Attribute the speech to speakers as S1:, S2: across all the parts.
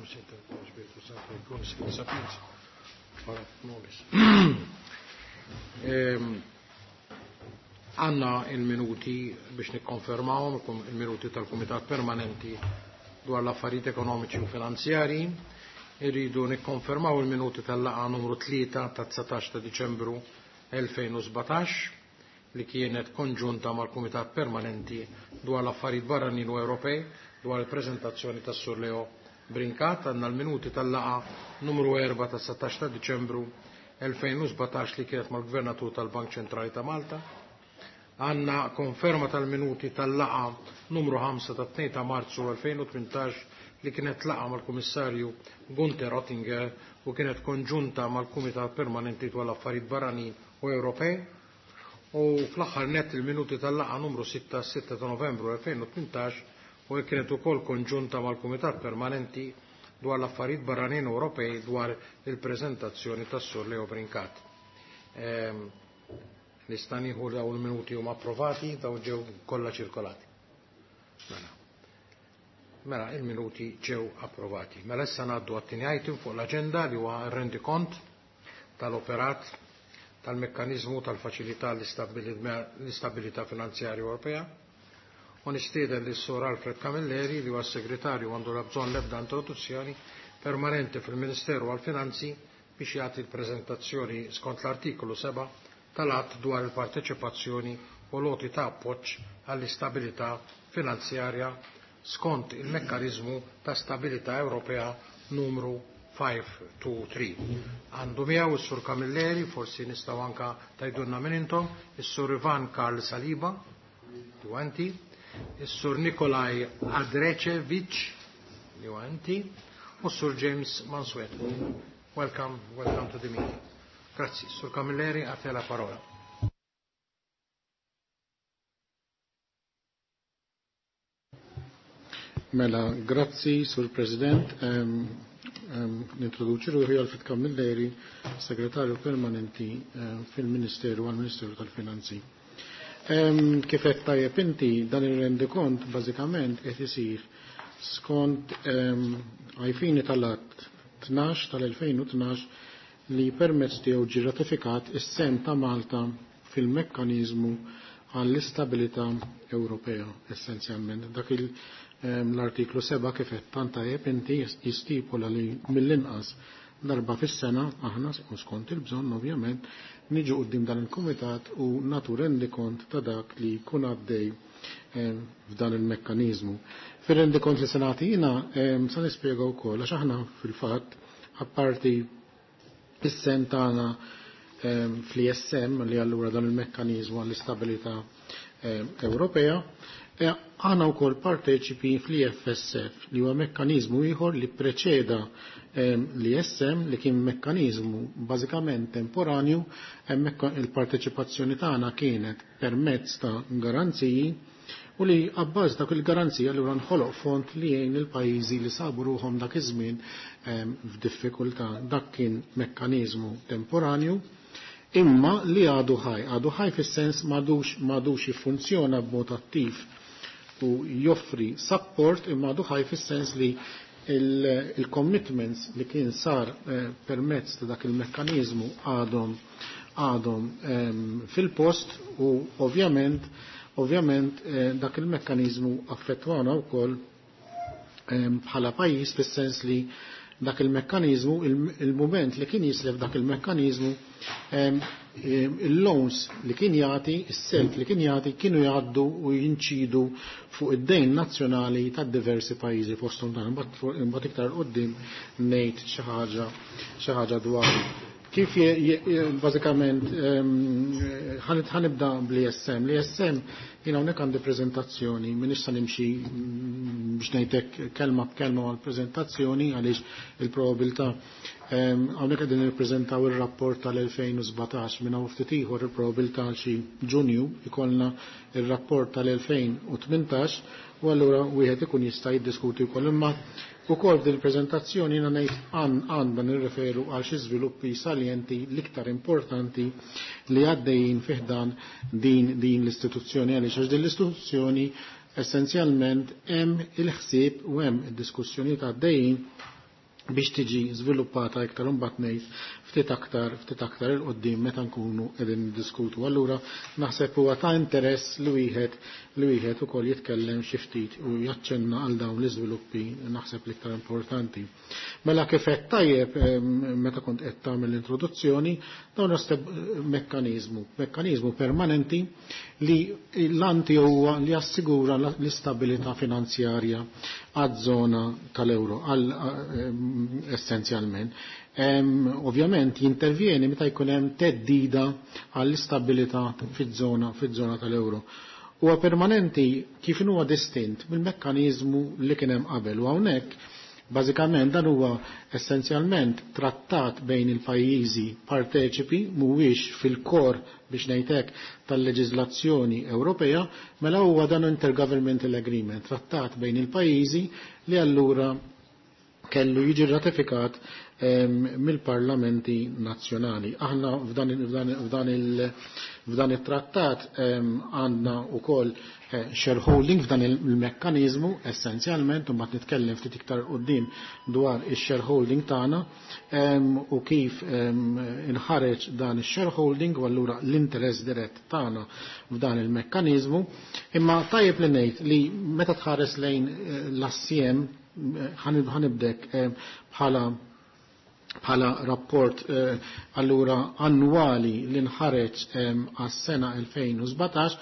S1: Spiritu Santo, et sapiens, ora nobis. Għanna il-minuti biex nikkonfermawhom il-minuti tal-Kumitat Permanenti dwar l-affarijiet ekonomiċi u finanzjarji. Irridu nikkonfermaw il-minuti tal-laqgħa numru 3 ta' 19 ta' Diċembru 2017 li kienet konġunta mal-Kumitat Permanenti dwar l-affarijiet barranin u Ewropej dwar il-preżentazzjoni tas-Sur Leo Brincat. Għandna l-minuti tal-laqgħa numru 4 ta' 19 ta' Diċembru 2017 li kienet mal-Gvernatur tal-Bank Ċentrali ta' Malta. Għanna konferma tal-minuti tal-laqa numru 5 ta' 2 ta' Marzu 2018 li kienet laqa mal-Kummissarju Gunther Oettinger u kienet konġunta mal-Kumitat Permanenti dwar l-Affarijiet Barranin u Ewropej. U fl-aħħar net il-minuti tal-laqa numru 6 6 ta' Novembru 2018 u kienet ukoll konġunta mal-Kumitat Permanenti dwar l-Affarijiet Barranin Ewropej dwar il-preżentazzjoni tas-Sur Leo Brincat. Nista' nieħu dawn il-minuti huma approvati, dawn ġew kollha ċirkolati. Mela. Mela, il-minuti ġew approvati. Mela issa ngħaddu għat-tieni item fuq l-aġenda li huwa rendikont tal-operat tal-mekkaniżmu tal-faċilità l-istabilità finanzjarja Ewropea. U nistieden lis sur Alfred Camilleri li huwa s-segretarju għandu la bżonn l-ebda introduzzjoni permanenti fil-Ministeru għall-Finanzi biex jagħti l-preżentazzjoni skont l-artikolu 7 tal-att dwar il-parteċipazzjoni u loti ta' appoġġ għall-istabilità finanzjarja skont il-mekkaniżmu ta' stabilità Ewropea numru 523. Għandu miegħu is-Sur Camilleri, forsi nistgħu anka tajdunna minn intom, is-Sur Ivan Karl Saliba, li is-Sur Nikolaj Adrecevic, li u s-Sur James Mansueto. Welcome, welcome to the meeting. Grazzi. Sur Camilleri, a te la parola.
S2: Mela, grazzi, Sur President. Nintroduċi ruħi Alfred Camilleri, segretarju permanenti fil-Ministeru għal-Ministeru tal-Finanzi. Kif qed tajjeb inti, dan ir-rendikont bażikament qed isir skont għajfini tal-att 12 tal-2012 li permezz tiegħu ġie ratifikat is-sem ta' Malta fil-mekkaniżmu għall-istabilità Ewropea essenzjalment. Dak l-artiklu 7 kif qed tant tajjeb inti jistipula li mill-inqas darba fis-sena aħna skont il-bżonn ovvjament niġu quddiem dan il-kumitat u natu rendikont ta' dak li jkun għaddej f'dan il-mekkaniżmu. Fir-rendikont li se nagħti sa nispjega wkoll għax aħna fil-fatt apparti is-sem tagħna fl-ISM li allura dan il-mekkaniżmu għall-istabilità Ewropea, aħna wkoll parteċipi fl-IFSF li huwa mekkaniżmu ieħor li preċeda l-ISM li kien mekkaniżmu bażikament temporanju, hemmhekk il-parteċipazzjoni tagħna kienet permezz ta' garanziji u li għabbaż dak il-garanzija li nħoloq fond li jgħin il-pajjiżi li sabu ruħhom dak iż-żmien f'diffikultà. Dak kien mekkaniżmu temporanju imma li għadu ħaj, għadu ħaj fis-sens m'għadux jiffunzjona b'mod attiv u joffri support imma għadu ħaj fis-sens li il-commitments li kien sar permezz ta' dak il-mekkaniżmu għadhom għadhom fil-post u ovvjament dak il-mekkaniżmu affettwana wkoll bħala pajjiż fis-sens li dak il-mekkaniżmu, il-moment li kien jislef dak il-mekkaniżmu, il-loans li kien jagħti, is-self li kien jagħti kienu jgħaddu u jinċidu fuq id-dejn nazzjonali ta' diversi pajjiżi fosthom dan imbagħad iktar quddiem ngħid xi ħaġa dwar. Kif bażikament ħanibda bl-ISM. L-ISM jiena hawnhekk għandi preżentazzjoni, m'iniex se nimxi biex ngħidlek kelma b'kelma mal-preżentazzjoni għaliex il-probabilità hawnhekk qegħdin nippreżentaw ir-rapport tal-2017 minn hawn ftit ieħor il-probabilità għal xi Ġunju ikollna ir-rapport tal-2018 u allura wieħed ikun jista' jiddiskuti wkoll imma ukoll f'din il-preżentazzjoni jiena ngħid għandna nirreferu għal xi żviluppi salienti l-iktar importanti li għaddejjin fih dan din l-istituzzjoni għaliex għax din l-istituzzjoni essenzjalment hemm il-ħsieb u hemm id-diskussjonijiet għaddejjin biex tiġi żviluppata iktar imbagħad ngħid ftit aktar 'il quddiem meta nkunu qegħdin niddiskutu. Allura naħseb huwa ta' interess li wieħed ukoll jitkellem xi ftit u jaċċenna għal dawn l-iżviluppi, naħseb, l-iktar importanti. Mela, kif qed tajjeb meta kont qed tagħmel l-introduzzjoni, dawn mekkaniżmu permanenti li l-għan huwa li jassigura l-istabilità finanzjarja għaż-żona tal-euro essenzjalment. Ovvjament jintervjeni meta jkun hemm theddida għall-istabilità fiż-żona tal-euro. Huwa permanenti kif huwa distint mill-mekkaniżmu li kien hemm qabel, u hawnhekk bażikament dan huwa essenzjalment trattat bejn il-pajjiżi parteċipi, mhuwiex fil-kor, biex ngħidlek, tal-leġiżlazzjoni Ewropea. Mela huwa dan intergovernmental agreement, trattat bejn il-pajjiżi, li allura kellu jiġi ratifikat mill-parlamenti nazzjonali. Aħna f'dan il-trattat għandna ukoll shareholding f'dan il-mekkanizmu essenzjalment, u mbagħad nitkellem ftit iktar quddiem dwar il-shareholding tagħna u kif inħareġ dan il-shareholding u allura l-interess dirett tagħna f'dan il-mekkanizmu. Imma tajjeb li ngħid li meta tħares lejn l-assjem, ħa nibdek bħala rapport allura annwali li nħareġ għas-sena 2017,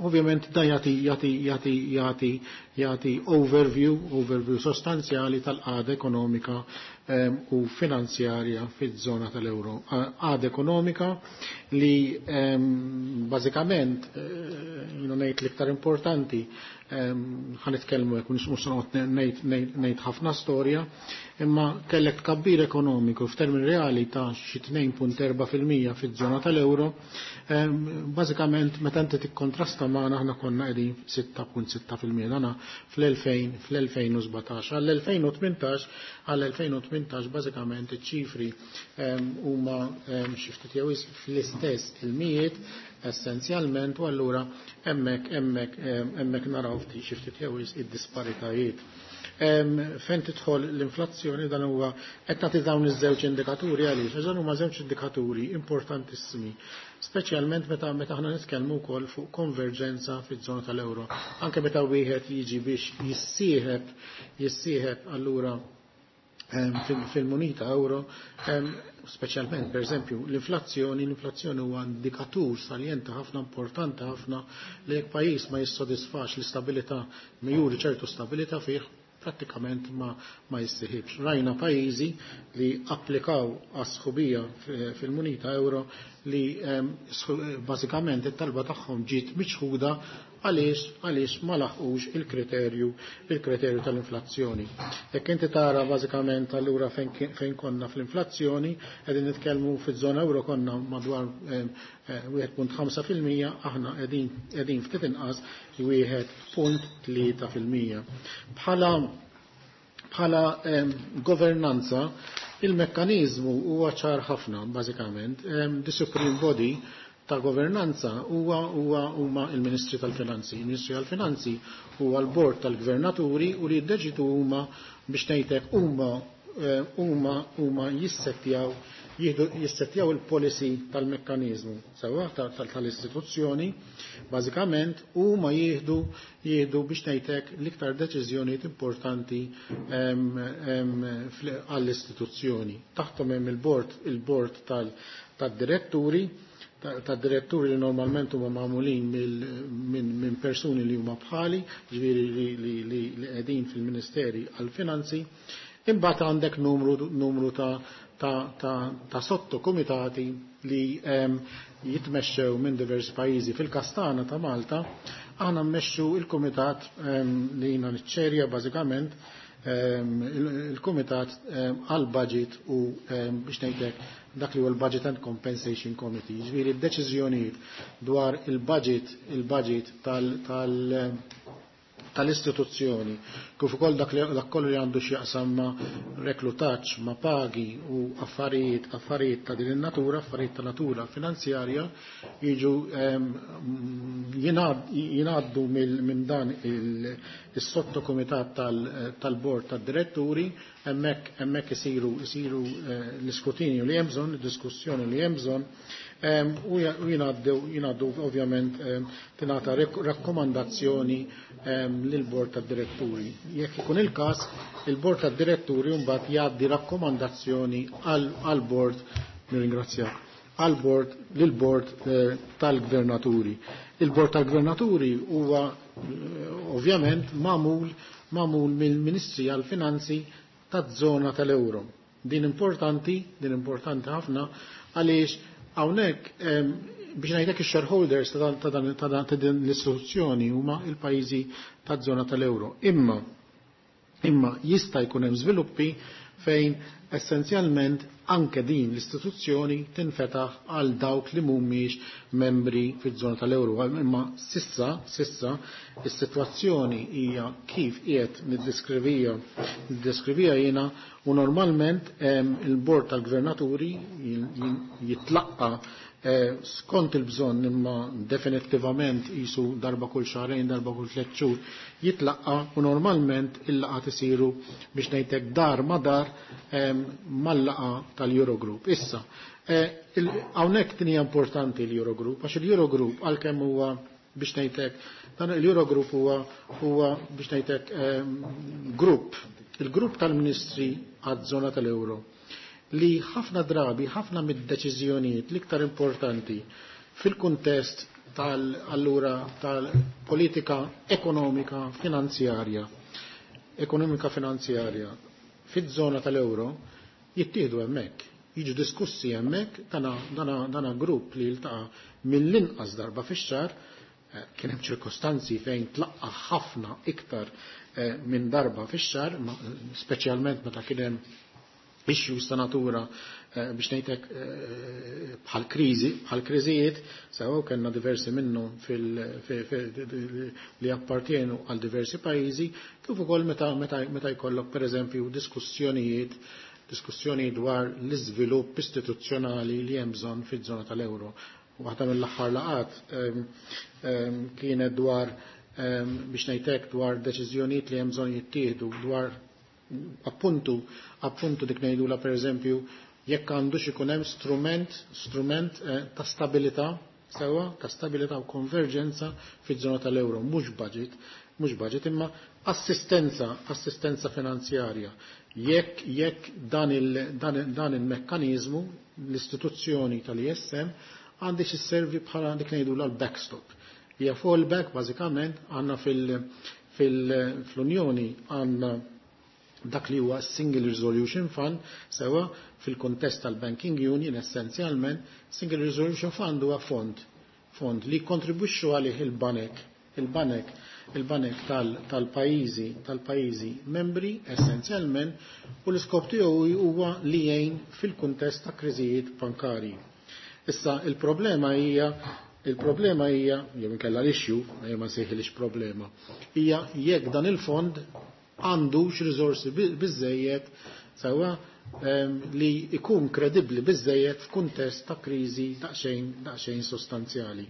S2: ovvjament da jagħti overview sostanzjali tal-qagħda ekonomika u finanzjarja fiż-żona tal-euro. Qagħda ekonomika li bażikament jiena ngħid l-iktar importanti, ħa nitkellmu hekk, mhux ngħid ħafna storja, imma kellek tkabbir ekonomiku f'termini reali ta' xi 2.4% fiż-żona tal-euro, bażikament meta inti tikkontrasta magħna, aħna konna qegħdin 6.6% dana fl-2017. Għall-2018 bażikament iċ-ċifri huma xi ftit jew fl-istess il-mijiet essenzjalment, u allura hemmhekk naraw ftit xi ftit jew id-disparitajiet. Fejn tidħol l-inflazzjoni, dan huwa qed nagħti dawn iż-żewġ indikaturi għaliex għax huma żewġ indikaturi importantissimi, speċjalment meta aħna nitkellmu wkoll fuq konverġenza fiż-żona tal-euro. Anke meta wieħed jiġi biex jissieħeb allura fil-munita euro, speċjalment per eżempju l-inflazzjoni huwa indikatur saljenti ħafna, importanti ħafna, li jekk pajjiż ma jissodisfax l-istabilità, ma juri ċertu stabilità fih, prattikament ma jissieħibx. Rajna pajjiżi li applikaw għas-sħubija fil-munita euro li bażikament it-talba tagħhom ġiet miċħuda. Għaliex? Għaliex ma laħqux il-kriterju tal-inflazzjoni. Jekk inti tara bażikament allura fejn konna fl-inflazzjoni, qegħdin nitkellmu fiż-żona euro konna madwar 1.5%, aħna qegħdin ftit inqas, 1.3%. Bħala governanza, il-mekkanizmu huwa ċar ħafna bażikament. The Supreme Body ta' governanza huwa huma il-Ministri tal-Finanzi. Il-Ministri tal-Finanzi huwa l-Bord tal-Gvernaturi u li jiddeċidu huma, biex ngħidlek, huma jissettjaw il-policy tal-mekkanizmu sewa tal-istituzzjoni bażikament, huma jieħdu, biex ngħidlek, l-iktar deċiżjonijiet importanti għall-istituzzjoni. Taħtom hemm il-bord tad-diretturi li normalment huma magħmulin minn persuni li huma bħali, ġifieri li qegħdin fil-Ministeri għall-Finanzi. Imbagħad għandek numru ta' sottokomitati li jitmexxew minn diversi pajjiżi. Fil-każ tagħna ta' Malta, aħna mmexxu il-kumitat li jiena niċċerja bażikament, il-kumitat għal-budget u biex ngħidlek dak li huwa l-Budget and Compensation Committee. Ġifieri d-deċiżjonijiet dwar il-budget tal-istituzzjoni. kif ukoll dak kollu li għandu x'jaqsam ma' reklutaġġ, ma' pagi u affarijiet ta' din in-natura, affarijiet ta' natura finanzjarja, jiġu jingħaddu minn dan is-sottokumitat tal-bord tad-diretturi, hemmhekk isiru l-iskrutinju li hemm bżonn, id-diskussjoni li hemm bżonn, u jingħaddu ovvjament tingħata rakkomandazzjoni lill-bord tad-diretturi. Jekk ikun il-każ, il-bord tad-diretturi mbagħad jgħaddi rakkomandazzjoni għall-bord, nirringrazzjak, għall-bord lill-bord tal-gvernaturi. Il-bord tal-gvernaturi huwa ovvjament magħmul mill-Ministri għall-Finanzi taż-żona tal-Euro. Din importanti ħafna għaliex hawnhekk biex ngħidlek ix-shareholders ta' din l-istituzzjoni huma l-pajjiżi taż-żona tal-Euro. Imma jista' jkun hemm żviluppi fejn essenzjalment anke din l-istituzzjoni tinfetaħ għal dawk li mhumiex membri fiż-żona tal-Euro. Imma sissa is-sitwazzjoni hija kif qiegħed niddeskrivija jiena, u normalment il-bord tal-gvernaturi jitlaqqa skont il-bżonn, imma definittivament jisu darba kull xahrejn, darba kull 3 xhur jitlaqqa, u normalment il-laqgħat isiru biex ngħidlek dar ma dar mal-laqgħa tal-Eurogroup. Issa, hawnhekk din hija importanti l-Eurogroup, għax il-Eurogroup għalkemm huwa biex ngħidlek dan il-Eurogroup huwa biex ngħidlek grupp, il-grupp tal-Ministri għaż-żona tal-Euro, li ħafna drabi, ħafna mid-deċiżjonijiet l-iktar importanti fil-kuntest tal-allura tal-politika ekonomika finanzjarja fiż-żona tal-euro jittieħdu hemmhekk, jiġu diskussi hemmhekk. Dana grupp li jiltaqa' mill-inqas darba fix-xahar, kien hemm ċirkostanzi fejn tlaqqa ħafna iktar minn darba fix-xahar, speċjalment meta kien hemm issues ta' natura biex ngħidlek bħal kriżi, bħal kriżijiet, sew kellna diversi minnhom li appartienu għal diversi pajjiżi, kif ukoll meta jkollok pereżempju diskussjoni dwar l-iżvilupp istituzzjonali li hemm bżonn fiż-żona tal-euro. Waħda mill-aħħar laqat kienet dwar biex ngħidlek dwar deċiżjonijiet li hemm bżonn jittieħdu dwar appuntu dik ngħidula pereżempju jekk għandux ikun hemm strument ta' stabilità, sewwa, ta' stabilità u konverġenza fiż-żona tal-euro, mhux budget imma assistenza finanzjarja. Jekk dan il-mekkaniżmu, l-istituzzjoni tal-ISM għandix isservi bħala dik ngħidula l-backstop. Hija fallback bażikament għandna fil-Unjoni għandna dak li huwa Single Resolution Fund, sewa fil-kontest tal-Banking Union essenzjalment Single Resolution Fund huwa fond li kontribwixxu għalih il-banek tal-pajjiżi membri essenzjalment, u l-iskop tiegħu huwa li jgħin fil-kuntest ta' kriżijiet bankarji. Issa il-problema hija jew inkella l-issue, ma nsejħilix problema, hija jekk dan il-fond għandux riżorsi biżejjed sewwa li ikun kredibbli biżejjed f'kuntest ta' kriżi daqsxejn sostanzjali.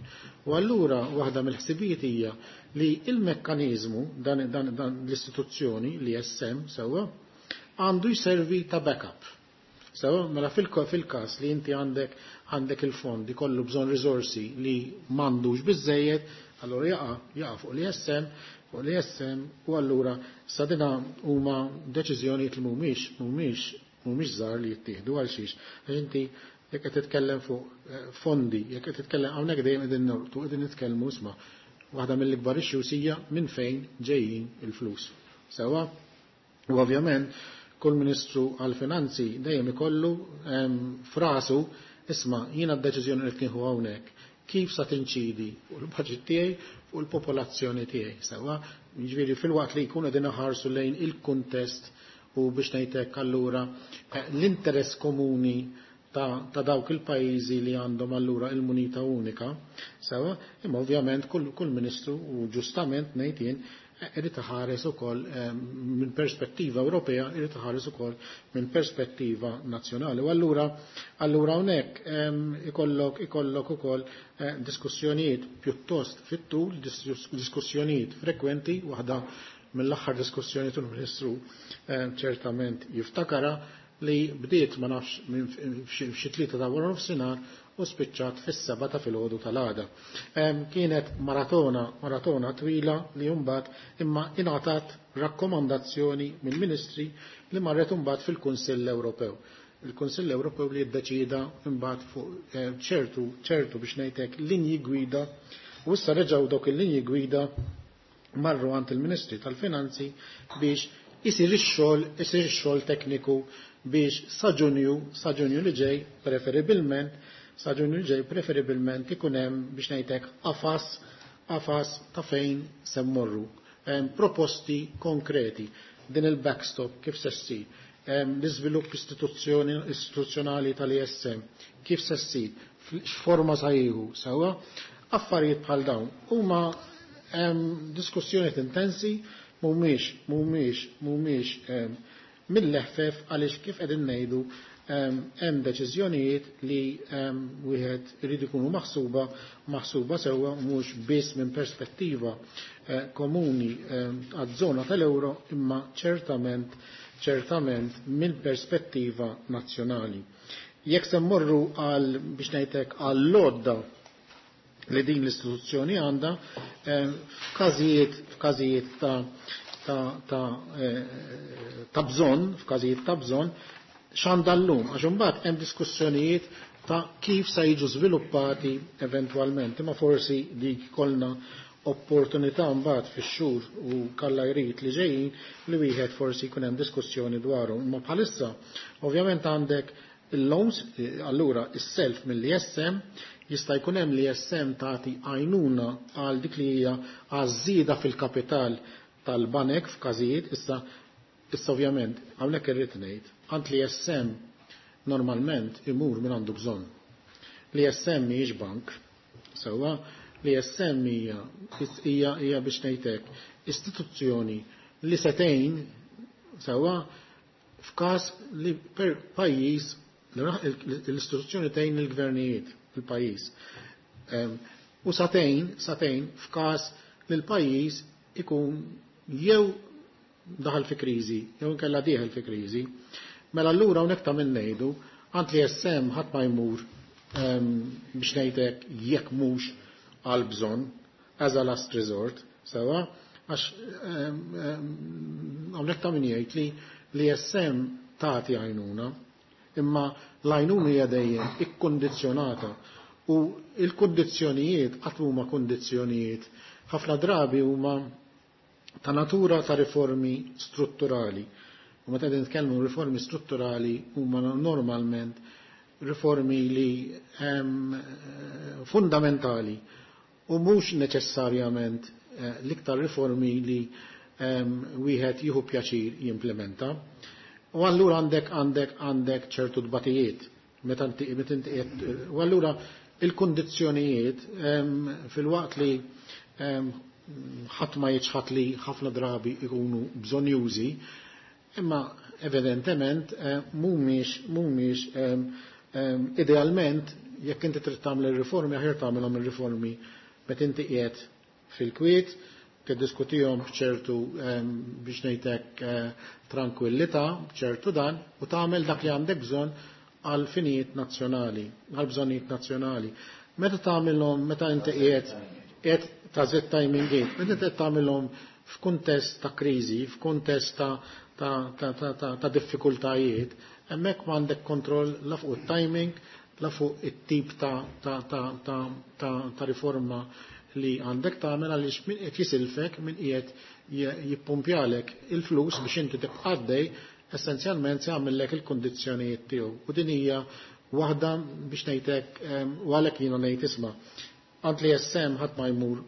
S2: U allura waħda mill-ħsibijiet hija li il-mekkaniżmu dan l-istituzzjoni li SM sewwa għandu jservi ta' backup. Sewwa mela fil-każ li inti għandek il-fond ikollu bżonn riżorsi li m'għandux biżejjed, allura jaqa' fuq l-ISM, fuq l-ISM, u allura sadina huma deċiżjonijiet li mhumiex żgħar li jittieħdu għal xiex. Għax inti jekk qed titkellem fuq fondi, jekk qed titkellem hawnhekk dejjem qegħdin nortu, qegħdin nitkellmu isma' waħda mill-ikbar issues hija minn fejn ġejjin il-flus. Sewwa, u ovvjament kull ministru għall-finanzi dejjem ikollu frasu isma' jiena d-deċiżjoni li tnieħu hawnhekk kif sa tinċidi fuq il-budget tiegħi fuq il-popolazzjoni tiegħi. Sewwa, jiġifieri fil-waqt li jkunu qegħdin iħarsu lejn il-kuntest u biex ngħidlek allura l-interess komuni ta' dawk il-pajjiżi li għandhom allura il-munita unika, sewwa, imma ovvjament kull ministru u ġustament ngħid jien irid iħares ukoll minn perspettiva Ewropea, irid iħares ukoll minn perspettiva nazzjonali. U allura hawnhekk ikollok ukoll diskussjonijiet pjuttost fit-tul, diskussjonijiet frekwenti, waħda mill-aħħar diskussjoni tal-Ministru ċertament jiftakara li bdiet ma nafx minn f'xi 3 ta' wara nofsinhar u spiċċat fis-7 ta' filgħodu tal-għada. Kienet maratona twila li mbagħad imma ingħatat rakkomandazzjoni mill-Ministri li marret imbagħad fil-Kunsill Ewropew. Il-Kunsill Ewropew li ddeċida mbagħad fuq ċertu biex ngħidlek linji gwida, u issa reġgħu dawk il-linji gwida marru għand il-Ministri tal-Finanzi biex isir ix-xogħol tekniku biex sa Ġunju li ġej preferibilment, sa Ġunju li ġej preferibilment ikun hemm biex ngħidlek qafas ta' fejn se mmorru. Proposti konkreti din il-backstop kif se ssir, l-iżvilupp istituzzjonali tal-ISM kif se ssir, x'forma sa jieħu, sewwa, affarijiet bħal dawn huma diskussjonijiet intensi, mhumiex mill-leħfef, għaliex kif qegħdin ngħidu hemm deċiżjonijiet li wieħed irid ikunu maħsuba sewwa, mhux biss minn perspettiva komuni għaż-żona tal-euro, imma ċertament minn perspettiva nazzjonali. Jekk se mmorru għal biex ngħidlek għall-lodda li din l-istituzzjoni għandha, f'każijiet ta' bżonn, f'każijiet ta' bżonn, x'għandha llum, għax imbagħad hemm diskussjonijiet ta' kif se jiġu żviluppati eventwalment, imma forsi dik kollna opportunità mbagħad fix-xhur u kalla jrid li ġejjin li wieħed forsi jkun hemm diskussjoni dwaru. Imma bħalissa ovvjament għandek il-loans, allura is-self mill-ISM, jista' jkun hemm li ISM tagħti għajnuna għal dik li hija għażida fil-kapital tal-banek f'każijiet, issa ovvjament hawnhekk irrid ngħid, għand li ISM normalment imur minn għandu bżonn. Li ISM mhijiex bank, sewwa, li ISM hija biex ngħidlek istituzzjoni li setejn sewwa f'każ li per pajjiż l-istituzzjoni tgħin il-gvernijiet fil-pajjiż. U satejn f'każ li l-pajjiż ikun jew daħal fi kriżi, jew inkella dieħel fi kriżi. Mela allura hawnhekk ta' min ngħidu, għand li SM ħadd ma jmur biex ngħidlek jekk mhux għal bżonn, as a last resort, sewa, għax hawnhekk ta' min jgħid li SM tagħti għajnuna, imma l-għajnuna hija dejjem ikkondizzjonata u l-kundizzjonijiet qatt huma kundizzjonijiet ħafna drabi huma ta' natura ta' riformi strutturali. U meta qegħdin nitkellmu riformi strutturali huma normalment riformi li hemm fundamentali u mhux neċessarjament l-iktar riformi li wieħed jieħu pjaċir jimplementa. U allura għandek ċertu tbatijiet meta inti qiegħed, u allura il-kundizzjonijiet fil-waqt li ħadd ma jiċħad li ħafna drabi ikunu bżonjużi, imma evidentement mhumiex idealment jekk inti trid tagħmel ir-riformi aħjar tagħmelhom ir-riformi meta inti qiegħed fil-kwiet, tiddiskutihom b'ċertu biex ngħidlek tranquillità, b'ċertu dan, u tagħmel dak li għandek bżonn għal finijiet nazzjonali, għal bżonnijiet nazzjonali. Meta tagħmilhom, meta inti qiegħed ta' żed timing gate, meta inti qed tagħmilhom f'kuntest ta' kriżi, f'kuntest ta' diffikultajiet, hemmhekk m'għandek kontroll la fuq it-timing, la fuq it-tip ta' riforma li għandek tagħmel, għaliex min qed jisilfek, min qiegħed jippumpjalek il-flus biex inti tibqa' għaddej, essenzjalment se jagħmellek il-kundizzjonijiet tiegħu. U din hija waħda biex ngħidlek, u għalhekk jiena ngħid isma' għand li SM ħadd ma jmur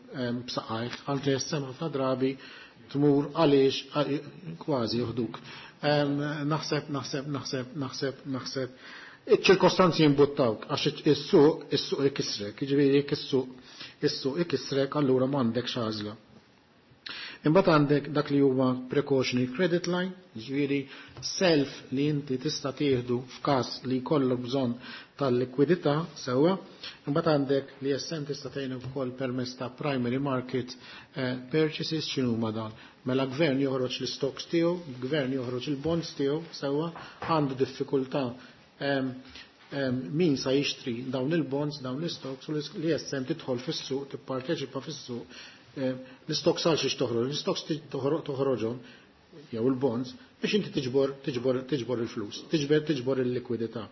S2: b'saqajh, għand li SM ħafna drabi tmur għaliex kważi joħduk. Naħseb, naħseb, naħseb, naħseb, naħseb. Iċ-ċirkostanzi jimbuttawk, għax is-suq ikissrek, jiġifieri jekk is-suq ikissrek, allura m'għandekx għażla. Imbagħad għandek dak li huwa precautionary credit line, jiġifieri self li inti tista' tieħdu f'każ li jkollok bżonn tal-likwidità sewwa. Imbagħad għandek li ISM tista' tgħin ukoll permezz ta' primary market purchases. X'inhuma dan? Mela gvern joħroġ l-stocks tiegħu, gvern joħroġ il-bonds tiegħu sewwa, għandu diffikultà min sa jixtri dawn il-bonds, dawn l-stocks, u l-ISM tidħol fis-suq, tipparteċipa fis-suq. L-stocks għal xiex toħroġ? L-stocks toħroġhom jew il-bonds biex inti tiġbor il-flus, tiġbor il-likwidità.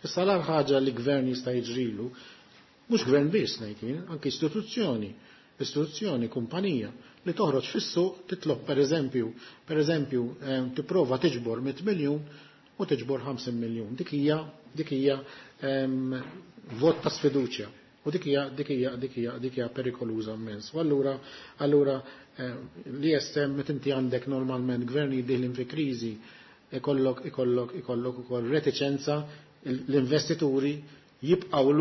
S2: Issa l ħaġa li gvern jista' jiġrilu, mhux gvern biss ngħid jien, anke istituzzjoni, kumpanija li toħroġ fis-suq titlob pereżempju tipprova tiġbor 100 miljun u tiġbor 50 miljun. Dik hija vot ta' sfiduċja. U dik hija perikoluża immens. U allura l-ISM, meta inti għandek normalment gvern deħlin fi kriżi, ikollok ukoll reticenza, l-investituri jibqgħu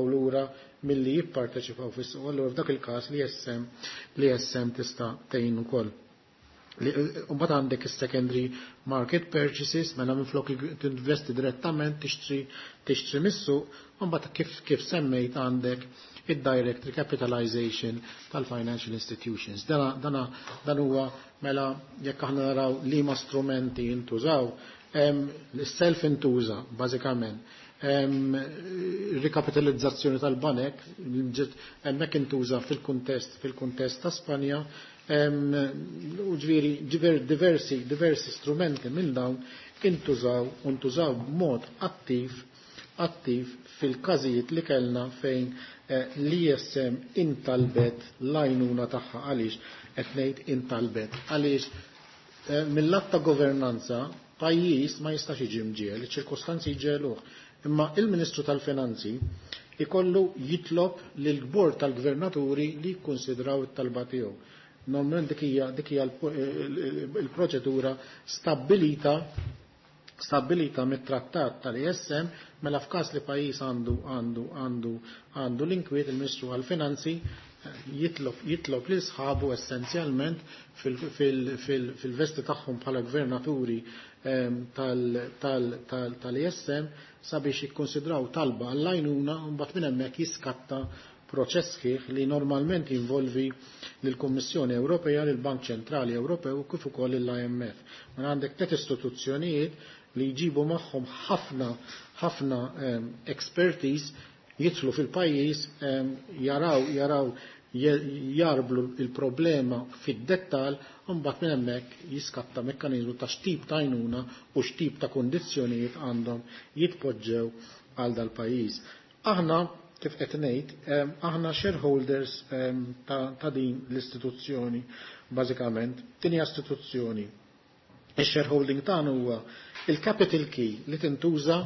S2: lura milli jipparteċipaw fis-suq. Allura f'dak il-każ l-ISM tista' tgħin ukoll. Mbagħad għandek is-secondary market purchases, mela minflok tinvesti direttament tixtri mis-suq, mbagħad kif semmejt għandek id-direct recapitalization tal-financial institutions. Dan huwa mela jekk aħna naraw liema strumenti jintużaw, l-self intuża bażikament. Rikapitalizzazzjoni tal-banek, hemmhekk intuża fil-kuntest ta' Spanja, u ġifieri diversi strumenti minn dawn intużaw b'mod attiv fil-każijiet li kellna fejn l-ISM intalbet l-għajnuna tagħha. Għaliex qed ngħid intalbet? Għaliex mill-att ta' governanza pajjiż ma jistax jiġi mġiegħel, iċ-ċirkostanzi jġegħluh. Imma il-Ministru tal-Finanzi ikollu jitlob lil bord tal-gvernaturi li jikkonsidraw it-talba tiegħu. Normalment dik hija l-proċedura stabilita mit-trattat tal-ISM. Mela f'każ li pajjiż għandu l-inkwiet, il-Ministru għal-Finanzi jitlob lil sħabu essenzjalment fil-vesti tagħhom bħala gvernaturi tal-ISM sabiex jikkonsidraw talba għall-għajnuna, u mbagħad minn hemmhekk jiskatta proċess sħiħ li normalment jinvolvi lill-Kummissjoni Ewropea, lill-Bank Ċentrali Ewropew kif ukoll l-IMF. Ma għandek tliet istituzzjonijiet li jġibu magħhom ħafna ħafna expertise, jidħlu fil-pajjiż, jaraw jarblu il-problema fid-dettal, u mbagħad minn hemmhekk jiskatta mekkaniżmu ta' x'tip ta' għajnuna u x'tip ta' kondizzjonijiet għandhom jitpoġġew għal dal-pajjiż. Aħna, kif qed ngħid, aħna shareholders ta' din l-istituzzjoni bażikament, din hija istituzzjoni. Ix-shareholding tagħna huwa il-capital key li tintuża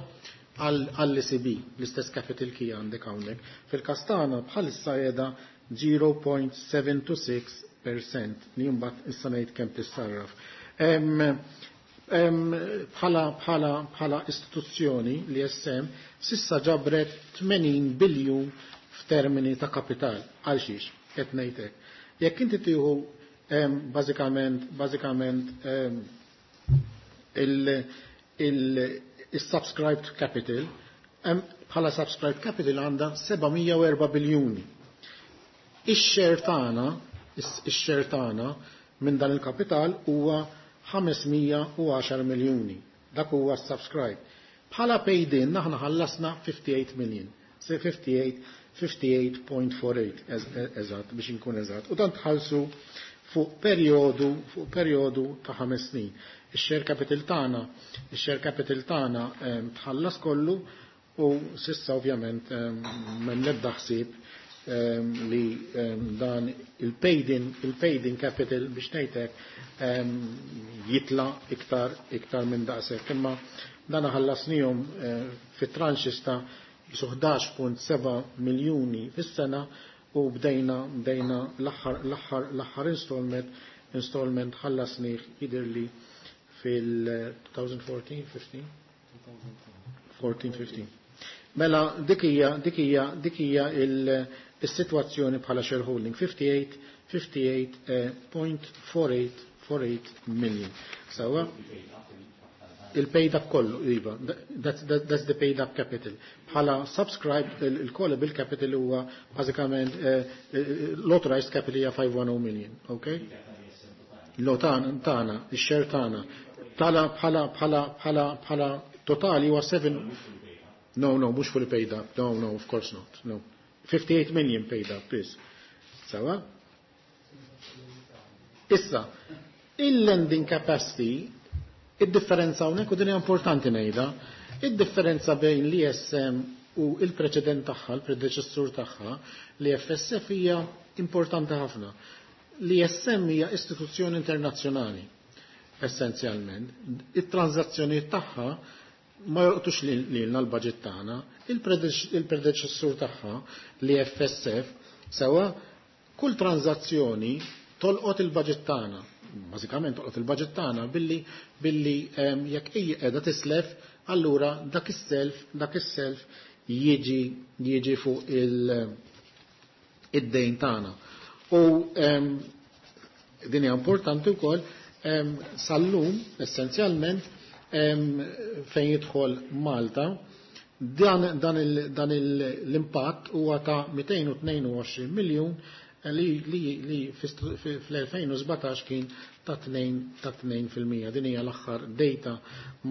S2: għall-ECB, l-istess capital key għandek hawnhekk. Fil-każ tagħna bħalissa qiegħda 0.726% li mbagħad issa ngħid kemm tissarraf. Bħala istituzzjoni l-ISM s'issa ġabret 80 biljun f'termini ta' kapital. Għal xiex, qed ngħidlek. Jekk inti tieħu bażikament il-subscribed capital, bħala subscribed capital għandha 704 biljuni. Ix-share tagħna minn dan il-kapital huwa 510 miljuni. Dak huwa subscribe. Bħala paid in aħna ħallasna 58 million. Se 58 58.48 eżatt biex inkun eżatt. U dan tħallsu fuq perjodu ta' 5 snin. Ix-share capital tagħna tħallas kollu u s'issa ovvjament m'hemm l-ebda ħsieb li dan il-paid in capital, biex ngħidlek, jitla iktar minn daqshekk. Imma dan ħallasnihom fit tranches ta' 11.7 miljuni fis-sena u bdejna l-aħħar installment ħallasnih jidirli fil-2014, 15? 14, 15. Mela dik hija Is-sitwazzjoni bħala shareholding 58.48 million. Sawa? Il-paid up kollu, iva, that's the paid up capital. Bħala subscribed, il-callable capital huwa bażikament l-authorized capital hija 510 million, okay? Lo tagħna, ix-share tagħna. Tala bħala totali huwa 7. No, mhux fully paid up. No, of course not. No. 58 million paid up, please. Sawa? Issa, il-lending capacity, id-differenza hawnhekk u din hija importanti ngħidha, id-differenza bejn l-ESM u il-preċedent tagħha, il-predeċessur tagħha, l-EFSF hija importanti ħafna. L-ESM hija istituzzjoni internazzjonali, essenzjalment. It-transazzjonijiet tagħha ma jolqtux lilna l-budget tagħna, il-predeċessur tagħha l-EFSF sewa kull tranzazzjoni tolqot il-budget tagħna. Bażikament tolqot il-budget tagħna billi jekk hija qiegħda tislef, allura dak is-self jiġi fuq id-dejn tagħna. U din hija importanti wkoll sal-lum essenzjalment fejn jidħol Malta dan l-impatt huwa ta' 222 miljun li fl-2017 kien ta' 2%. Din hija l-aħħar data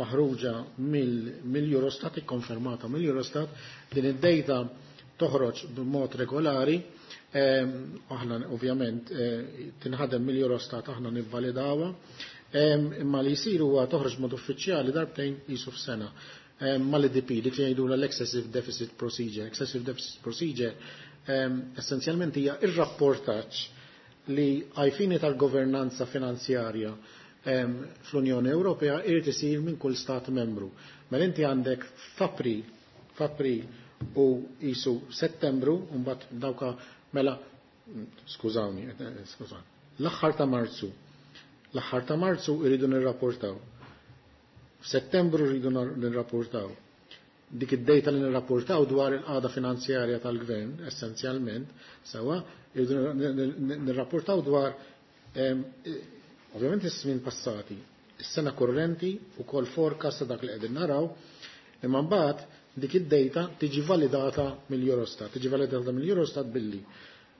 S2: maħruġa mill-Eurostat, ikkonfermata mill-Eurostat. Din id-data toħroġ b'mod regolari. Aħna ovvjament tinħadem mill-Eurostat, aħna nivvalidawha. Imma li jsir huwa toħroġ mod uffiċjali darbtejn jisu f'sena. Mal-EDP, dik li jgħidu l-Excessive Deficit Procedure. Excessive Deficit Procedure essenzjalment hija ir-rapportaġġ li għall-fini tal-governanza finanzjarja fl-Unjoni Ewropea irid isir minn kull stat membru. Mela inti għandek f'April u jisu Settembru, mbagħad dawka mela skużawni, skużawni, l-aħħar ta' Marzu. L-aħħar ta' Marzu iridu nirrapportaw. F'Settembru rridu nirrapportaw. Dik id-data li nirrapportaw dwar il-qagħda finanzjarja tal-gvern, essenzjalment, sewa, irridu nirrapportaw dwar ovvjament is-snin passati, is-sena korrenti u kol forecast ta' dak li qegħdin naraw, imma mbagħad dik id-data tiġi validata mill-Eurostat, tiġi validata mill-Eurostat billi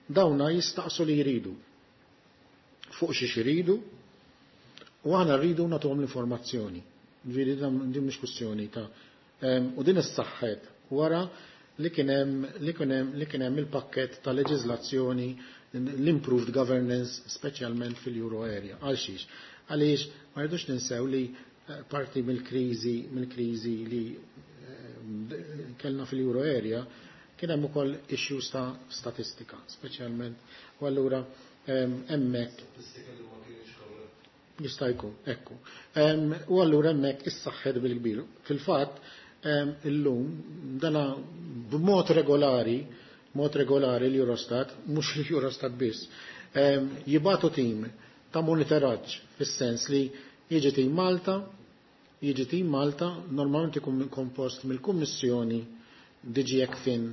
S2: dawna jistaqsu li jridu fuq xi jridu u aħna rridu nagħtuhom l-informazzjoni. Ġifieri din mhix kwistjoni ta' u din issaħħet wara li kien hemm il-pakket ta' leġiżlazzjoni l-improved governance speċjalment fil-euro area. Għal xiex? Għaliex ma rridux ninsew li parti mill-kriżi li kellna fil-euro area kien hemm ukoll issues ta' statistika, speċjalment u allura hemmhekk jista' jkun, ekku. U allura hemmhekk issaħħet bil-kbir. Fil-fatt illum dana b'mod regolari, mod regolari l-Eurostat, mhux l-Eurostat biss, jibagħtu tim ta' monitoraġġ fis-sens li jiġi tim Malta, jiġi tim Malta, normalment ikun kompost mill-Kummissjoni, DG ECFIN,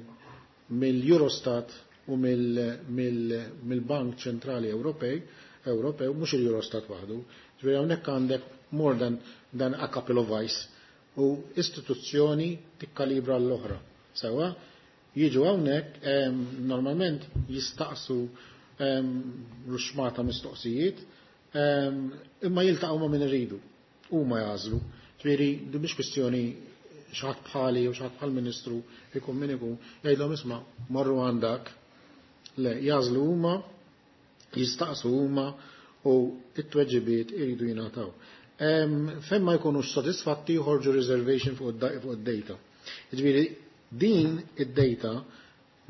S2: mill-Eurostat u mill-Bank Ċentrali Ewropew, mhux il-Eurostat waħdu. Ġifieri hawnhekk għandek more than a couple of eyes u istituzzjoni tikkalibra l-oħra. Sewa, jiġu hawnhekk normalment jistaqsu ruxmata mistoqsijiet, imma jiltaqgħu ma' min iridu. Huma jagħżlu. Ġifieri din mhix kwistjoni xi ħadd bħali u xi ħadd bħal ministru ikun min ikun jgħidlhom isma' morru għandak. Le, jagħżlu huma, jistaqsu huma u it-tweġibiet iridu jingħataw. Fejn ma jkunux sodisfatti joħorġu reservation fuq id-data. Ġifieri din id-data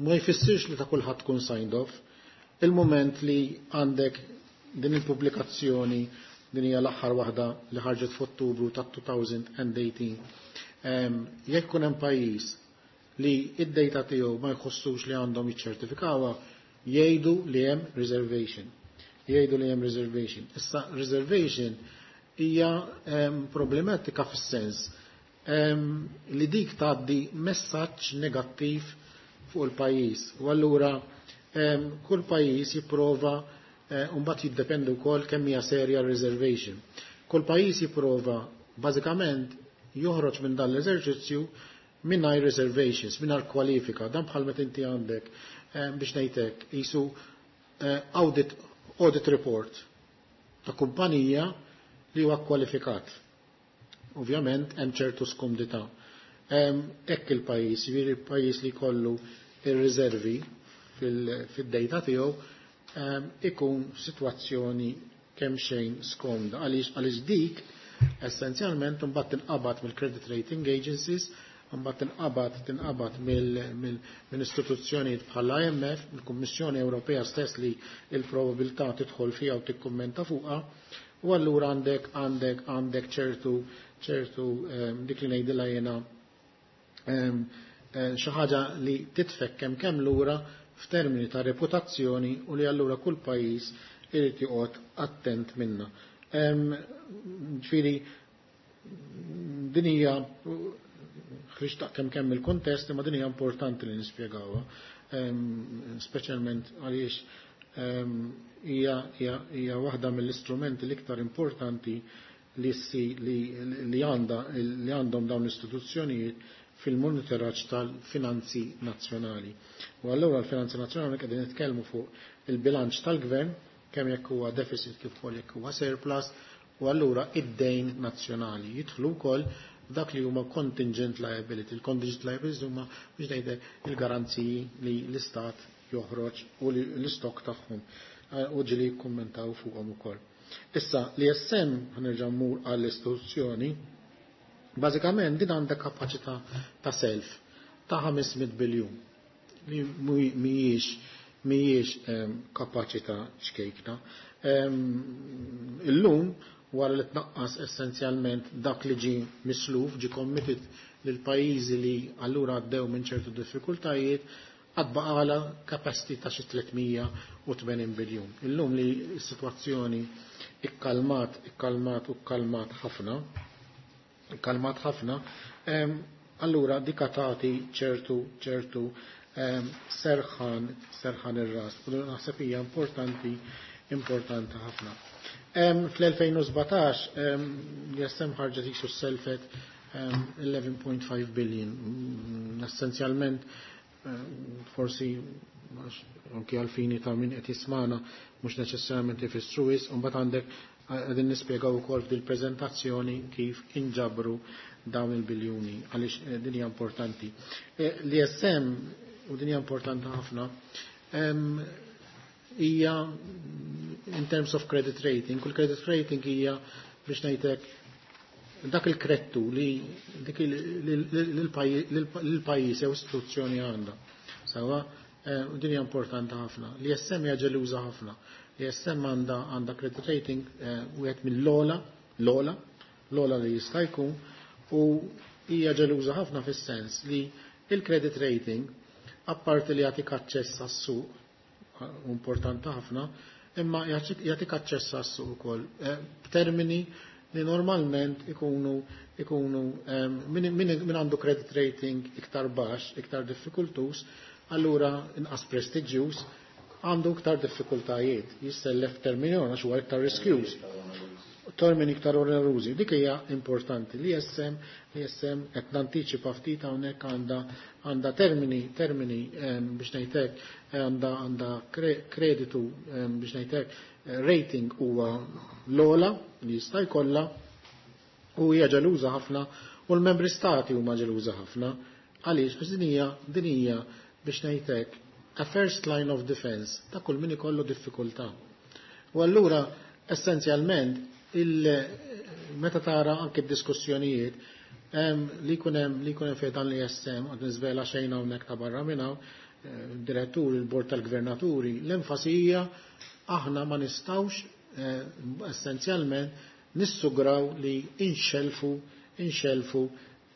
S2: ma jfissirx li ta' kulħadd tkun signed off. Il-moment li għandek din il-pubblikazzjoni din hija l-aħħar waħda li ħarġet f'Ottubru ta' 2018. Jekk ikun hemm pajjiż li id-data tiegħu ma jħossux li għandhom jiċċertifikawha, jgħidu li hemm reservation. Jgħidu li hemm reservation. Issa reservation hija problematika fis-sens li dik tgħaddi messaġġ negattiv fuq il-pajjiż. U allura Kull pajjiż jipprova, mbagħad jiddependi wkoll kemm hija serja reservation. Kull pajjiż jipprova bażikament joħroġ minn dan l-eżerċizzju mingħajr reservations, mingħajr kwalifika. Dan bħal meta inti għandek, biex ngħidlek, qisu audit report ta' kumpanija li huwa kwalifikat. Ovvjament hemm ċertu skumdità. Hekk il-pajjiż, jiġifieri il-pajjiż li jkollu ir-riservi fid-dejta tiegħu ikun sitwazzjoni kemm xejn skomda. Għaliex dik essenzjalment imbagħad tinqabad mill-credit rating agencies, imbagħad tinqabad minn istituzzjonijiet bħal IMF, mill-Kummissjoni Ewropea stess li l-probabilità tidħol fiha u tikkummenta fuqha, u allura għandek ċertu dik li ngħidilha jiena xi ħaġa li titfek kemm lura f'termini ta' reputazzjoni u li allura kull pajjiż irid joqgħod attent minna. Ġifieri din hija ħriġt kemm il-kontest, imma din hija importanti li nispjegawha, speċjalment għaliex hija waħda mill-istrumenti l-iktar importanti li għandhom dawn l-istituzzjonijiet fil-monitoraġġ tal-finanzi nazzjonali. U allura l-finanzi nazzjonali qegħdin nitkellmu fuq il-bilanċ tal-gvern, kemm jekk huwa deficit kif ukoll jekk huwa surplus, u allura id-dejn nazzjonali jidħlu wkoll dak li huma contingent liability. Il-contingent liability huma biex ngħidlek il-garanziji li l-istat joħroġ u l-istok tagħhom, u ġili jikkummentaw fuqhom ukoll. Issa li ISM ħanerġa' mmur għall-istituzzjoni, bażikament din għandha kapaċità ta' self ta' 500 biljun li mhijiex kapaċità ċkejkna. Illum wara li tnaqqas essenzjalment dak li ġie misluf, ġie committed lil pajjiżi li allura għaddew minn ċertu diffikultajiet, għad baqala capacity ta' xi 380 biljun. Illum li s-sitwazzjoni ikkalmat, ikkalmat u kkalmat ħafna, ikkalmat ħafna, allura dika tagħti ċertu serħan ir-ras. U naħseb hija importanti ħafna. Fl-2017 l-ISM ħarġet jisu selfet 11.5 billion. Essenzjalment, forsi anki għalfini ta' min qed jismana mhux neċessarjament ifissru wisq, u mbagħad għandek qegħdin nispjegaw ukoll f'dil-preżentazzjoni kif inġabru dawn il-biljuni, għaliex din hija importanti. L-ISM, u din hija importanti ħafna, hija in terms of credit rating, kull credit rating hija biex ngħidlek dak il-krettu li dik l-pajjiż jew istituzzjoni għandha. Sawa, din hija importanti ħafna. L-ISM hija ġeluża ħafna. L-ISM għandha credit rating wieħed mill-ola, l-ola, l-ola li jista' jkun, u hija ġeluża ħafna fis-sens li il-credit rating, apparti li jagħtik aċċess għas-suq, importanti ħafna, imma jagħtik aċċess għas-suq ukoll b'termini li normalment ikunu min għandu credit rating iktar baxx, iktar diffikultus, allura inqas prestiġjuż, għandu iktar diffikultajiet, jissellef termini għax huwa iktar riskjuż. Termini iktar onerużi. Dik hija importanti. Li ISM, li ISM qed nantiċipa ftit hawnhekk għandha termini biex ngħidlek, għandha kreditu biex ngħidlek, rating huwa l-ola li jista' jkollha, u hija ġeluża ħafna, u l-membri stati huma ġeluża ħafna. Għaliex? Għax din hija biex ngħidlek a first line of defense ta' kull min ikollu diffikultà. U allura essenzjalment meta tara anke d-diskussjonijiet li jkun hemm, li jkun hemm fejn dan li ISM, għad niżvela xejn hawnhekk ta' barra minn hawn, direttur, il-bord tal-gvernaturi, l-enfasi hija aħna ma nistgħux essenzjalment nissugraw li inxelfu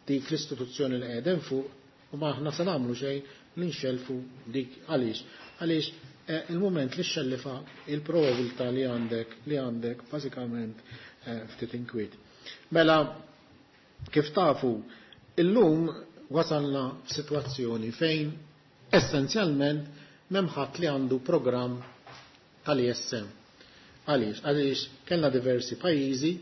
S2: dik l-istituzzjoni li qegħdin fuq, u ma aħna se nagħmlu xejn li nxelfu dik. Għaliex? Għaliex il-moment li xellifa il-probabilità li għandek, li għandek bażikament ftit inkwiet. Mela, kif tafu, illum wasalna f'sitwazzjoni fejn essenzjalment m'hemm ħadd li għandu programm tal-ESM. Għaliex? Għaliex kellna diversi pajjiżi,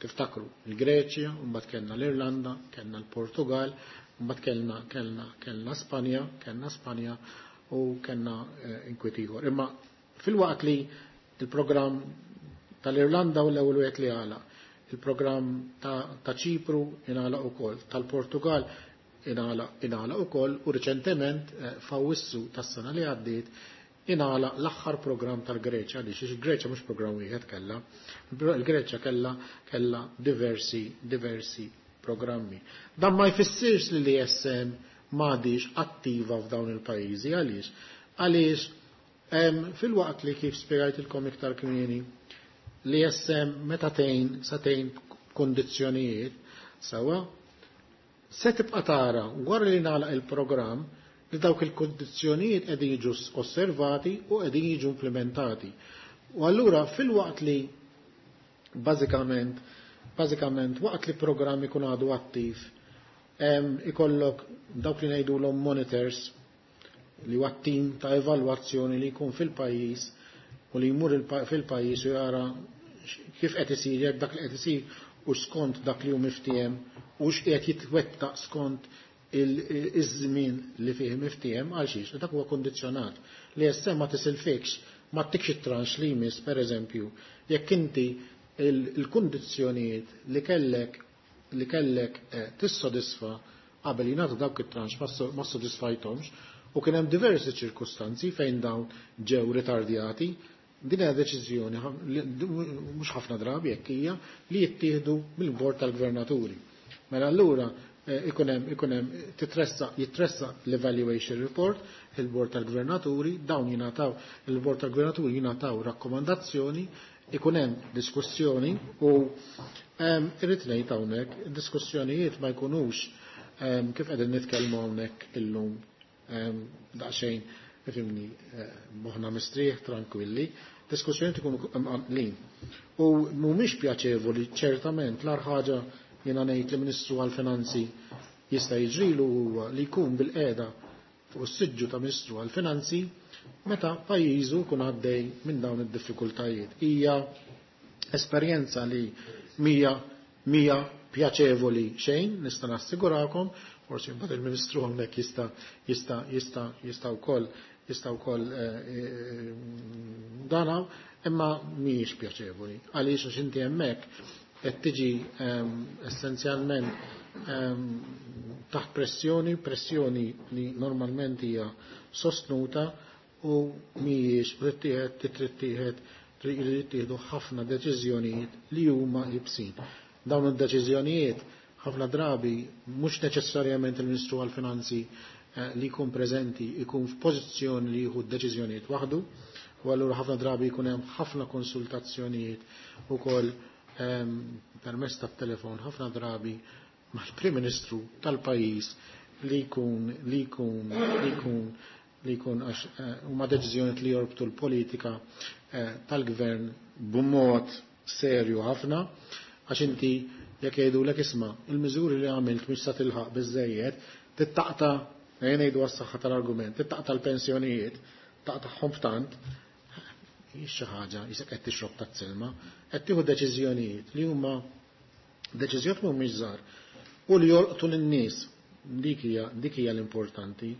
S2: tiftakru, il-Greċja, mbagħad kellna l-Irlanda, kellna l-Portugal, mbagħad kellna Spanja, kellna Spanja u kellna inkwiet ieħor. Imma filwaqt li il-programm tal-Irlanda u l-ewwel wieħed li għalaq, il-programm ta' Ċipru ingħalaq ukoll, tal-Portugal ingħalaq ukoll u riċentement f'Awwissu tas-sena li għaddiet ingħalaq l-aħħar programm tal-Greċja, għaliex il-Greċja mhux programm wieħed kellha, il-Greċja kellha diversi programmi. Dan ma jfissirx li l-ESM m'għadix attiva f'dawn il-pajjiżi, għaliex? Għaliex fil-waqt li kif spjegajtilkom iktar kmieni, l-ESM meta tgħin sa tgħin kondizzjonijiet sewwa, se tibqa' tara wara li nagħlaq il-programm li dawk il-kondizzjonijiet qegħdin jiġu osservati u qegħdin jiġu implementati. U allura fil-waqt li bażikament waqt li programm ikun għadu attiv, ikollok dawk li ngħidulhom monitors li huwa tim ta' evalwazzjoni li jkun fil-pajjiż u li jmur fil-pajjiż u jara kif qed isir, jekk dak li qed isir u skont dak li hu miftiehem u x'qiegħed jitwettaq skont iż-żmien li fih miftiehem, għal xiex, dak huwa kondizzjonat. Li issa ma tisilfikx, ma ttikx it-tranx li jmiss, per eżempju, jekk inti il-kundizzjonijiet li kellek tissodisfa qabel jingħata dawk it-tranx ma ssodisfajthomx, u kien hemm diversi ċirkustanzi fejn dawn ġew ritardjati, din hija deċiżjoni mhux ħafna drabi jekk hija li jittieħdu mill-bord tal-gvernaturi. Mela allura ikun hemm jitressaq l-evaluation report il-bord tal-gvernaturi, dawn jingħataw il-bord tal-gvernaturi jingħataw rakkomandazzjoni, ikun hemm diskussjoni u irrid ngħid hawnhekk id-diskussjonijiet ma jkunux kif qegħdin nitkellmu hawnhekk illum daqsxejn ifhimni moħħna mistrieħ tranquilli, diskussjonijiet ikunu mqanqlin. U mhumiex pjaċevoli ċertament l-agħar ħaġa jiena ngħid li Ministru għall-Finanzi jista' jiġrilu huwa li jkun bil-qiegħda fuq is-siġġu ta' Ministru għall-Finanzi meta pajjiżu jkun għaddej minn dawn id-diffikultajiet. Hija esperjenza li mija pjaċevoli xejn, nista' nassigurakom, forsi mbagħad il-Ministru hawnhekk jista' wkoll jista' wkoll dana, imma mhijiex pjaċevoli. Għaliex għax inti hemmhekk qed tiġi essenzjalment taħt pressjoni, pressjoni li normalment hija sostnuta u mhijiex trid jittieħdu ħafna deċiżjonijiet li huma ibsin. Dawn id-deċiżjonijiet ħafna drabi mhux neċessarjament il-Ministru għall-Finanzi li jkun preżenti jkun f'pożizzjoni li jieħu d-deċiżjonijiet waħdu, u allura ħafna drabi jkun hemm ħafna konsultazzjonijiet ukoll permezz tat-telefon ħafna drabi mal-Prim Ministru tal-pajjiż li jkun, li jkun, li jkun, li jkun għax huma deċiżjonijiet li jorbtu l-politika tal-gvern b'mod serju ħafna, għax inti jekk jgħidulek isma' il-miżuri li għamilt mhux sa tilħaq biżżejjed, tittaqta', ejja ngħidu għas-saħħa tal-argument, tittaqta' l-pensjonijiet, taqtagħhom f'tant, hix xi ħaġa jisek qed tixrob taż-żilma, qed tieħu deċiżjonijiet li huma deċiżjonijiet mhumiex żgħar u li jolqtu lin-nies. Dik hija l-importanti.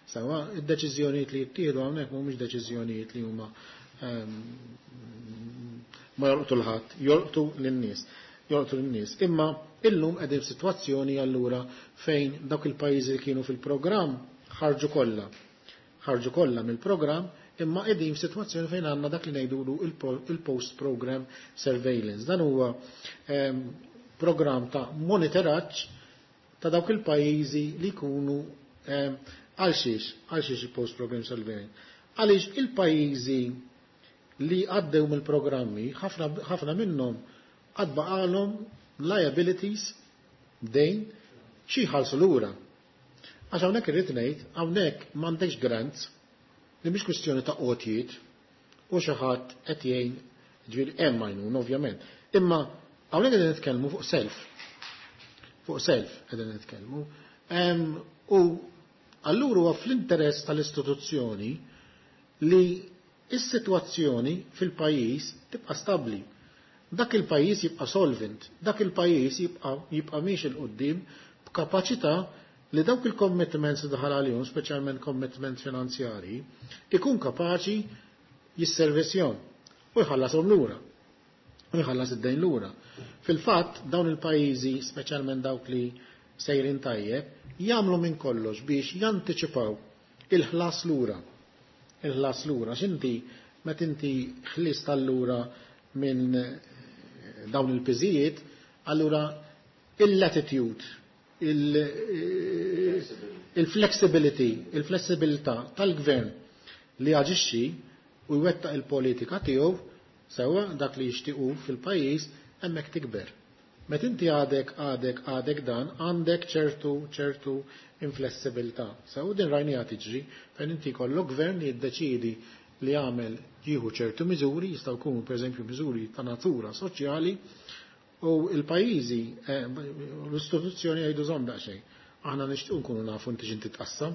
S2: Sawa, id-deċiżjonijiet li jittieħdu hawnhekk mhumiex deċiżjonijiet li huma ma jolqtu l-ħadd, jolqtu lin-nies. Jolqtu lin-nies. Imma illum qegħdin f'sitwazzjoni allura fejn dawk il-pajjiżi li kienu fil-programm ħarġu kollha. Ħarġu kollha mill-programm, imma qegħdin f'sitwazzjoni fejn għandna dak li ngħidulu il-post-program surveillance. Dan huwa programm ta' monitoraġġ ta' dawk il-pajjiżi li jkunu għal xiex il-post-program surveillance. Għaliex il-pajjiżi li għaddew mill-programmi, ħafna minnhom għad baqalhom liabilities dejn xi jħallsu lura. Għax hawnhekk irrid ngħid, hawnhekk m'għandekx grants, li mhix kwistjoni ta' qotjiet u xi ħadd qed jgħin, ġifieri hemm għajnuna ovvjament. Imma hawnhekk qegħdin nitkellmu fuq self. Fuq self qegħdin nitkellmu. U allura huwa fl-interess tal-istituzzjoni Li is-sitwazzjoni fil-pajjiż tibqa' stabbli. Dak il-pajjiż jibqa' solvent, dak il-pajjiż jibqa' miexi 'l quddiem b'kapaċità li dawk il-commitments li daħal għalihom, speċjalment commitments finanzjarji, ikun kapaċi jisservisjhom u jħallashom lura. U jħallas id-dejn lura. Fil-fatt, dawn il-pajjiżi, speċjalment dawk li sejrin tajjeb, jagħmlu minn kollox biex jantiċipaw il-ħlas lura. Il-ħlas lura. X'inti meta inti ħlist allura minn dawn il-piżijiet, allura il-latitude, il-flexibility, il-flessibilità tal-gvern li jaġixxi u jwettaq il-politika tiegħu sewwa dak li jixtiequ fil-pajjiż hemmhekk tikber. Meta inti għadek dan, għandek ċertu inflessibilità. Sew din rajniha tiġri fejn inti jkollok gvern li jiddeċiedi li jagħmel jieħu ċertu miżuri, jistgħu jkunu pereżempju miżuri ta' natura soċjali, u l-pajjiżi, l-istituzzjoni jgħidu żomm daqsxejn. Aħna nixtiequ nkunu nafu inti x'inti tqassam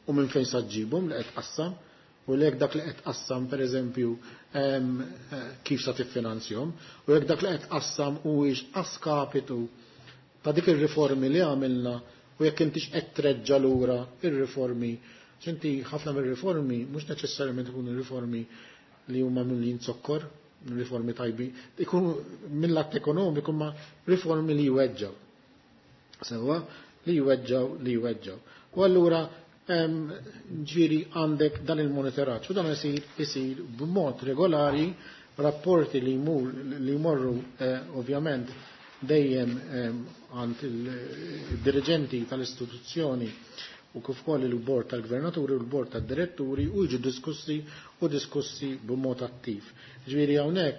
S2: u minn fejn sa ġġibhom li qed tqassam, u lek dak li qed tqassam pereżempju kif sa tiffinanzjahom, u jekk dak li qed tqassam huwiex askapitu ta' dik ir-riformi li għamilna u jekk intix qed treġġa' lura ir-riformi. X'inti ħafna mir-riformi mhux neċessarjament ikunu riformi li huma mimlijin zokkor, riformi tajbi, ikunu mill-att ekonomiku ma riformi li jweġġaw. Sewwa, li jweġġaw, li jweġġaw. U allura ġifieri għandek dan il-monitoraġġ u dan isir b'mod regolari, rapporti li jmorru ovvjament dejjem għand il-dirigenti tal-istituzzjoni u kif ukoll il-bord tal-gvernaturi u l-bord tad-diretturi u jiġu diskussi u diskussi b'mod attiv. Ġifieri hawnhekk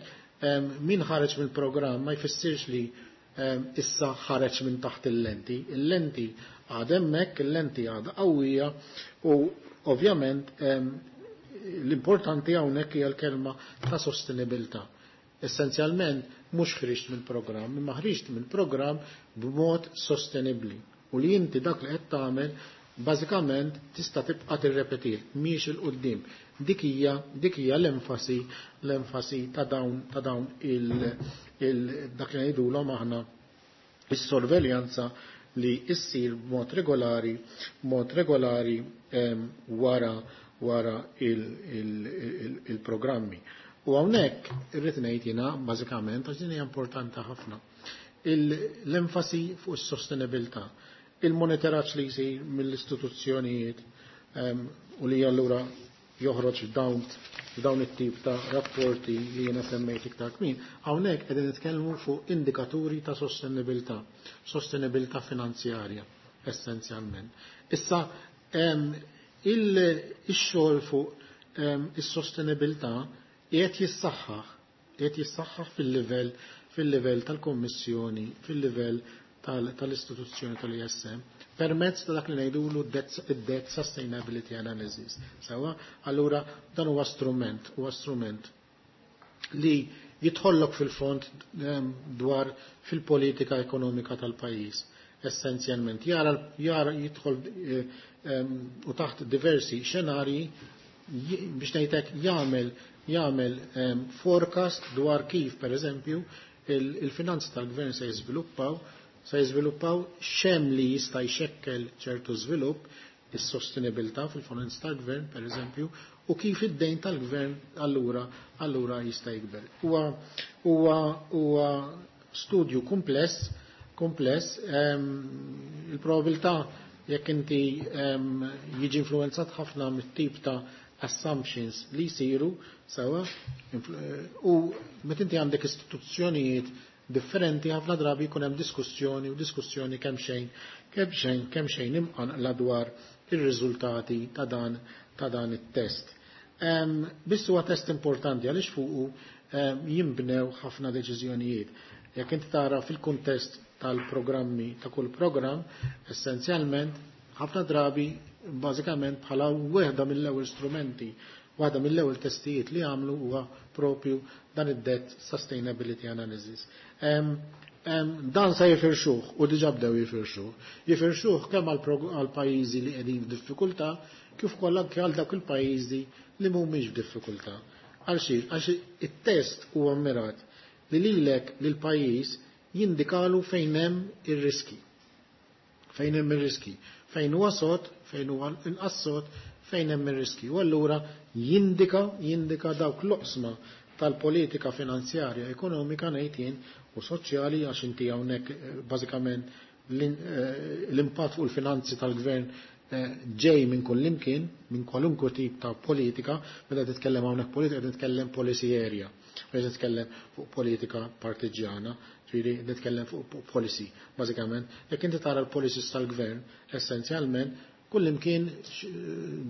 S2: min ħareġ mill-programm ma jfissirx li issa ħareġ minn taħt il-lenti. Il-lenti għad hemmhekk, il-lenti għadha qawwija u ovvjament l-importanti hawnhekk hija l-kelma ta' sostenibilità. Essenzjalment mhux ħriġt mill-programm, imma ħriġt mill-programm b'mod sostenibbli u li inti dak li qed tagħmel bażikament tista' tibqa' tirrepetir mhix il quddiem. Dik hija l-enfasi ta' dawn dak li ngħidulhom aħna is-sorveljanza li issir b'mod regolari, mod regolari wara il-programmi. U hawnhekk irrid ngħid jiena bażikament għax din hija importanti ħafna. L-enfasi fuq is-sostenibilità, il-monitoraġġ li jsir mill-istituzzjonijiet u li allura joħroġ dawn it-tip ta' rapporti li jiena semmejt iktar kmin, hawnhekk qegħdin nitkellmu fuq indikaturi ta' sostenibilità, sostenibilità finanzjarja essenzjalment. Issa ix-xogħol fuq is-sostenibilità qiegħed jissaħħaħ fil-livell tal-Kommissjoni, fil-livell tal-istituzzjoni tal-ISM, permezz ta' dak li ngħidulu id-debt sustainability analysis. Sewa, allura dan huwa strument, huwa strument li jidħollok fil-fond dwar fil-politika ekonomika tal-pajjiż. Essenzjalment jara jidħol u taħt diversi xenarji biex ngħidlek jagħmel forecast dwar kif pereżempju il-finanzi tal-gvern se jiżviluppaw, se jiżviluppaw xem li jista' jxekkel ċertu żvilupp, is-sostenibilità fil-finanzi tal-gvern pereżempju, u kif id-dejn tal-gvern allura jista' jikber. Huwa studju kompless, il-probabilità jekk inti jiġi influenzat ħafna mit-tip ta' assumptions li jsiru sewa, u meta inti għandek istituzzjonijiet differenti ħafna drabi jkun hemm diskussjoni u diskussjoni kemm xejn imqanqla dwar ir-riżultati ta' dan it-test. Biss huwa test importanti għaliex fuqu jinbnew ħafna deċiżjonijiet. Jekk inti tara fil-kuntest tal-programmi ta' kull programm, essenzjalment ħafna drabi bażikament bħala wieħda mill-ewwel strumenti, waħda mill-ewwel testijiet li għamlu huwa propju dan id-debt sustainability analysis. Dan se jifirxuh u diġà bdew jifirxuh. Jifirxuh kemm għal pajjiżi li qegħdin f'diffikultà kif ukoll anke għal dawk il-pajjiżi li mhumiex f'diffikultà. Għal xiex? Għax it-test huwa mmirat li lilek lil pajjiż jindikalu fejn hemm ir-riski. Fejn hemm ir-riski. Fejn huwa sod, fejn huwa inqas sod, fejn hemm ir-riski. U allura jindika dawk l-oqsma tal-politika finanzjarja, ekonomika ngħid jien u soċjali, għax inti hawnhekk bażikament l-impatt fuq il-finanzi tal-gvern ġej minn kull imkien, minn kwalunkwe tip ta' politika. Meta titkellem hawnhekk politika, qed nitkellem policy area, qed nitkellem fuq politika partiġjana, ġifieri nitkellem fuq policy, bażikament. Jekk inti tara l-policies tal-gvern, essenzjalment kull imkien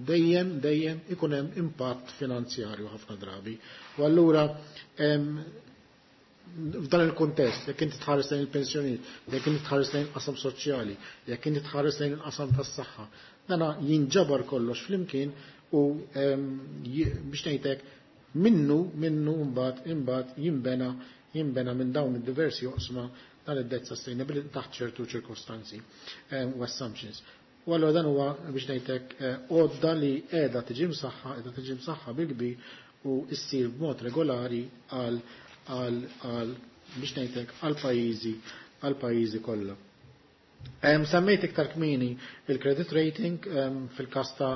S2: dejjem ikun hemm impatt finanzjarju ħafna drabi. U allura f'dan il-kontest, jekk inti tħares lejn il-pensjonijiet, jekk inti tħares lejn il-qasam soċjali, jekk inti tħares lejn il-qasam tas-saħħa, dana jinġabar kollox flimkien u biex ngħidlek minnu imbagħad jinbena minn dawn id-diversi oqsma dan id-debt sustainability taħt ċertu ċirkostanzi u assumptions. U allura dan huwa biex ngħidlek għodda li qiegħda tiġi msaħħa, qiegħda tiġi msaħħa bil-kbir u ssir b'mod regolari biex ngħidlek għal pajjiżi kollha. Semmejt iktar kmieni il-credit rating fil-każ ta'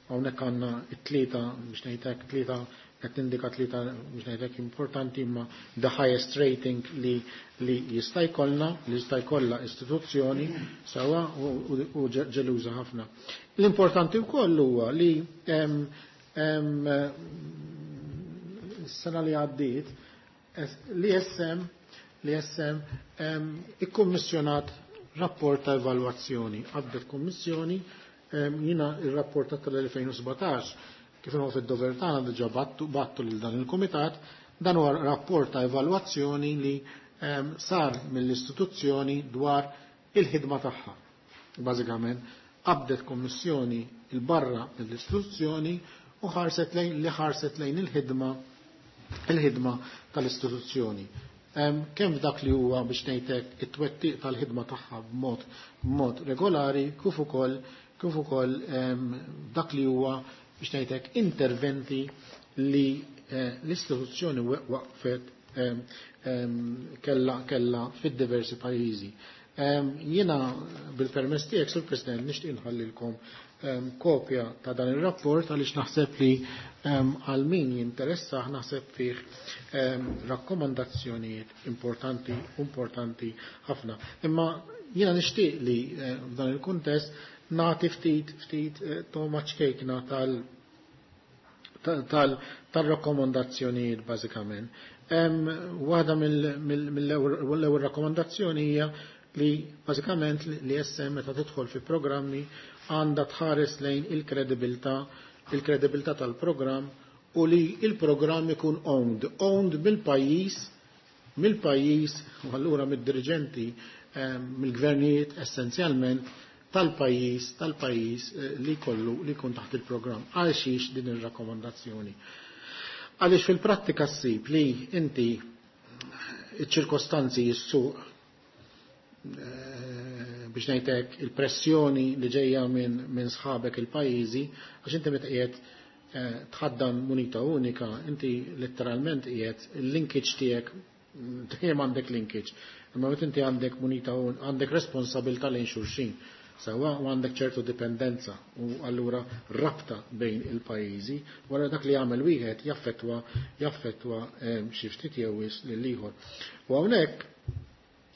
S2: hawnhekk għandna it-tlieta, biex ngħidlek tlieta, qed tindika tlieta biex ngħidlek importanti, imma the highest rating li jista' jkollna, li jista' jkollha istituzzjoni sewwa u ġeluża ħafna. L-importanti wkoll huwa li s-sena li għaddiet l-ESM ikkummissjonat rapport ta' evalwazzjoni. Għaddet kummissjoni, jiena il-rapport tal-2017 kif inhu fid-dover tagħna diġà battu lil dan il-kumitat. Dan huwa rapport ta' evalwazzjoni li sar mill-istituzzjoni dwar il-ħidma tagħha. Bażikament qabdet kummissjoni il-barra mill-istituzzjoni u ħarset lejn li ħarset lejn il-ħidma tal-istituzzjoni. Kemm f'dak li huwa biex ngħidlek it-twettiq tal-ħidma tagħha b'mod regolari, kif ukoll dak li huwa biex ngħidlek interventi li l-istituzzjoni waqfet kella fid-diversi pajjiżi. Jiena bil-permess tiegħek, Sur President, nixtieq inħallilkom kopja ta' dan ir-rapport għaliex naħseb li għal min jinteressa naħseb fih rakkomandazzjonijiet importanti ħafna. Imma jiena nixtieq li f'dan il-kuntest nagħti ftit toma ċkejkna tal-rakkomandazzjonijiet bażikament. Waħda mill-ewwel rakkomandazzjoni hija li bażikament li SM meta tidħol fi programmi għandha tħares lejn il-kredibilità tal-programm u li il-programm ikun owned mill-pajjiż u allura mid-dirigenti, mill-gvernijiet essenzjalment tal-pajjiż li kollu li jkun taħt il-programm. Għal xiex din ir-rakkomandazzjoni? Għaliex fil-prattika ssib li inti iċ-ċirkostanzi jissuq biex ngħidlek il-pressjoni li ġejja minn sħabek il-pajjiżi, għax inti meta qiegħed tħaddan munita unika, inti letteralment qiegħed il-linkage tiegħek, dejjem għandek linkage, imma meta inti għandek munita għandek responsabilità lejn xulxin, sewwa, u għandek ċertu dipendenza u allura rabta bejn il-pajjiżi, wara dak li jagħmel wieħed jaffettwa xi ftit jew wisq lil ieħor. U hawnhekk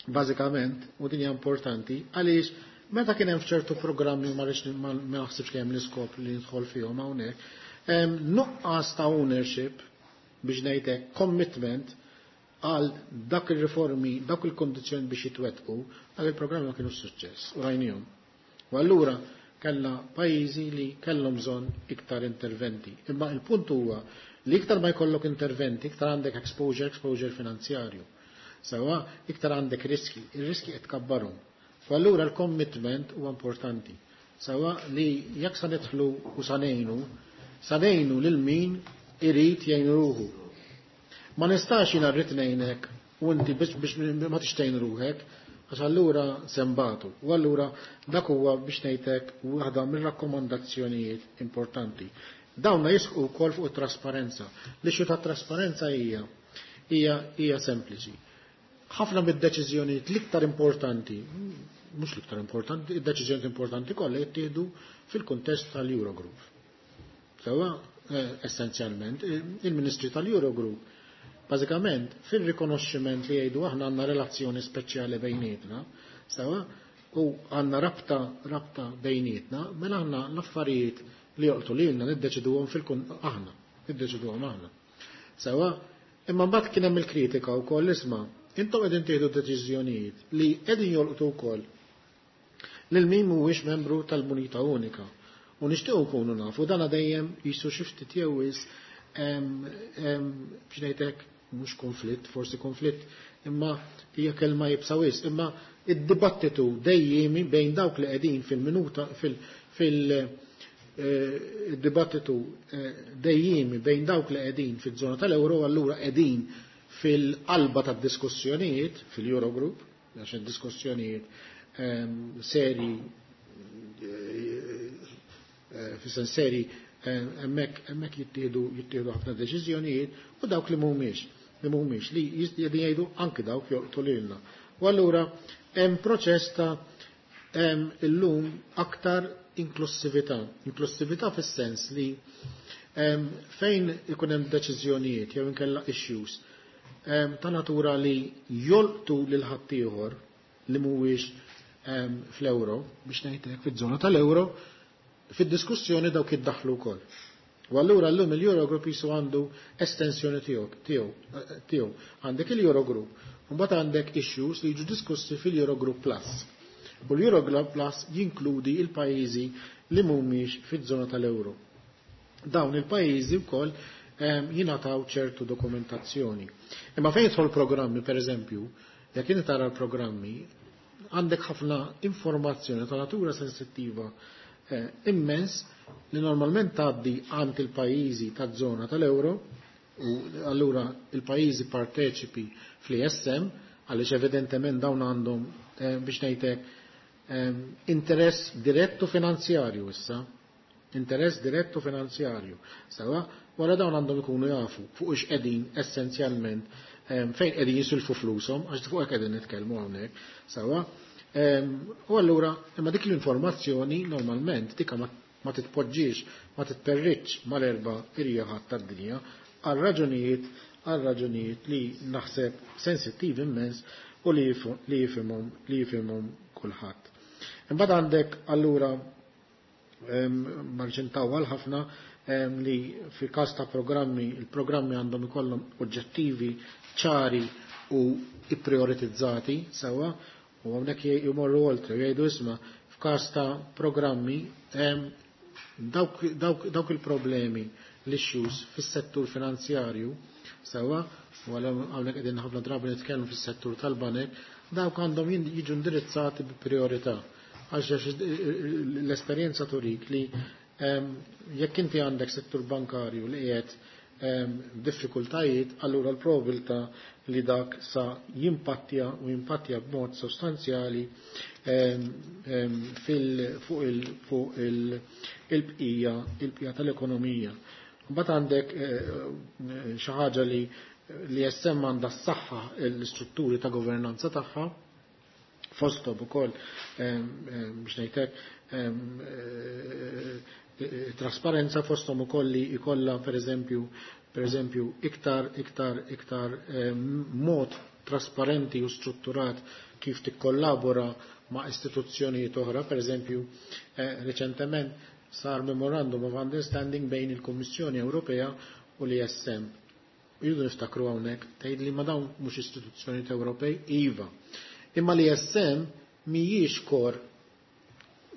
S2: bażikament, u din hija importanti, għaliex meta kien hemm f'ċertu programmi ma rridx ma naħsibx li hemm l-iskop li nidħol fihom hawnhekk, nuqqas ta' ownership biex ngħidlek commitment għal dak il-riformi, dak il-kondizzjoni biex jitwettqu, dak il-programmi ma kienu suċċess u rajnihom. U allura kellna pajjiżi li kellhom bżonn iktar interventi. Imma il-punt huwa li iktar ma jkollok interventi, iktar għandek exposure finanzjarju. Sewa, iktar għandek riski, il-riski qed tkabbarhom. U allura l-commitment huwa importanti. Sewa li jekk sa nidħlu u sa ngħinu, sa ngħinu lil min irid jgħin ruħu. Ma nistax jiena rrid ngħinek U inti biex ma tixtejn ruħek, għax allura sembatu. U allura dak huwa biex ngħidlek waħda mir-rakkomandazzjonijiet importanti. Dawna jisħu wkoll fuq it-trasparenza. L-issue ta' trasparenza hija sempliċi. Ħafna mid-deċiżjonijiet l-iktar importanti, mhux l-iktar importanti, id-deċiżjonijiet importanti kollha jittieħdu fil-kuntest tal-Eurogroup. Sewwa, essenzjalment, il-Ministri tal-Eurogroup bażikament fil-rikonoxximent li jgħidu aħna għandna relazzjoni speċjali bejnietna, sewwa, u għandna rabta bejnietna, mela aħna l-affarijiet li joqtu lilna niddeċiduhom aħna, niddeċiduhom aħna. Sewwa, imma mbagħad kien hemm il-kritika wkoll isma' intom qegħdin tieħdu deċiżjonijiet li qegħdin jolqtu wkoll lil min mhuwiex membru tal-Munita Unika. U nixtiequ nkunu nafu dan dejjem jisu xi ftit jew wis biex ngħidlek mhux konflitt, forsi konflitt, imma hija kelma jibsa wisq, imma id-dibattitu dejjemi bejn dawk li qegħdin fil-minuta fil-dibattitu dejjemi bejn dawk li qegħdin fiż-żona tal-euro, allura qegħdin fil-qalba tad-diskussjonijiet fil-Eurogroup, għax id-diskussjonijiet seri fis-sens seri hemmhekk jittieħdu ħafna deċiżjonijiet u dawk li mhumiex li qegħdin jgħidu anki dawk jolqtu lilna. U allura hemm proċess ta' illum aktar inklusività. Inklusività fis-sens li fejn ikun hemm deċiżjonijiet jew inkella issues ta' natura li jolqtu lil ħaddieħor li mhuwiex fl-euro, biex ngħidlek fiż-żona tal-euro, fid-diskussjoni dawk jiddaħħlu wkoll. U allura llum il-Eurogroup jisu għandu estensjoni tiegħu. Għandek il-Eurogroup, u mbagħad għandek issues li jiġu diskussi fil-Eurogroup Plus. U l-Eurogroup Plus jinkludi il-pajjiżi li mhumiex fiż-żona tal-euro. Dawn il-pajjiżi wkoll jingħataw ċertu dokumentazzjoni. Imma fejn jidħol programmi, per eżempju, jekk inti tara l-programmi, għandek ħafna informazzjoni ta' natura sensittiva immens li normalment tgħaddi għand il-pajjiżi taż-żona tal-euro, u allura il-pajjiżi parteċipi fl-ISM, għaliex evidentement dawn għandhom biex ngħidlek interess direttu finanzjarju issa, interess direttu finanzjarju. Sewa, wara dawn għandhom ikunu jafu fuq ix qegħdin essenzjalment fejn qegħdin jisilfu flushom, għax fuq hekk qegħdin nitkellmu hawnhekk, sewa. U allura imma dik l-informazzjoni normalment dika ma titpoġġiex, ma titperriċ mal-erba' irjaħat tad-dinja għal raġunijiet li naħseb sensittiv immens u li jifhimhom kulħadd. Imbagħad għandek allura marġintawal ħafna li fi każ ta' programmi, il-programmi għandhom ikollhom oġġettivi ċari u ipprioritizzati sewwa, u hawnhekk jmorru oltre jgħidu isma' f'każ ta' programmi dawk il-problemi l-issues fis-settur finanzjarju sewwa, u hawnhekk qegħdin ħafna drabi nitkellmu fis-settur tal-banek, dawk għandhom jiġu indirizzati bi priorità. Għax l-esperjenza turik li jekk inti għandek settur bankarju li qiegħed diffikultajiet, allura l-probabilità li dak sa jimpattja u jimpattja b'mod sostanzjali fuq il-bqija tal-ekonomija. Mbagħad għandek xi ħaġa li jessem għandha s-saħħa l-istrutturi ta' governanza tagħha, fosthom ukoll biex ngħidlek trasparenza, fosthom ukoll li jkollha per eżempju iktar mod trasparenti u strutturat kif tikkollabora ma' istituzzjonijiet oħra. Per eżempju, reċentement sar memorandum of understanding bejn il-Kummissjoni Ewropea u l-ISM. Jridu niftakru hawnhekk tgħid li ma dawn mhux istituzzjonijiet Ewropej, iva. Imma l-ISM mhijiex kor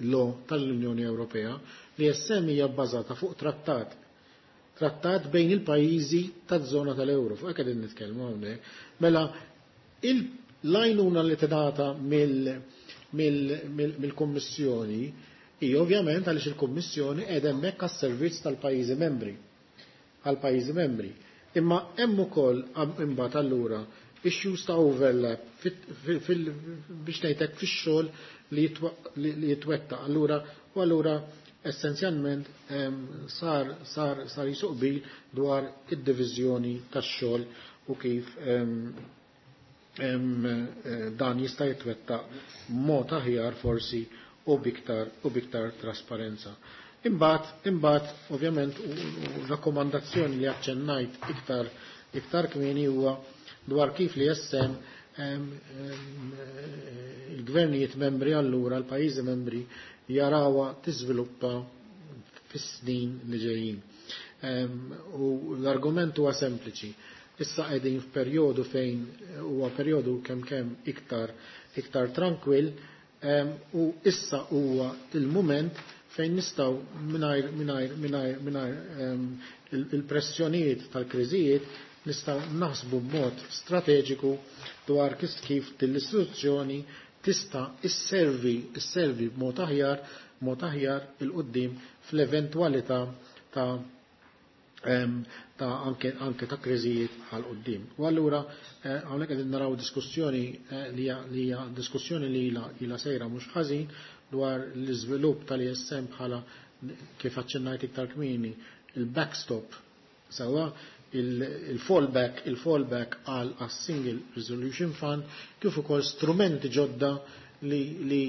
S2: lo tal-Unjoni Ewropea, l-ISM hija bbażata fuq trattat bejn il-pajjiżi taż-żona tal-euro, fuq hekk qegħdin nitkellmu hawnhekk. Mela l-għajnuna li tingħata mill-Kummissjoni hi ovvjament għaliex il-Kummissjoni qiegħda hemmhekk għas-servizz tal-pajjiżi membri, għall-pajjiżi membri. Imma hemm ukoll imbagħad allura issues ta' overlap biex ngħidlek fix-xogħol li jitwettaq. Allura u allura essenzjalment sar sar sar jisuq bil dwar id-diviżjoni tax-xogħol u kif dan jista' jitwettaq mod aħjar forsi u biktar trasparenza. Imbagħad ovvjament u rakkomandazzjoni li aċċennajt iktar kmieni huwa dwar kif li jessem il-gvernijiet membri allura l-pajjiżi membri jarawha tiżviluppa fis-snin li ġejjin. U l-argument huwa sempliċi. Issa qegħdin f'perjodu fejn huwa perjodu kemm kemm iktar tranquill u issa huwa il-mument fejn nistgħu mingħajr il-pressjonijiet tal-kriżijiet nistgħu naħsbu b'mod strateġiku dwar kif din l-istituzzjoni tista' isservi b'mod aħjar il-qudiem fl-eventwalità ta' anke ta' kriżijiet għal qudiem. U allura hawnhekk qegħdin naraw diskussjoni li hija diskussjoni li ilha sejra mhux ħażin dwar l-iżvilupp tal-ISM bħala kif aċċennajt iktar kmieni il-backstop sewwa il-fallback għal single resolution fund kif ukoll strumenti ġodda li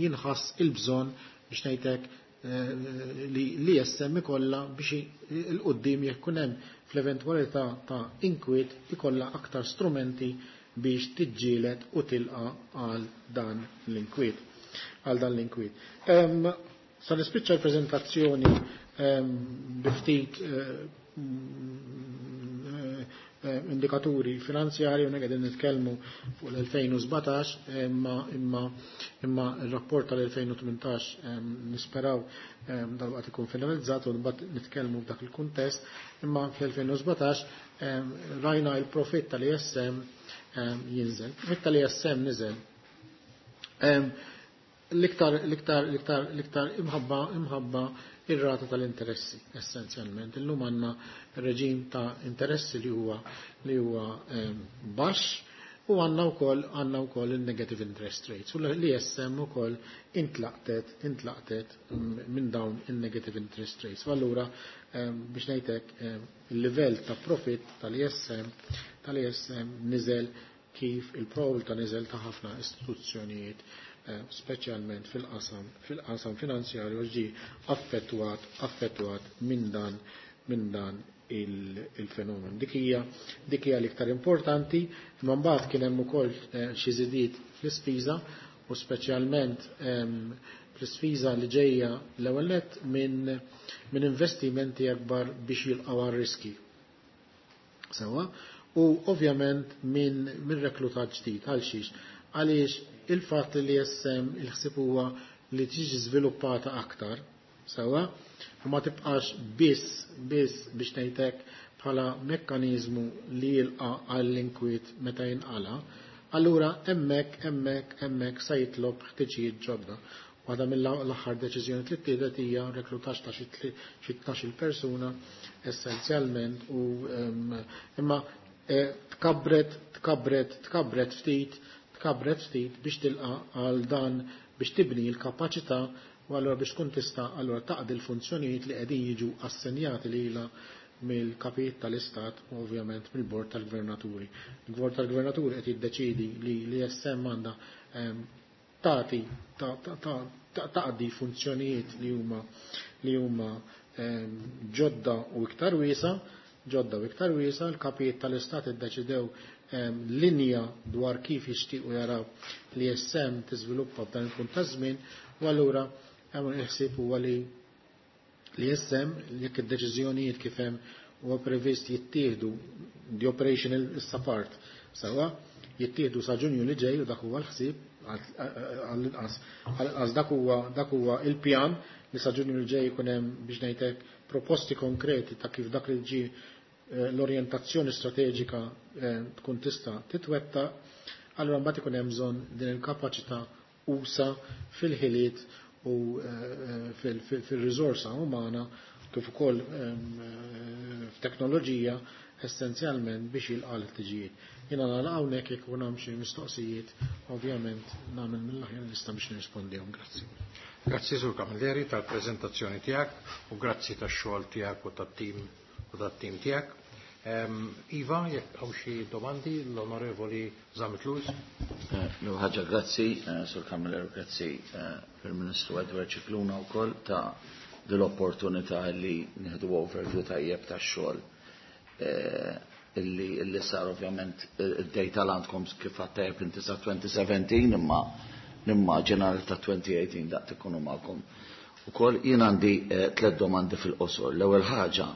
S2: jinħass il-bżonn biex ngħidlek li l-ISM ikollha biex il-qudiem jekk ikun hemm fl-eventwalità ta' inkwiet ikollha aktar strumenti biex tiġġieled u tilqa għal dan l-inkwiet. Għal dan l-inkwiet. Sa nispiċċa l-preżentazzjoni bi ftit indikaturi finanzjari, u qegħdin nitkellmu fuq l-2017, imma il-rapport tal-2018 nisperaw dal-waqt ikun finalizzat u mbagħad nitkellmu f'dak il-kuntest, imma fl-2017 rajna il-profitt tal-ISM jinżel. Il-profitt tal-ISM niżel. L-iktar imħabba ir-rata tal-interessi essenzjalment. Illum għandna reġim ta' interessi li huwa baxx u għandna wkoll il-negative interest rates u l-ISM ukoll intlaqtet minn dawn il-negative interest rates. U allura biex ngħidlek il-livell ta' profit tal-ISM niżel kif il-probabilità niżel ta' ħafna istituzzjonijiet, speċjalment fil-qasam finanzjarju ġi affettwat minn dan il-fenomen. Dik hija l-iktar importanti, imma mbagħad kien hemm ukoll xi żidiet fl-ispiża u speċjalment fl-ispiża li ġejja l-ewwel nett minn investimenti akbar biex jilqgħu għar-riski. Sewwa, u ovvjament minn reklutaġġ ġdid għal xiex, għaliex il-fatt li jessem il-ħsieb huwa li tiġi żviluppata aktar, sewwa, u ma tibqax biss biex ngħidlek bħala mekkaniżmu li jilqa' għall-inkwiet meta jinqala, allura hemmhekk sa jitlob ħtiġijiet ġodda. Waħda mill-aħħar deċiżjoni li ttieħdet hija reklutaġġ ta' xi 12 persuna essenzjalment u imma tkabret ftit biex tilqa għal dan biex tibni l-kapaċità u allura biex tkun tista' allura taqdi l-funzjonijiet li qegħdin jiġu assenjati lilha mill-kapijiet tal-Istat u ovvjament mill-Bord tal-Gvernaturi. Il-Bord tal-Gvernaturi qed jiddeċiedi li l-ISM għandha tagħti taqdi funzjonijiet li huma ġodda u iktar wiesa, l-kapijiet tal-Istat iddeċidew linja dwar kif jixtiequ jaraw li ISM tiżviluppa f'dan il-punt ta' żmien, u allura hemm il-ħsieb huwa li l-ISM jekk id-deċiżjonijiet kif hemm huwa previst jittieħdu the operational issa part sewwa jittieħdu sa Ġunju li ġej u dak huwa l-ħsieb għall-inqas dak huwa il-pjan li sa Ġunju li ġej ikun hemm biex ngħidlek proposti konkreti ta' kif dak li ġie l-orjentazzjoni strateġika tkun tista' titwetta, allura mbagħad ikun hemm bżonn din il-kapaċità usa fil-ħiliet u fil-riżorsa umana kif ukoll f'teknoloġija essenzjalment biex jilqa' l-ħtiġijiet. Jiena nagħlaq hawnhekk, jekk ikun hemm xi mistoqsijiet, ovvjament nagħmel mill-aħjar nista' biex nirrispondihom. Grazzi.
S1: Grazzi, Sur Camilleri, tal-preżentazzjoni tiegħek u grazzi tax-xogħol tiegħek u tat-tim tiegħek. Iva, jekk hawn xi domandi, l-Onorevoli Zammit Lewis.
S3: Ħaġa, grazzi, Sur Camilleri, grazzi Prim Ministru Edward Scicluna wkoll ta' dil-opportunità li nieħdu overview tajjeb tax-xogħol illi sar. Ovvjament id-data l-għandkom, kif għattajb inti, sa 2017, imma nimmaġina li ta' 2018 daqt ikunu magħkom. Ukoll jien għandi tliet domandi fil-qosor. L-ewwel ħaġa,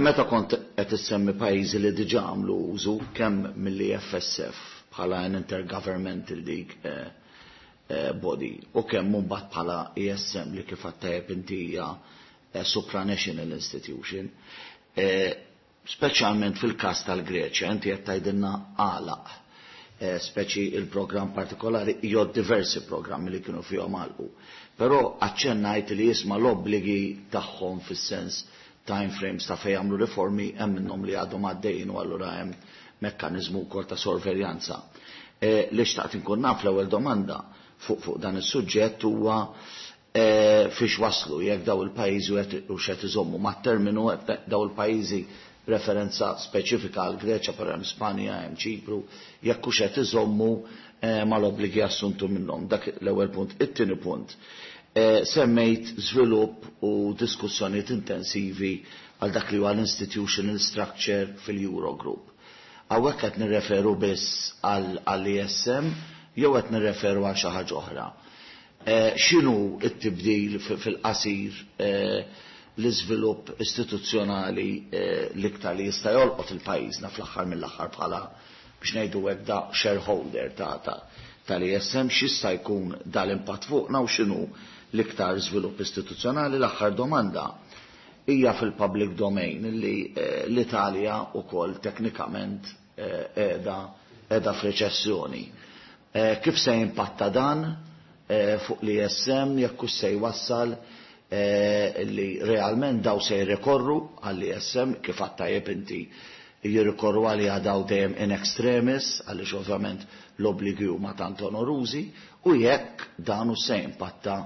S3: meta kont qed issemmi pajjiżi li diġà għamlu użu kemm mill-EFSF bħala an intergovernmental dik body u kemm mbagħad bħala ESM li, kif għattajb inti, hija supranational institution, speċjalment fil-każ tal-Greċja, inti qed tgħidilna għalaq speċi il-programm partikolari jew diversi programmi li kienu fihom għalqu. Però aċċennajt li jisma' l-obbligi tagħhom fis-sens time frames ta' fejn jagħmlu riformi, hemm minnhom li għadhom għaddejjin u allura hemm mekkaniżmu wkoll ta' sorveljanza. Li xtaqt inkun naf, l-ewwel domanda fuq dan is-suġġett, huwa fiex waslu, jekk daw il-pajjiżi u x'qed iżommu mat-terminu daw il-pajjiżi, referenza speċifika għal Greċja, però hemm Spanja, hemm Ċipru, jekk hux qed iżommu mal-obbligi assuntu minnhom. Dak l-ewwel punt. It-tieni punt. Semmejt żvilupp u diskussjonijiet intensivi għal dak li huwa l-institutional structure fil-Eurogroup. Hawnhekk qed nirreferu biss għall-ESM jew qed nirreferu għal xi ħaġa oħra? X'inhu t-tibdil fil-qasir, l-iżvilupp istituzzjonali l-iktar li jista' jolqot il-pajjiżna fl-aħħar mill-aħħar bħala, biex ngħidu hekk, da shareholder ta' tal-ESM, x'jista' jkun dal-impatt fuqna u x'inhu l-iktar żvilupp istituzzjonali? L-aħħar domanda hija fil-public domain li l-Italja wkoll teknikament qiegħda f'reċessjoni. Kif se jimpatta dan fuq l-ESM, jekk hux se jwassal li realment daw se jirrikorru għall-ESM, kif għattajjeb inti, jirrikorru għalija daw dejjem in extremis, għaliex ovvjament l-obbligi huma tant onorużi, u jekk dan hu se jimpatta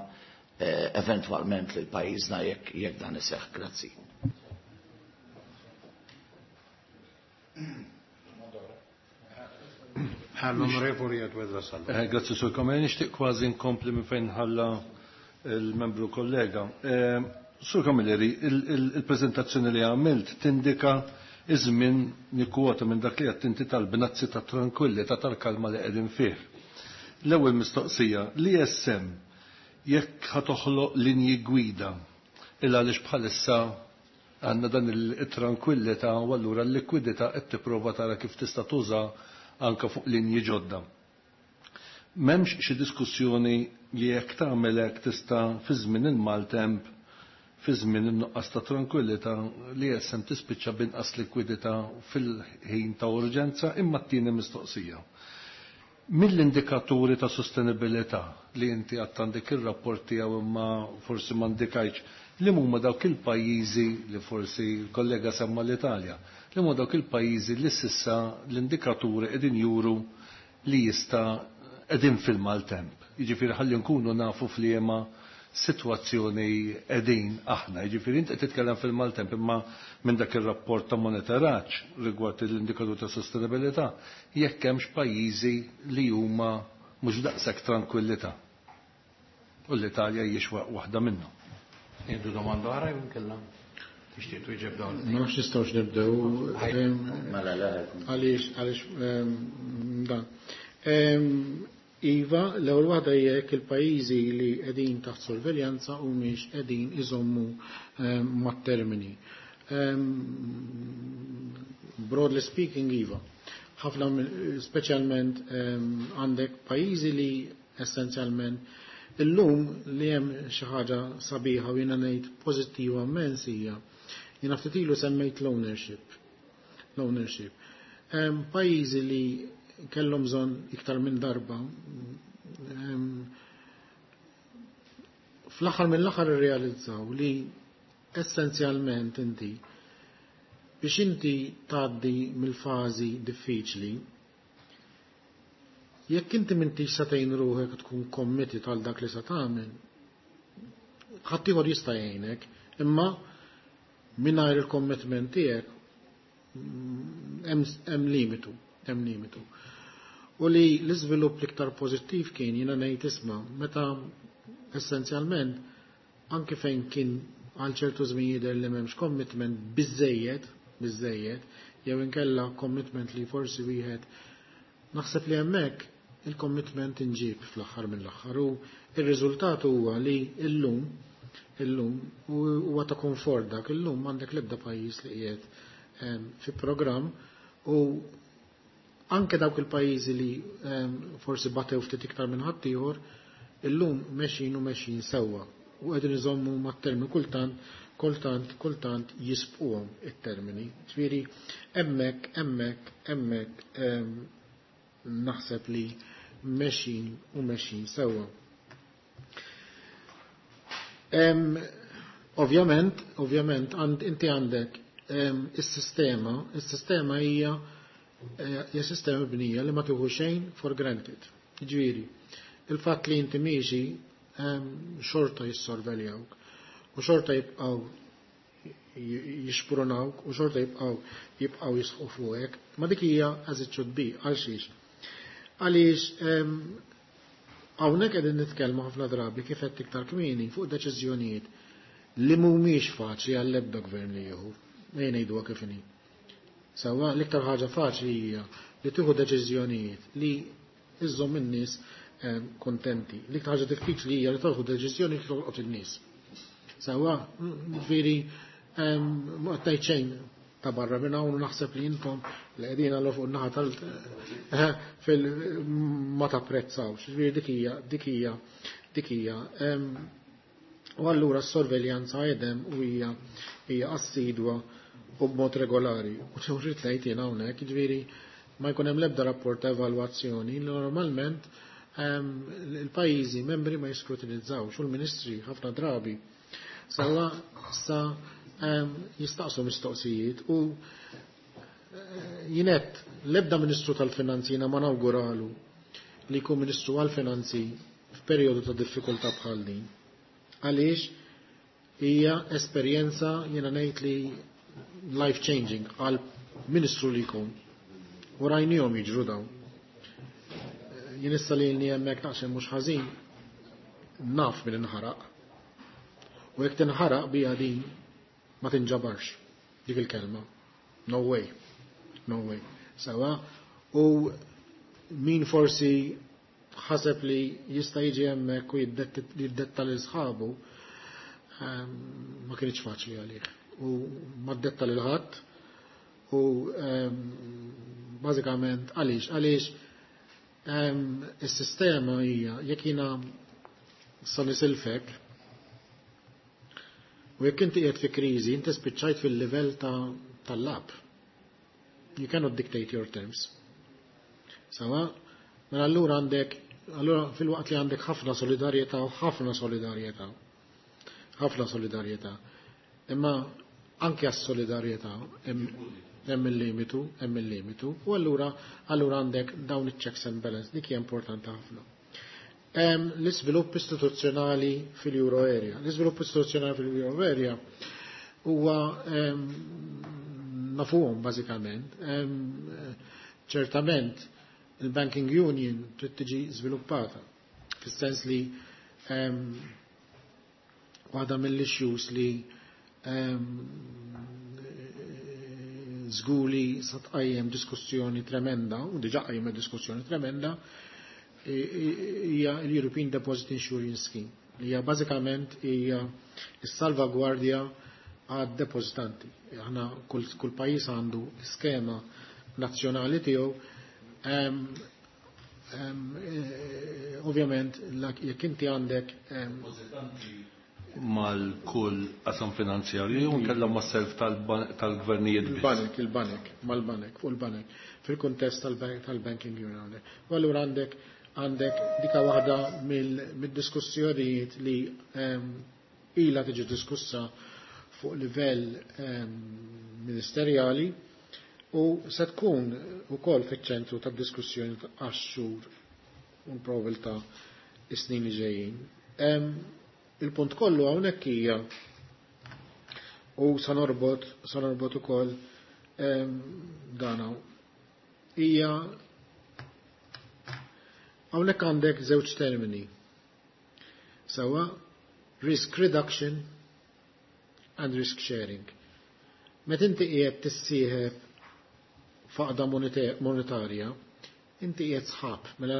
S3: eventwalment lil pajjiżna jekk dan iseħħ. Grazzi.
S1: L-Onorevoli Edward Vassallo.
S4: Grazzi, Sur Camilleri, nixtieq kważi nkompli minn fejn ħalla il-membru kollega. Sur Camilleri, il-prezentazzjoni li għamilt tindika iż-żmien, nikkwota minn dak li qed inti, tal-bnazzi ta' tranquillità, tal-kalma li qegħdin fih. L-ewwel mistoqsija, l-ESM jekk ħa toħloq linji gwida, illa għaliex bħalissa għandna dan il-tranquillità u allura l-likwidità qed tipprova tara kif tista' tuża anka fuq linji ġodda. M'hemmx xi diskussjoni li jekk tagħmel hekk tista' fi żmien il-maltemp, fi żmien in-nuqqas ta' tranquillità, li ESM tispiċċa binqas likwidità fil-ħin ta' urġenza? Imma t-tieni mistoqsija. Mill-indikaturi ta' sostenibilità li inti għadt għandek ir-rapport tiegħu, imma forsi ma indikajtx li huma dawk il-pajjiżi li, forsi l-kollega semma l-Italja, li huma dawk il-pajjiżi li s'issa l-indikaturi qegħdin juru li jista' qegħdin fil-maltemp. Jiġifieri ħalli nkunu nafu f'liema sitwazzjoni qegħdin aħna. Jiġifieri inti qed titkellem fil-maltemp, imma minn dak ir-rapport ta' monitoraġġ rigward l-indikatur ta' sostenibilità, jekk hemmx pajjiżi li huma mhux daqshekk tranquillità. U l-Italja hijiex waħda minnhom.
S1: Jiddu domanda oħra jew inkella tixtieq twieġeb dawn?
S2: Ma nafx nistgħux nibdew.
S3: Mela, le.
S2: Għaliex dan. Iva, l-ewwel waħda, jekk il-pajjiżi li qegħdin taħt sorveljanza humiex qegħdin iżommu mat-termini. Broadly speaking, iva. Ħafna, speċjalment għandek pajjiżi li essenzjalment illum li hemm xi ħaġa sabiħa u jiena ngħid pożittiva immens hija, jiena ftit ilu semmejt l-ownership. L-ownership. Hemm pajjiżi li kellhom bżonn iktar minn darba, fl-aħħar mill-aħħar irrealizzaw li essenzjalment inti Biex inti tgħaddi mill-fażi diffiċli, jekk inti m'intix sa tgħin ruħek tkun committed għal dak li sa tagħmel, ħaddieħor jista' jgħinek, imma mingħajr il-commitment tiegħek hemm limitu, hemm limitu. U li l-iżvilupp l-iktar pożittiv kien jiena ngħid isma' meta essenzjalment anke fejn kien għal ċertu żmien jidher li m'hemmx commitment biżejjed, biżejjed, jew inkella commitment li forsi wieħed naħseb li hemmhekk il-commitment inġib fl-aħħar mill-aħħar u ir-riżultat huwa li illum illum huwa ta' komfort dak illum m'għandek l-ebda pajjiż li qiegħed fi programm u anke dawk il-pajjiżi li forsi batew ftit iktar minn ħaddieħor illum mexjin u mexjin sewwa u qegħdin iżommu mat-termini kultant kultant kultant jisbquhom it-termini. Ġifieri hemmhekk hemmhekk hemmhekk naħseb li mexjin u mexjin sewwa. Ovvjament, ovvjament, inti għandek is-sistema, is-sistema hija hija sistema mibnija li ma tieħu xejn for granted. Ġifieri, il-fatt li inti miexi xorta jissorveljawk u xorta jibqgħu jixprunawk u xorta jibqgħu jibqgħu jisħu fuqek, ma dik hija as it should be, għal xiex. Għaliex hawnhekk qegħdin nitkellmu ħafna drabi kif qed iktar kmieni fuq deċiżjonijiet li mhumiex faċli għall-ebda gvern li jieħu. Ejja ngħiduha kif inhi. Sewwa l-iktar ħaġa faċli hija li tieħu deċiżjonijiet li iżżomm in-nies kontenti. L-iktar ħaġa diffiċli hija li tieħu deċiżjoni li tolqot in-nies. Sewwa, ġifieri ma qed ngħid xejn ta' barra minn hawn u naħseb li intom li qegħdin għal fuq naħa tal fil ma tapprezzawx. Ġifieri dik hija dik hija dik hija. U allura s-sorveljanza għedem u hija hija assidwa u b'mod regolari. U rrid ngħid jien hawnhekk, jiġifieri ma jkun hemm l-ebda rapport ta' evalwazzjoni li normalment il-pajjiżi membri ma jiskrutinizzawx u l-ministri ħafna drabi sawa sa jistaqsu mistoqsijiet u jinet l-ebda ministru tal-finanzi jiena ma nawguralu li jkun ministru għal-finanzi f'perjodu ta' diffikultà bħal din. Għaliex hija esperjenza jiena ngħid li life changing għal ministru li jkun. U rajnihom jiġru dawn. Jien issa li hemmhekk naqsem mhux ħażin naf min inħaraq. U jekk tinħaraq bija din ma tinġabarx dik il-kelma. No way. No way. Sawa. U min forsi ħaseb li jista' jiġi hemmhekk u jiddetta lil sħabu ma kienx faċli għalih. U ma ddetta lil ħadd u bażikament għaliex għaliex is-sistema hija jekk jiena sa nisilfek u jekk inti qiegħed fi kriżi inti spiċċajt fil-livell tal-lab. You cannot dictate your terms. Sawa, mela allura għandek allura fil-waqt li għandek ħafna solidarjetà u ħafna solidarjetà. Ħafna solidarjetà. Imma anke għas-solidarjetà hemm il-limitu, hemm il-limitu, u allura allura għandek dawn iċ-checks and balance, dik hija importanti ħafna. L-iżvilupp istituzzjonali fil-Euro area. L-iżvilupp istituzzjonali fil-Euro area huwa nafuhom bażikament. Ċertament il-Banking Union trid tiġi żviluppata fis-sens li waħda mill-issues li żgur li sa tqajjem diskussjoni tremenda, u diġà qajjem diskussjoni tremenda, hija l-European Deposit Insurance Scheme, li hija bażikament hija s-salvagwardja għad depozitanti. Aħna kull, kull pajjiż għandu skema nazzjonali tiegħu. Ovvjament, jekk inti għandek
S4: mal-kull qasam finanzjarju jew nkella ma' self tal-gvernijiet biss.
S2: Il-banek, il-banek, mal-banek, fuq il-banek, fil-kuntest tal-banking union. U allura għandek għandek dika waħda mid-diskussjonijiet li ila tiġi diskussa. fuq livell ministerjali u se tkun ukoll fiċ-ċentru tad-diskussjoni għax-xhur u probabilità is-snin li ġejjin. Il-punt kollu hawnhekk hija u sa norbot ukoll dana hija hawnhekk għandek żewġ termini. Sawa risk reduction and risk sharing. Meta inti qiegħed tissieħeb faqda monetarja, inti qiegħed sħab, mela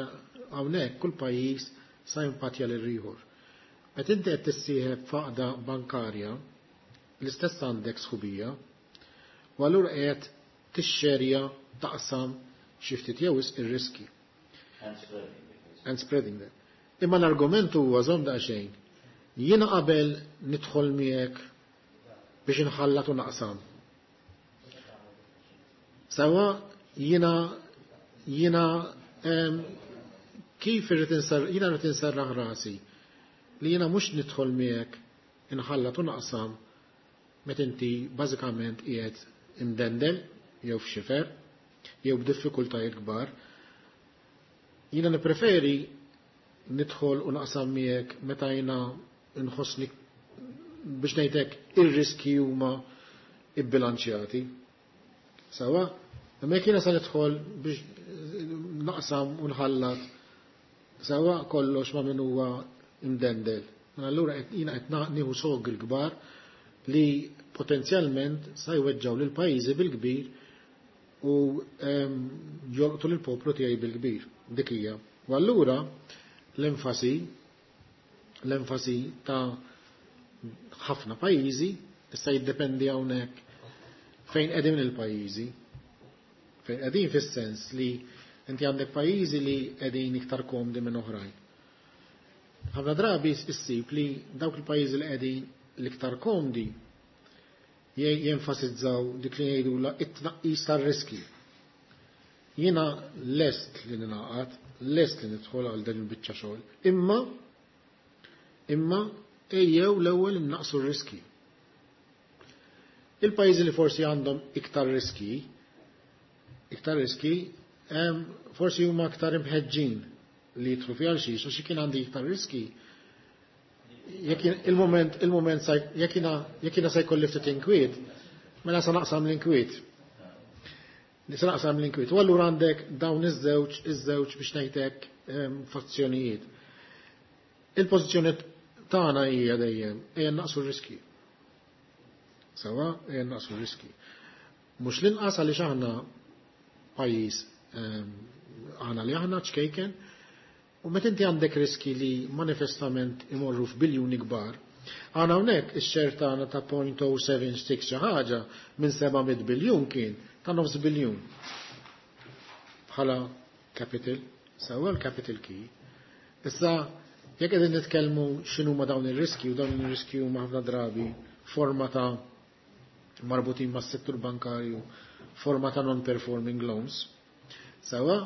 S2: hawnhekk kull pajjiż sa jimpatja lil ieħor. Meta inti qed tissieħeb faqda bankarja, l-istess għandek sħubija, u allura qiegħed tixxerja taqsam xi ftit jew wisq ir-riski. And spreading them. Imma l-argument huwa żomm daqsxejn. Jiena qabel nidħol miegħek biex inħallat u naqsam. Sawa jiena jiena kif irrid jiena rrid inserraħ rasi li jiena mhux nidħol miegħek inħallat u naqsam meta inti bażikament qiegħed imdendel jew f'xifer jew b'diffikultajiet kbar. Jiena nippreferi nidħol u naqsam miegħek meta jiena nħossni biex ngħidlek ir-riski huma ibbilanċjati. Sawa? Imma jekk jiena sa nidħol biex naqsam u nħallat sawa kollox ma' min huwa imdendel. Allura jiena qed nieħu sogri kbar li potenzjalment sa jweġġaw lil pajjiżi bil-kbir u jolqtu lil poplu tiegħi bil-kbir. Dik hija. U allura l-enfasi l-enfasi ta' ħafna pajjiżi issa jiddependi hawnhekk fejn qegħdin il-pajjiżi. Fejn qegħdin fis-sens li inti għandek pajjiżi li qegħdin iktar komdi minn oħrajn. Ħafna drabi issib li dawk il-pajjiżi li qegħdin l-iktar komdi jenfasizzaw dik li jgħidula it-tnaqqis tar-riski. Jiena lest li ninaqat, lest li nidħol għal dan il-biċċa xogħol, imma imma ejjew l-ewwel innaqsu r-riski. Il-pajjiżi li forsi għandhom iktar riski, iktar riski, forsi huma aktar imħeġġin li jidħlu fiha għal xiex, għax kien għandi iktar riski. Jekk il-moment, il-moment jekk jiena se jkolli ftit inkwiet, mela sa naqsam l-inkwiet. Sa naqsam l-inkwiet. U allura għandek dawn iż-żewġ, iż-żewġ biex ngħidlek fazzjonijiet. Il-pożizzjoni tagħna hija dejjem ejja naqsu r-riski. Sawa, ejja naqsu r-riski. Mhux l-inqas għaliex aħna pajjiż aħna li aħna ċkejken, u meta inti għandek riski li manifestament imorru f'biljuni kbar, għana hawnhekk ix-share tagħna ta' 0.076 xi ħaġa minn 700 biljun kien ta' nofs biljun. Bħala capital, sewa l-capital key. Issa jekk qegħdin nitkellmu x'inhuma dawn ir-riski u dawn ir-riski huma ħafna drabi forma ta' marbutin mas-settur bankarju, forma ta' non-performing loans. Sewa,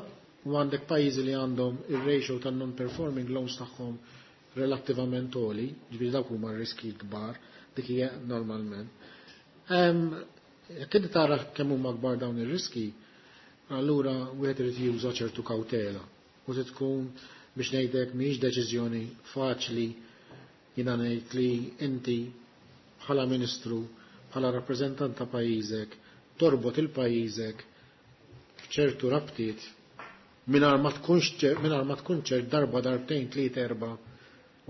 S2: u għandek pajjiżi li għandhom ir-ratio ta' non-performing loans tagħhom relattivament għoli, ġifieri dawk huma r-riski kbar, dik hija normalment. Jekk inti tara kemm huma kbar dawn ir-riski, allura wieħed irid juża ċertu kawtela u se tkun biex ngħidlek mhijiex deċiżjoni faċli jiena ngħid li inti bħala ministru, bħala rappreżentant ta' pajjiżek, torbot il-pajjiżek f'ċertu rabtiet mingħajr ma tkunx mingħajr ma tkun ċert darba darbtejn tliet erba'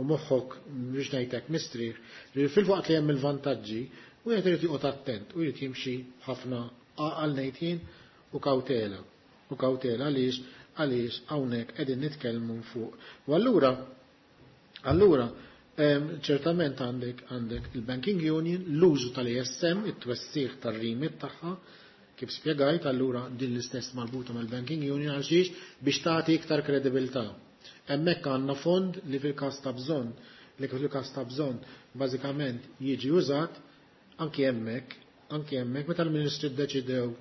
S2: u moħħok biex ngħidlek mistrieħ li fil-waqt li hemm il-vantaġġi wieħed irid joqgħod attent u jrid jimxi ħafna għaqal ngħid jien u kawtela. U kawtela għaliex għaliex hawnhekk qegħdin nitkellmu fuq. U allura allura ċertament għandek għandek il-Banking Union, l-użu tal-ESM, it-twessiħ tar-remit tagħha, kif spjegajt allura din l-istess marbuta mal-Banking Union għal xiex biex tagħti iktar kredibilità. Hemmhekk għandna fond li fil-każ ta' bżonn, li fil-każ ta' bżonn bażikament jiġi użat anki hemmhekk, anki hemmhekk meta l-Ministri ddeċidew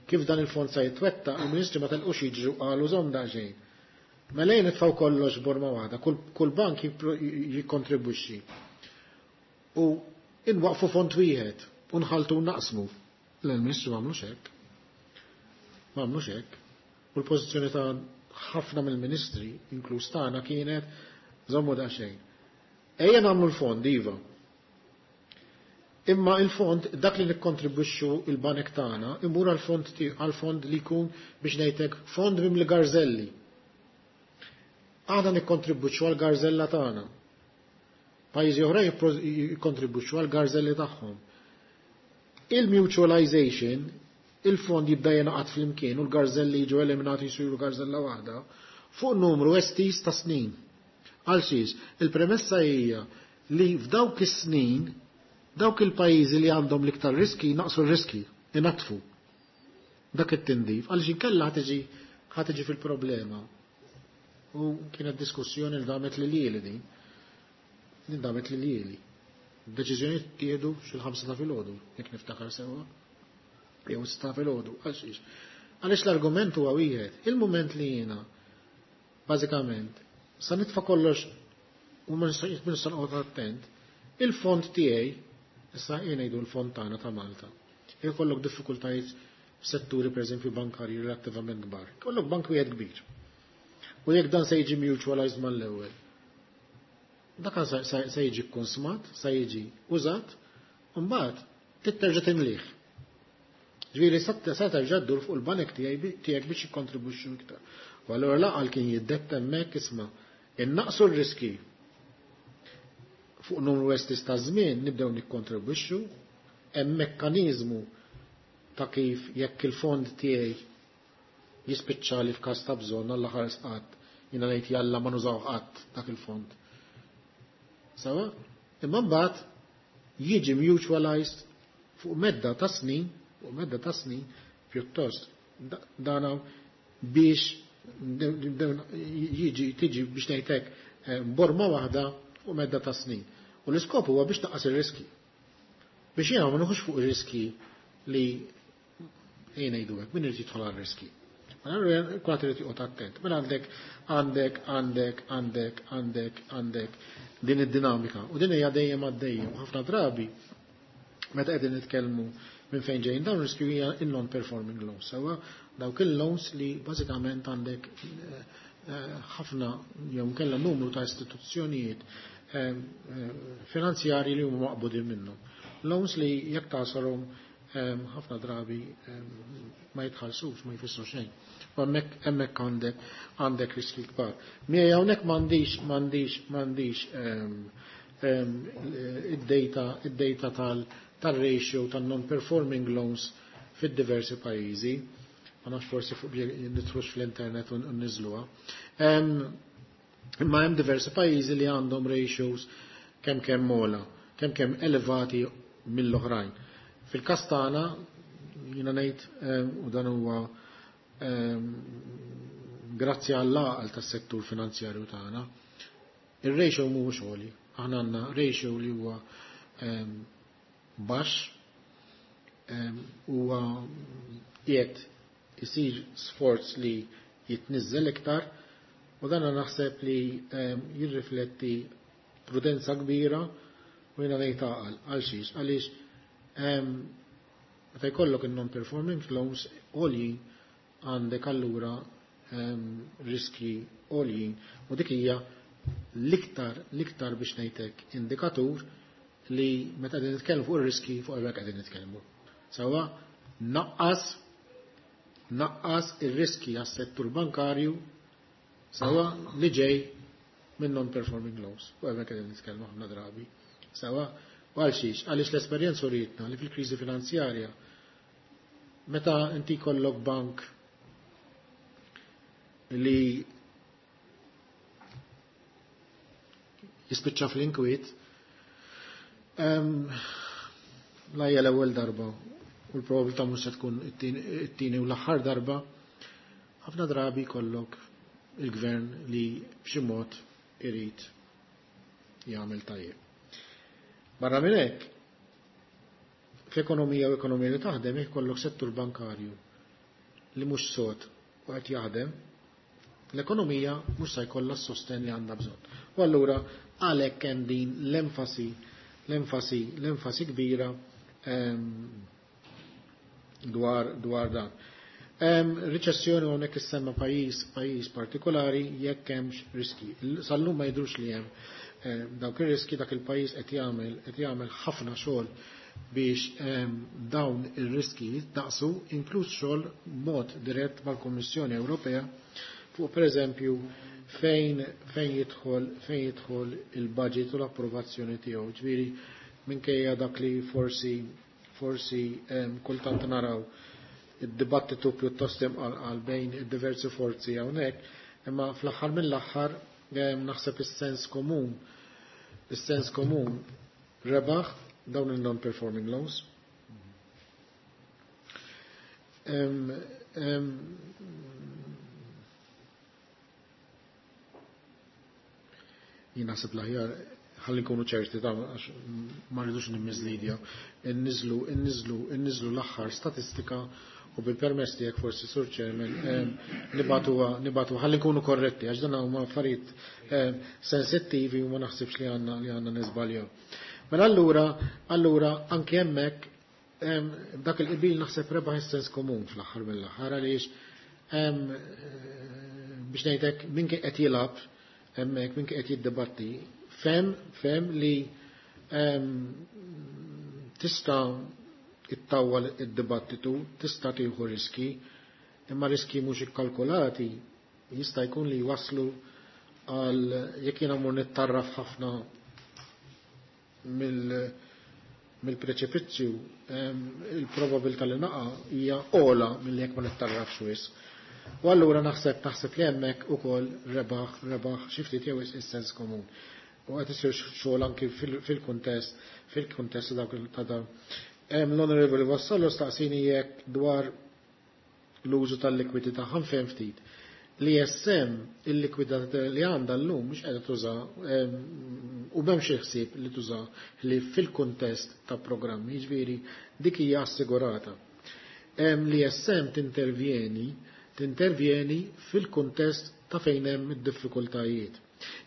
S2: kif dan il-fond se jitwetta, il-Ministri ma telqux jiġru qalu żomm daqsxejn. Mela jien nitfgħu kollox borma waħda, kull bank jikkontribwixxi. U Inwaqfu fond wieħed u nħaltu naqsmu. L-Ministru m'għamlux hekk. M'għamlux hekk. U l-pożizzjoni ta' ħafna mill-ministri, inkluż tagħna, kienet żommu daqsxejn. Ejja nagħmlu l-fond, iva. Imma il-fond, dak li nikkontribwixxu il-banek tagħna, imur għal-fond li jkun biex ngħidlek fond mimli garzelli. Aħna nikkontribwixxu għal-garzella tagħna. Pajjiżi oħra jikkontribwixxu għal-garzelli tagħhom. Il-mutualization, il-fond jibda jingħaqad flimkien u l-garzelli jiġu eliminati jsiru garzella waħda fuq numru estiż ta' snin. Għal xiex, il-premessa hija li f'dawk is-snin dawk il-pajjiżi li għandhom l-iktar riski naqsu r-riski, inatfu. Dak it-tindif, għaliex inkella ħa tiġi fil-problema. U kienet diskussjoni li damet li lieli din. Din damet li lieli. Deċiżjoni tieħdu xil-5 ta' filgħodu, jekk niftakar sewwa. Jew 6 filgħodu, għalxiex. Għaliex l-argument huwa wieħed, il-mument li jiena bażikament sa nitfa' kollox u ma nista' noqgħod attent, il-fond tiegħi, issa jien ngħidu l-fond tagħna ta' Malta. Jkollok diffikultajiet f'setturi pereżempju bankarji relattivament kbar. Kollok bank wieħed kbir. U jekk dan se jiġi mutualized mal-ewwel. Dak se jiġi konsmat, se jiġi użat, u mbagħad titterġa' timlih. Ġifieri sa terġa' ddur fuq il-banek tiegħek biex jikkontribwixxu iktar. U allura l-għaqal kien jiddetta hemmhekk, isma' innaqsu r-riski fuq numru estiż ta' żmien, nibdew nikkontribwixxu, hemm mekkaniżmu ta' kif jekk il-fond tiegħi jispiċċa li f'każ ta' bżonn, Alla ħares qatt, jiena ngħid jalla ma nużaw qatt dak il-fond. Sawa? Imma mbagħad jiġi mutualized fuq medda ta' snin, fuq medda ta' snin pjuttost dana biex jiġi tiġi biex ngħidlek borma waħda fuq medda ta' snin. U l-iskop huwa biex taqqas ir-riski. Biex jiena ma nieħux fuq ir-riski li ejja ngħidu hekk, min irid jidħol għar-riski. Kulħadd irid joqgħod attent. Mela għandek għandek għandek għandek għandek għandek din id-dinamika u din hija dejjem għaddejja u ħafna drabi meta qegħdin nitkellmu minn fejn ġejjin dawn riskju hija il-non-performing loans. Sewa dawk il-loans li bażikament għandek ħafna jew kellha numru ta' istituzzjonijiet finanzjarji li huma maqbudin minnhom. Loans li jekk tasalhom ħafna drabi ma jitħallsux, ma jfissru xejn. U hemmhekk għandek riski kbar. Miegħi hawnhekk m'għandix id-data tal-ratio tan-non-performing loans fid-diversi pajjiżi. Ma nafx, forsi fuq nidħlux fl-internet u nniżżluha. Imma hemm diversi pajjiżi li għandhom ratios kemm kemm ogħla, kemm kemm elevati mill-oħrajn. Fil-każ tagħna jiena ngħid u dan huwa grazzi għall-għaqal tas-settur finanzjarju tagħna, ir-ratio mhuwiex għoli. Aħna għandna ratio li huwa baxx, huwa qiegħed isir sforz li jitniżżel iktar u dan naħseb li jirrifletti prudenza kbira u jiena ngħid għaqal għal xiex, għaliex meta jkollok il-non-performing loans għoljin għandek allura riski għoljin u dik hija l-iktar biex ngħidlek indikatur li meta qegħdin nitkellmu fuq ir-riski fuq hekk qegħdin nitkellmu. Sawa naqqas ir-riski għas-settur bankarju sawa li ġej minn non-performing loans. U hemmhekk qegħdin nitkellmu ħafna drabi. Sawa u għal xiex, għaliex l-esperjenza urietna li fil-kriżi finanzjarja meta inti kollok bank li jispiċċa fl-inkwiet, la hija l-ewwel darba u l-probabilità mhux se tkun it-tieni u l-aħħar darba, ħafna drabi kollok il-gvern li b'xi mod irid jagħmel tajjeb. Barra minn hekk, f'ekonomija u ekonomija li taħdem jkollok settur bankarju li mhux sod u qed jaħdem, l-ekonomija mhux se jkollha s-sosten li għandha bżonn. U allura għalhekk hemm din l-enfasi. l-enfasi kbira dwar dan. Riċessjoni hawnhekk issemma pajjiż partikolari jekk hemmx riski. Sal-lum ma jidhrux li hemm dawk ir-riski. Dak il-pajjiż qed jagħmel ħafna xogħol biex dawn ir-riski jitnaqsu, inkluż xogħol mod dirett mal-Kummissjoni Ewropea fuq, pereżempju, fejn jidħol il-budget u l-approvazzjoni tiegħu. Ġifieri minkejja dak li forsi kultant naraw id-dibattitu pjuttost imqanqal bejn id-diversi forzi hawnhekk, imma fl-aħħar mill-aħħar naħseb is-sens komun rebaħ dawn il-non-performing loans. Jien naħseb l-aħjar ħalli nkunu ċerti ta' għax ma rridux nimmiżlidja. Inniżlu l-aħħar statistika u bil-permess tiegħek forsi, Sur Chairman, nibagħtu ħalli nkunu korretti, għax dan huma affarijiet sensittivi u ma naħsibx li għandna niżbaljaw. Mela allura anke hemmhekk dak il-qbil naħseb rebaħ is-sens komun fl-aħħar mill-aħħar, għaliex biex ngħidlek, min kien qed jilgħab hemmhekk, min kien qed jiddibatti, fehem li tista' ittawwal id-dibattitu, tista' tieħu riski, imma riski mhux ikkalkulati jista' jkun li waslu għal jekk jiena mur nittarraf ħafna mill-preċipizzju, il-probabilità li naqa' hija ogħla milli jekk ma nittarrafx wisq. U allura naħseb li hemmhekk ukoll rebaħ xi ftit jew is-sens komun. U qed isir xogħol anki fil-kuntest dawk ta' dawn. L-Onorevoli Vassallo staqsini jekk dwar l-użu tal-likwidità. Ħa nfhem ftit. L-ESM, il-likwidità li għandha llum mhux qiegħda tuża u m'hemmx ħsieb li tuża li fil-kuntest ta' programmi, jiġifieri dik hija assigurata. L-ESM tintervjeni fil-kuntest ta' fejn hemm id-diffikultajiet.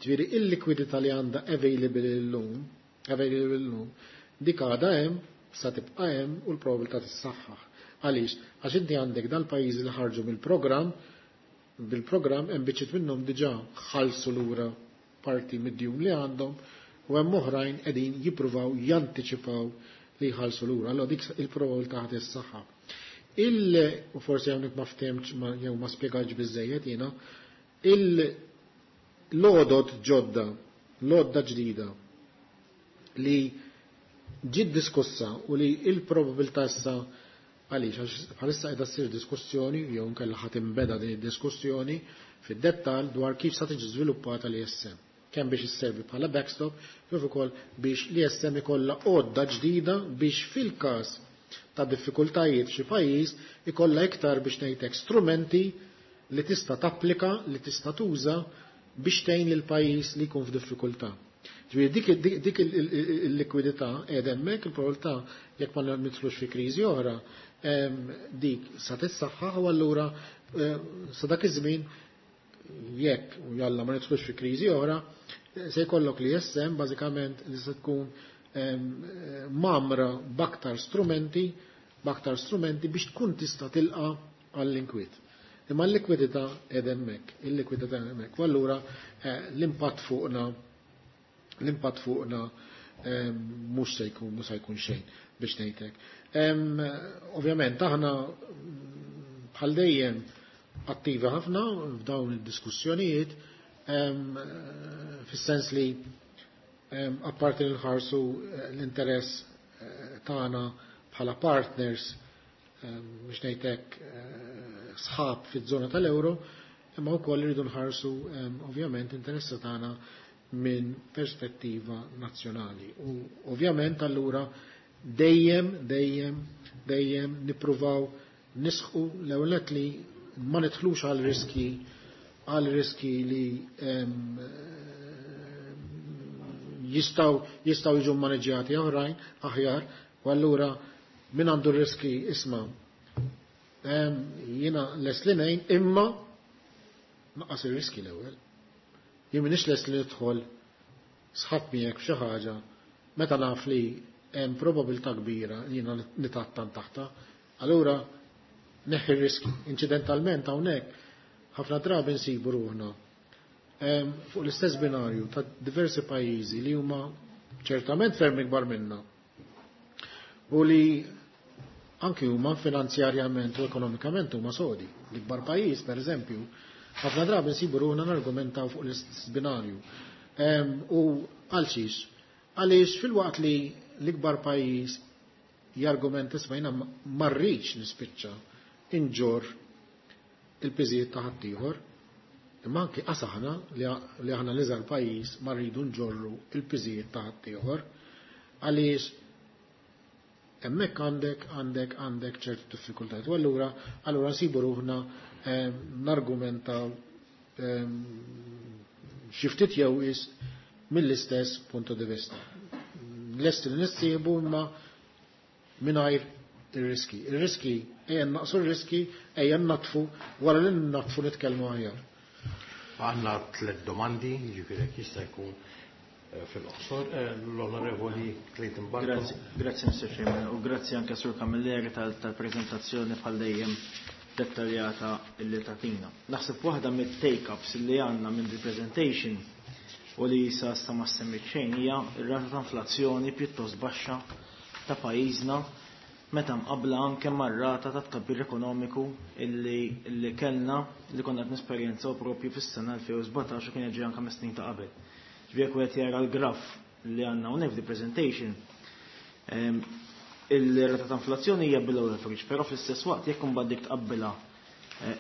S2: Ġifieri il-likwidità li għandha available illum, dik għadha hemm, sa tibqa' hemm u l-probabilità tissaħħaħ. Għaliex? Għax inti għandek dal-pajjiżi li ħarġu mill-programm, bil-programm hemm biċċiet minnhom diġà ħallsu lura parti mid-djun li għandhom u hemm oħrajn qegħdin jippruvaw jantiċipaw li jħallsu lura. Allora dik il-probabilità ħad is-saħħa. U forsi hawnhekk ma ftehmx jew ma spjegax biżejjed jiena, l-għodod ġodda, l-għodda ġdida li ġiet diskussa u li il-probabilità issa, għaliex għax bħalissa qiegħda ssir diskussjoni jew nkella ħadd imbeda din id-diskussjoni fid-dettall dwar kif sa tiġi żviluppata l-ESM. Kemm biex isservi bħala backstop, kif ukoll biex l-ESM ikollha għodda ġdida biex fil-każ ta' diffikultajiet f'xi pajjiż ikollha iktar, biex ngħidlek, strumenti li tista' tapplika, li tista' tuża biex tgħin lil pajjiż li jkun f'diffikultà. Ġifieri dik il-likwidità qiegħda hemmhekk, il-probabilità jekk ma nidħlux fi kriżi oħra, dik sa tissaħħaħ u allura sa dak iż-żmien, jekk u jalla ma nidħlux fi kriżi oħra, se jkollok l-ESM bażikament li se tkun mgħammra b'aktar strumenti biex tkun tista' tilqa' għall-inkwiet. Imma l-likwidità qiegħda hemmhekk, il-likwidità hemmhekk. U allura l-impatt fuqna mhux se jkun xejn, biex ngħidlek. Ovvjament aħna bħal dejjem attivi ħafna f'dawn id-diskussjonijiet, fis-sens li apparti li nħarsu l-interess tagħna bħala partners, biex ngħidlek, sħab fiż-żona tal-euro, imma wkoll irridu nħarsu ovvjament interessi tagħna minn perspettiva nazzjonali. U ovvjament allura dejjem, dejjem, dejjem nippruvaw nisħu l-ewwel li ma nidħlux għal riski li jistgħu jiġu maneġjati oħrajn aħjar. U allura min għandu riski, isma', jiena lest li ngħin, imma naqqas ir-riski l-ewwel. Jien m'iniex lest li nidħol sħab miegħek f'xi ħaġa. Meta naf li hemm probabilità kbira li jiena nitattan taħta, allura neħħi r-riski. Inċidentalment hawnhekk ħafna drabi nsibu ruħna fuq l-istess binarju ta' diversi pajjiżi li huma ċertament ferm ikbar minna u li anki huma finanzjarjament u ekonomikament huma sodi. L-ikbar pajjiż, per eżempju, ħafna drabi nsibu ruħna nargumentaw fuq l-istess binarju. U għal xiex? Għaliex fil-waqt li l-ikbar pajjiż jargumenta isma' jiena ma rridx nispiċċa inġorr il-piżijiet ta' ħaddieħor, imma anki qas aħna li aħna l-iżgħar pajjiż ma rridu nġorru il-piżijiet ta' ħaddieħor, għaliex hemmhekk għandek għandek għandek ċertu diffikultajiet. U allura allura nsibu ruħna nargumentaw xi ftit jew is mill-istess punto di vista. Lesti li nissieħbu imma mingħajr ir-riski. Ir-riski ejja naqsu r-riski, ejja natfu, wara li natfu nitkellmu aħjar.
S1: Għandna tliet domandi, jiġifieri jekk jista' jkun fil-qosor. L-Onorevoli Clayton Bartolo.
S5: Grazzi, grazzi Mr. Chairman, u grazzi anke Sur Camilleri tal-prezentazzjoni bħal dejjem dettaljata illi tatina. Naħseb waħda mit-take-ups li għandna minn the presentation u li sa sta ma semmit xejn hija r-rata ta' inflazzjoni pjuttost baxxa ta' pajjiżna meta mqabbla anke mar-rata ta' tkabbir ekonomiku illi kellna li konna qed nesperjenzaw propju fis-sena 2017 u kien ġej anke mis-snin ta' qabel. Ġifieri jekk wieħed jara l-graf li għandna hawnhekk f'di presentation, il-rata ta' inflazzjoni hija below average, però fl-istess waqt jekk imbagħad dik tqabbilha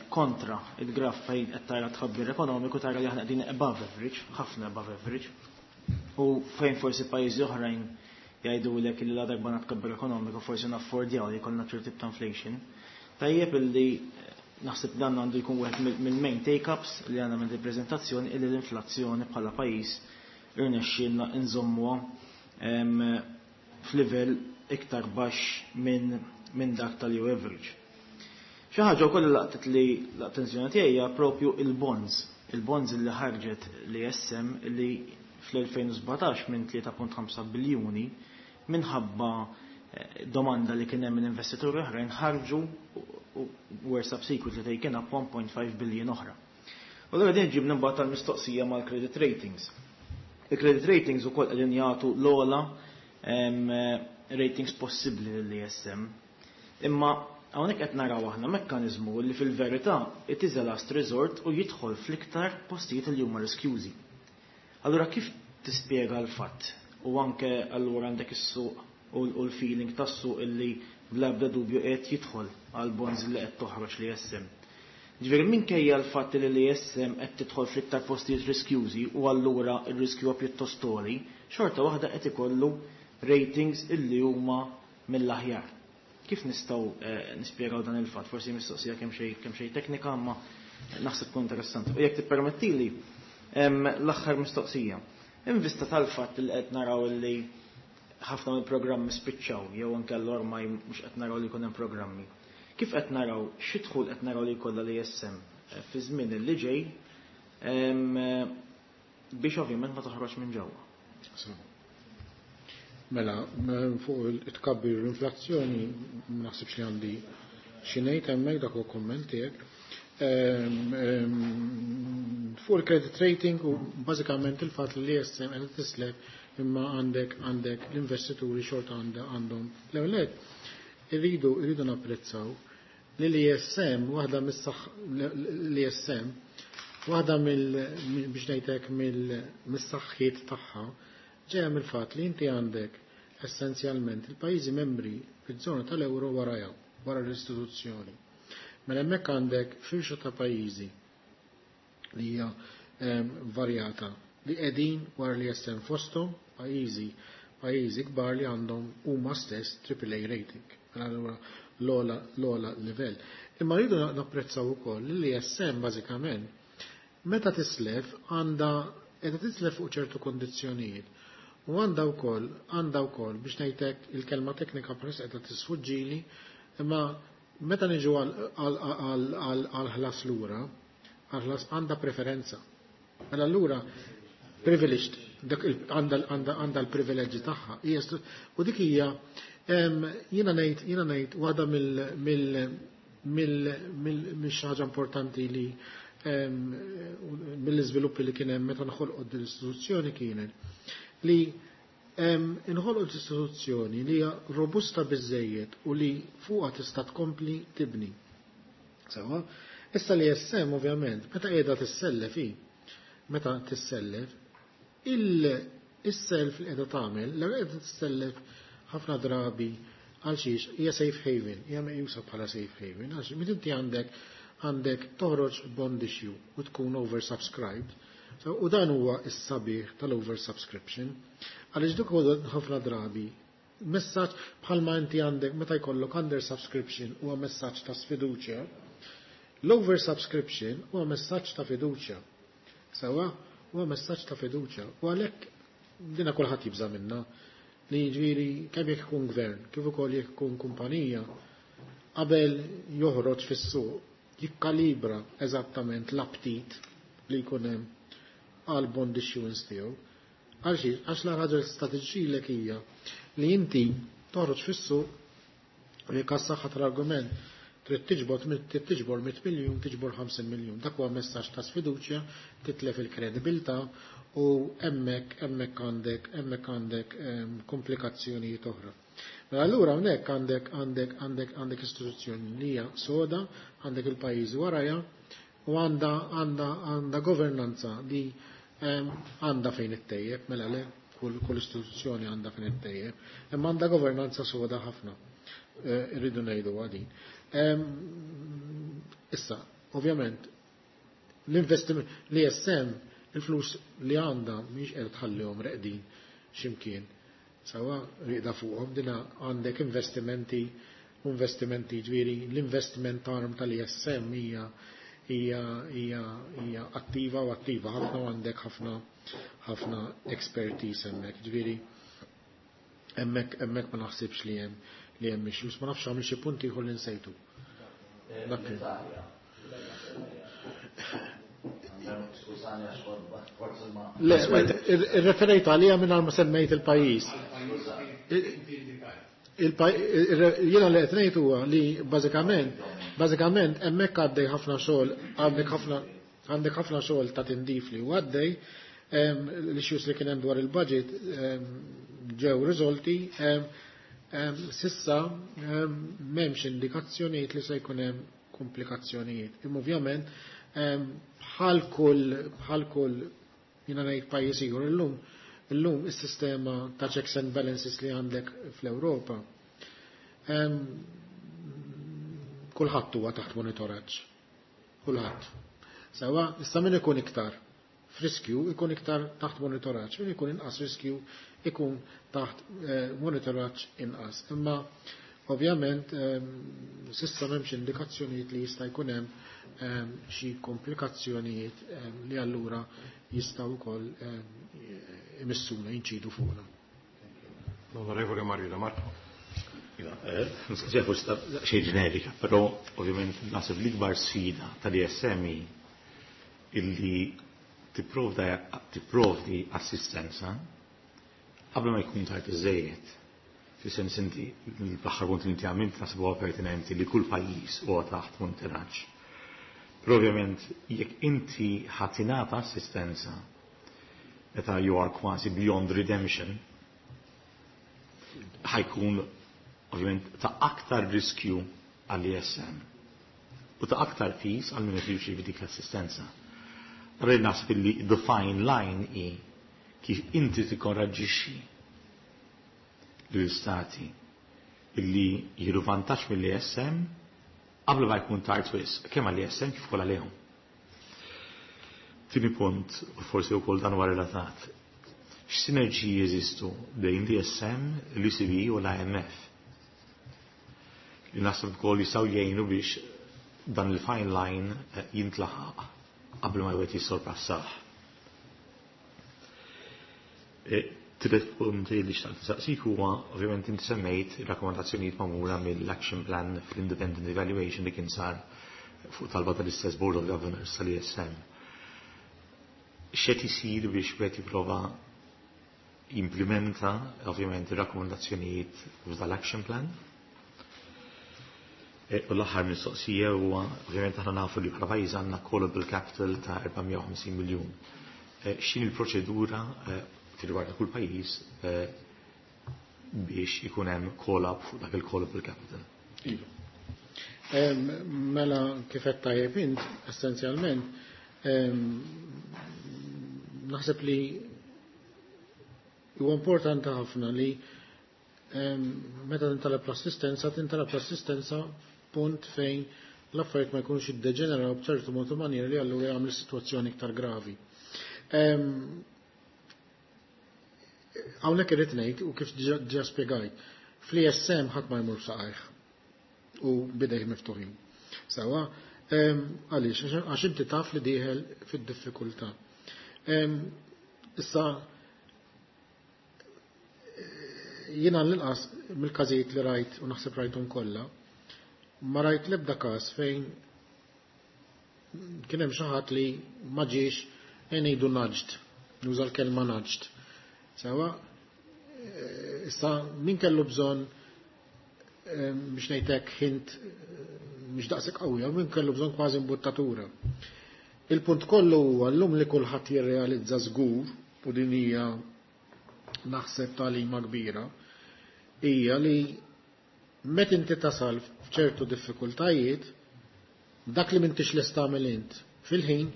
S5: kontra il-graf fejn qed tara tkabbir ekonomiku tara li aħna qegħdin above average, ħafna above average. U fejn forsi pajjiżi oħrajn jgħidulek li la darba tkabbir ekonomiku forsi naffordjaw li jkollna ċertu tip ta' inflation. Tajjeb illi naħseb dan għandu jkun wieħed mill-main take-ups li għandna minn il-preżentazzjoni illi l-inflazzjoni bħala pajjiż irnexxielna nżommuha f'livell iktar baxx minn dak tal-EU average. Xi ħaġa wkoll li laqtet li l-attenzjoni tiegħi hija propju il-bonds. Il-bonds li ħarġet l-ESM li fl-2017 minn 3.5 biljuni minħabba domanda li kien hemm minn investituri oħrajn ħarġu u were subsequently taken up 1.5 billion oħra. U allura din ġibna mbagħad tal-mistoqsija mal-credit ratings. Il-credit ratings ukoll qegħdin jagħtu l-ogħla ratings possibbli lill-ESM. Imma hawnhekk qed naraw aħna mekkaniżmu li fil-verità it is a last resort u jidħol fl-iktar postijiet li huma riskjużi. Allura kif tispjega l-fatt u anke allura għandek is-suq u l-feeling tas-suq illi bla ebda dubju qed jidħol għal bonds li qed toħroġ l-ESM. Ġifieri minkejja l-fatt li l-ESM qed tidħol fl-iktar postijiet riskjużi u allura r-riskju huwa pjuttost għoli, xorta waħda qed ikollu ratings illi huma mill-aħjar. Kif nistgħu nispjegaw dan il-fatt? Forsi mistoqsija kemm xejn teknika, imma naħseb tkun interessanti. U jekk tippermettili l-aħħar mistoqsija. In vista tal-fatt li qed naraw li ħafna mill-programmi spiċċaw jew anke l-ormaj mhux qed naraw li jkun hemm programmi. Kif qed naraw xi dħul qed naraw li jkollha l-ESM fi żmien li ġej biex ovvjament ma toħroġ minn ġewwa.
S2: Mela, fuq it-tkabbir l-inflazzjoni ma naħsibx li għandi xi ngħid hemmhekk dak huwa kumment tiegħek. Fuq il-credit rating u bażikament il-fatt li l-ESM qed tislef imma għandek għandek l-investituri xorta għandhom. L-ewwel irridu napprezzaw li l-ESM waħda mis-saħ l-ESM waħda mill biex ngħidlek mill-saħħiet tagħha ġejja mill-fatt li inti għandek essenzjalment il-pajjiżi membri fiż-żona tal-euro wara wara l-istituzzjoni. Mela hemmhekk għandek firxa ta' pajjiżi li hija varjata li qegħdin wara li jessem fosthom pajjiżi kbar li għandhom huma stess AAA rating. Mela allura l-ogħla livell. Imma rridu napprezzaw ukoll li l-ESM bażikament meta tislef għandha qiegħda tislef fuq ċertu kondizzjonijiet. U għandha wkoll biex ngħidlek il-kelma teknika bħalissa qiegħda tisfuġġili, imma meta niġu għal ħlas lura, għal ħlas għandha preferenza. Mela allura privileged. Dak għandha l-privileġġi tagħha. U dik hija jiena ngħid waħda mill xi ħaġa importanti li mill-iżviluppi li kien hemm meta nħolqot din l-istituzzjoni kienet li inħolqot istituzzjoni li hija robusta biżejjed u li fuqha tista' tkompli tibni. Sewa, issa l-ESM ovvjament, meta qiegħda tissellef hi, meta tissellef, il-self li qiegħda tagħmel, li qiegħda tissellef ħafna drabi għal xiex hija safe haven, hija meqjusa bħala safe haven, għax meta inti għandek toħroġ bond issue u tkun oversubscribed, so, u dan huwa s-sabiħ tal-oversubscription, għaliex dik huwa ħafna drabi messaġġ bħalma inti għandek meta jkollok under subscription huwa messaġġ ta' sfiduċja, l-oversubscription huwa messaġġ ta' fiduċja. Sewa, huwa messaġġ ta' fiduċja. U għalhekk dina kulħadd jibża' minna li ġifieri kemm jekk ikun gvern, kif ukoll jekk ikun kumpanija, qabel joħroġ fis-suq jikkalibra eżattament l-aptit li jkun hemm għal bond issuance tiegħu. Għalxiex, għax la ħaġa strateġilek hija li inti toħroġ fis-suq u jekk għas-saħħa tal-argument trid tiġbor 100 miljun, tiġbor 50 miljun. Dak huwa messaġġ ta' sfiduċja, titlef il-kredibilità u hemmhekk għandek komplikazzjonijiet oħra. Mela allura hawnhekk għandek istituzzjoni li hija soda, għandek il-pajjiżi warajha u għandha governanza li għandha fejn ittejjeb, mela le, kull istituzzjoni għandha fejn ittejjeb, imma għandha governanza soda ħafna. Irridu ngħidu għadin. Issa, ovvjament, l-investiment l-ESM, il-flus li għandha mhix qed tħallihom reqdin x'imkien. Sawa riqda fuqhom dina għandek investimenti, ġifieri l-investment arm tal-ESM hija attiva u attiva ħafna u għandek ħafna ħafna expertise hemmhekk. Ġifieri hemmhekk ma naħsibx li hemm issues, ma nafx għamil xi punti ieħor li nsejtu. Dak kien.
S3: Skużani għax forsi ma.
S2: Le, irreferejt għalija minn ma semmejt il-pajjiż. Jiena li qed ngħid huwa li bażikament hemmhekk għaddej ħafna xogħol, għandek ħafna xogħol ta' tindif li huwa għaddej, l-issues li kien hemm dwar il-budget ġew riżolti, s'issa m'hemmx indikazzjonijiet li se jkun hemm komplikazzjonijiet. Imma ovvjament bħal kull jiena ngħid pajjiż ieħor illum is-sistema ta' checks and balances li għandek fl-Ewropa kulħadd huwa taħt monitoraġġ. Kulħadd. Sewa, issa min ikun iktar f'riskju ikun iktar taħt monitoraġġ, min ikun inqas riskju ikun taħt monitoraġġ inqas. Imma ovvjament s'issa m'hemmx indikazzjonijiet li jista' jkun hemm xi komplikazzjonijiet li allura jistgħu wkoll imissuna jinċidu fuqna.
S1: L-Onorevole Mario De Marco.
S6: Iva, mistoqsija forsi ta' xejn ġenerika, però ovvjament naħseb l-ikbar sfida tal-ESM illi tipprovdi assistenza qabel ma jkun tard iżejjed. Fis-sens inti l-aħħar punt li inti għamilt naħseb huwa pertinenti li kull pajjiż huwa taħt monitoraġġ. Però ovvjament jekk inti ħa tingħata assistenza meta you are kważi beyond redemption, ħa jkun ovvjament ta' aktar riskju għall-ESM u ta' aktar piż għal min jirċievi dik l-assistenza. Allora naħseb illi the fine line hi kif inti tikkoraġġixxi l-istati illi jieħdu vantaġġ mill-ESM qabel ma jkun tard wisq, kemm għall-ESM kif ukoll għalihom. Tieni punt, u forsi wkoll dan huwa relatat, x'sinerġiji jeżistu bejn l-ESM, l-ECB u l-IMF? Li naħseb ukoll jistgħu jgħinu biex dan il-fine line jintlaħaq qabel ma jwet jissorpassah. Tielet punt li xtaqt nsaqsik huwa ovvjament inti semmejt ir-rakkomandazzjonijiet magħmula mill-action plan fl-independent evaluation li kien sar fuq talba tal-istess Board of Governors tal-ESM. X'qed isir biex wieħed jipprova jimplementa ovvjament ir-rakkomandazzjonijiet tal-action plan. U l-aħħar mistoqsija huwa, ovvjament, aħna nafu li bħala pajjiż għandna callable capital ta' 450 miljun. X'in il-proċedura fil-rigward ta' kull pajjiż biex ikun hemm call-up fuq dak il-callable capital?
S2: Iva. Mela, kif qed tajjeb int, essenzjalment, naħseb li huwa importanti ħafna li meta tintalab l-assistenza punt fejn l-affarijiet ma jkunux iddeġeneraw b'ċertu mod u maniera li allura jagħmel sitwazzjoni iktar gravi. Hawnhekk irid ngħid, u kif ġa spjegajt, fl-ESM ħadd ma jmur saqajh u bidejh miftuħin. Sawa, għaliex, għax inti taf li dieħel fid-diffikultà. Issa, jiena l-inqas mill-każijiet li rajt, u naħseb rajthom kollha, ma rajt l-ebda każ fejn kien hemm xi ħadd li ma ġiex, ngħidu nudged, nuża l-kelma nudged. Sawa, issa min kellu bżonn, biex ngħidlek, hint mhux daqshekk qawwija, min kellu bżonn kważi imbuttatura. Il-punt kollu huwa llum li kulħadd jirrealizza żgur, u din hija naħseb tagħlima kbira, hija li meta inti tasal f'ċertu diffikultajiet, dak li m'intix lest tagħmel int fil-ħin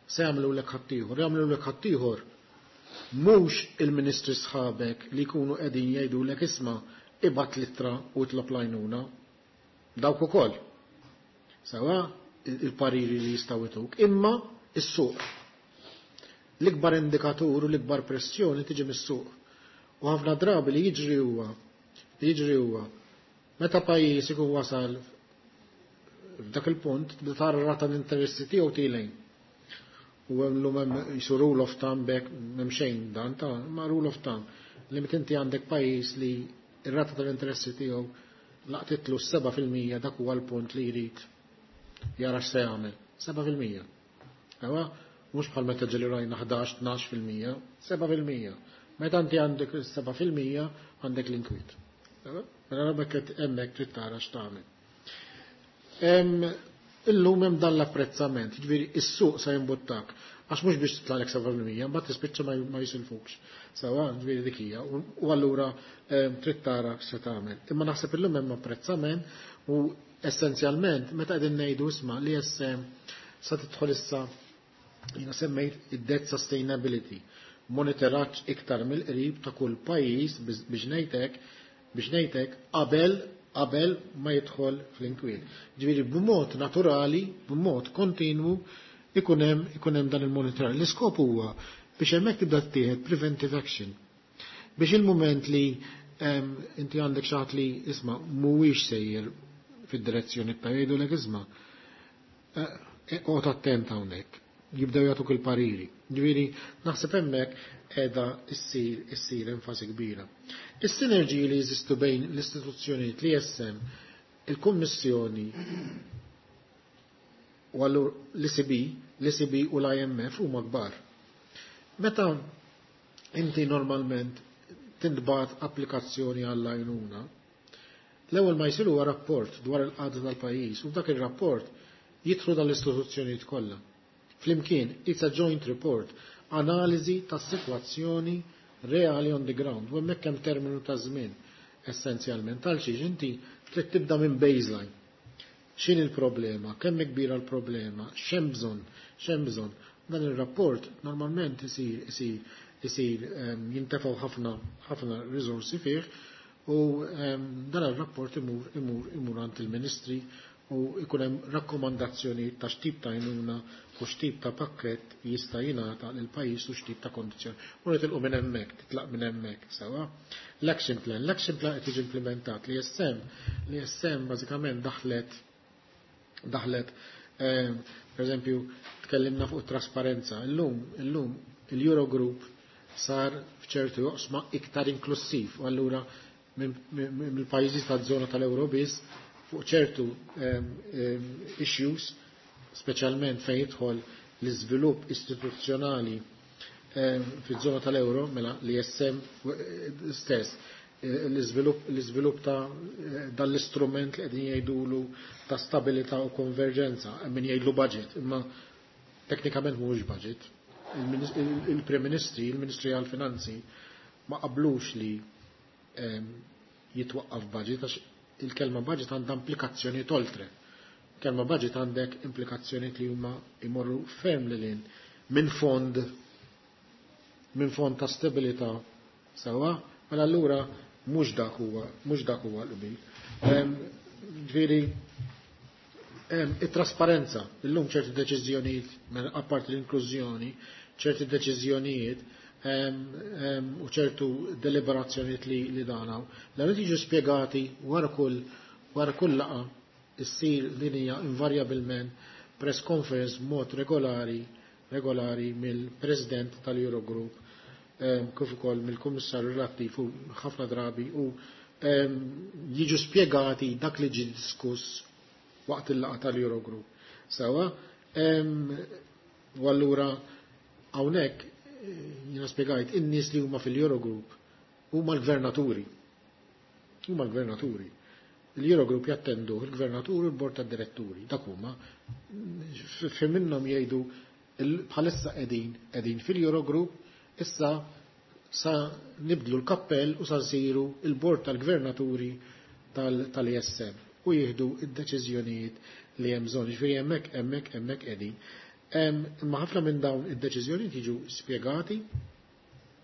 S2: se jagħmlu lek ħaddieħor. Jagħmlu lek ħaddieħor mhux il-ministri sħabek li jkunu qegħdin jgħidulek, "Isma', ibgħat l-ittra u itlob l-għajnuna." Dawk ukoll. Sawa il-pariri li jistgħu jtuk, imma is-suq. L-ikbar indikatur u l-ikbar pressjoni tiġi mis-suq. U ħafna drabi li jiġri huwa meta pajjiż ikun wasal f'dak il-punt, tibda tara rata l-interessi tiegħu tielgħin. U hemm llum hemm jisu rule of thumb hekk, m'hemm xejn dan ta' ma rule of thumb li meta inti għandek pajjiż li ir-rata tal-interessi tiegħu laqtitlu 7%, dak huwa l-punt li jrid jara x'se jagħmel. 7%. Ewa, mhux bħal meta ġeli rajna 11-12%, 7%. Meta inti għandek 7% għandek l-inkwiet. Mela hemmhekk hemmhekk trid tara x'tagħmel. Illum hemm dan l-apprezzament, jiġifieri is-suq se jimbuttak, għax mhux biex titlaqlek 7%, mbagħad tispiċċa ma jisilfukx. Sawa, ġifieri dik hija. U allura trid tara x'se tagħmel. Imma naħseb illum hemm apprezzament u essenzjalment meta qegħdin ngħidu, isma', li jessem sa tidħol issa, jiena semmejt id-debt sustainability, monitoraġġ iktar mill-qrib ta' kull pajjiż biex ngħidlek qabel ma jidħol fl-inkwiet. Ġifieri b'mod naturali, b'mod kontinwu ikun hemm dan il-monitoraġġ. L-iskop huwa biex hemmhekk tibda tieħed preventive action. Biex il-moment li inti għandek xi ħadd li, isma', mhuwiex sejjer fid-direzzjoni ta' jgħidulek, "Isma', oqgħod attent hawnhekk." Jibdew jagħtuk il-pariri. Ġifieri naħseb hemmhekk qiegħda issir enfasi kbira. Is-sinerġiji li jeżistu bejn l-istituzzjonijiet, l-ESM, il-Kummissjoni u allura l-ECB u l-IMF huma kbar. Meta inti normalment tintbagħat applikazzjoni għall-għajnuna, l-ewwel ma jsir huwa rapport dwar il-qagħda tal-pajjiż u f'dak ir-rapport jidħlu dal-istituzzjonijiet kollha. Flimkien, it's a joint report, analiżi tas-sitwazzjoni reali on the ground, u hemmhekk hemm terminu ta' żmien essenzjalment għal xiex inti trid tibda minn baseline. X'in il-problema, kemm kbira l-problema, x'hemm bżonn, x'hemm bżonn. Dan ir-rapport normalment isir jintefgħu ħafna ħafna risorsi fih u dan ir-rapport imur għand il-ministri u ikun hemm rakkomandazzjoni ta' x'tip ta' għajnuna u x'tip ta' pakkett jista' jingħata lil pajjiż u x'tip ta' kondizzjoni. U nitilqu minn hemmhekk, titlaq minn hemmhekk, sewa. L-action plan qed jiġi implementat. L-ESM bażikament daħlet, per eżempju, tkellimna fuq trasparenza. Illum il-Eurogroup sar f'ċertu joqsma iktar inklusiv u allura mill-pajjiżi taż-żona tal-Euro biss fuq ċertu issues, speċjalment fejn jidħol l-iżvilupp istituzzjonali. Fiż-żona tal-euro, mela l-ISM stess, l-iżvilupp ta' dan l-istrument li qegħdin jgħidulu ta' stabilità u konverġenza, min jgħidlu budget, imma teknikament mhuwiex budget. Il-Prim Ministri, il-Ministri għall-Finanzi ma qablux li jitwaqqaf budget għax il-kelma budget għandha implikazzjonijiet oltre. Kelma budget għandek implikazzjonijiet li huma jmorru ferm lil hinn minn fond ta' stabilità sewwa, mela allura mhux dak huwa l-qbil. Ġifieri it-trasparenza, illum ċerti deċiżjonijiet, mela apparti l-inklużjoni, ċerti deċiżjonijiet u ċertu deliberazzjonijiet li danaw, l jiġu spjegati wara kull laqgħa issir din hija invarjabilment press conference mod regolari mill-President tal-Eurogroup kif ukoll mill-Kummissarju relattiv u ħafna drabi u jiġu spjegati dak li ġi diskuss waqt il-laqgħa tal-Eurogroup. Sewwa, u allura hawnhekk jiena spjegajt in-nies li huma fil-Eurogroup huma l-gvernaturi. Huma l-gvernaturi. Il-Eurogroup jattendu il-gvernaturi u l-bord tad-diretturi. Dak huma fi minnhom jgħidu bħalissa qegħdin fil-Eurogroup, issa sa nibdlu l-kappell u sa nsiru il-bord tal-gvernaturi tal-ISM u jieħdu id-deċiżjonijiet li hemm bżonn. Ġifieri hemmhekk qegħdin. Imma ħafna minn dawn id-deċiżjonijiet jiġu spjegati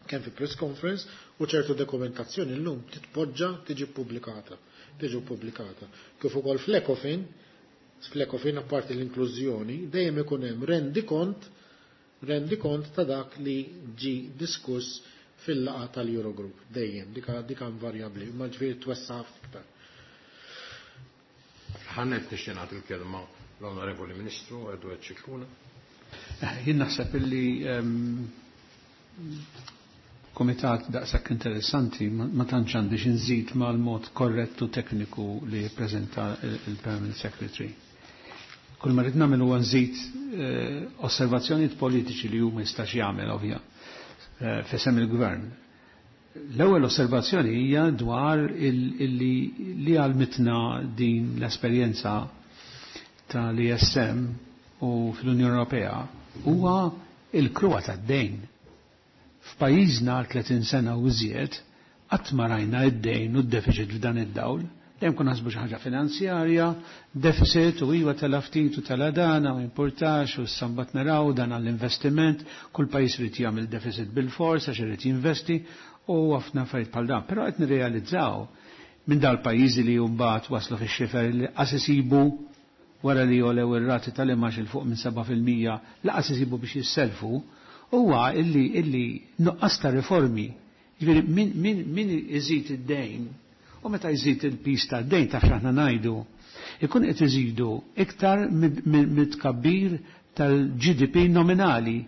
S2: kemm fi press conference u ċertu dokumentazzjoni llum titpoġġa tiġi pubblikata. Tiġi pubblikata. Kif ukoll fl-Ecofin apparti l-inklużjoni, dejjem ikun hemm rendikont ta' dak li ġi diskuss fil-laqgħa tal-Eurogroup dejjem dika invarjabbli, ma ġifieri twessa' iktar.
S1: Ħanet nixtieq nagħti l-kelma l-Onorevoli Ministru Edward Scicluna.
S7: Jien naħseb illi komitat daqshekk interessanti ma tantx għandi xi nżid mal-mod korrettu tekniku li ppreżenta il-Permanent Secretary. Kull ma rrid nagħmel huwa nżid osservazzjonijiet politiċi li huma jistax jagħmel ovvja f'isem il-gvern. L-ewwel osservazzjoni hija dwar illi li għalmitna din l-esperjenza tal-ESM u fl-Unjoni Ewropea huwa il-kruha tad-dejn. F'pajjiżna għal 30 sena u iżjed qatt ma rajna id-dejn u d-deficit f'dan id-dawl. Dejjem kun naħsbu xi ħaġa finanzjarja, deficit u iwa tela ftit u tela dana u importax u sambat naraw dan għall-investiment, kull pajjiż irid jagħmel deficit bil-fors għax irid jinvesti u ħafna affarijiet bħal dan. Però qed nirrealizzaw minn dal-pajjiżi li mbagħad waslu fix-xifer li qas isibu wara li jolew ir-rati tal-imgħax il fuq minn 7% laqas isibu biex jisselfu, huwa illi nuqqas ta' riformi. Ġifieri min iżid id-dejn u meta jżid il-pis tad-dejn taf x'aħna ngħidu, ikun qed iżidu iktar mit-tkabbir tal-GDP nominali.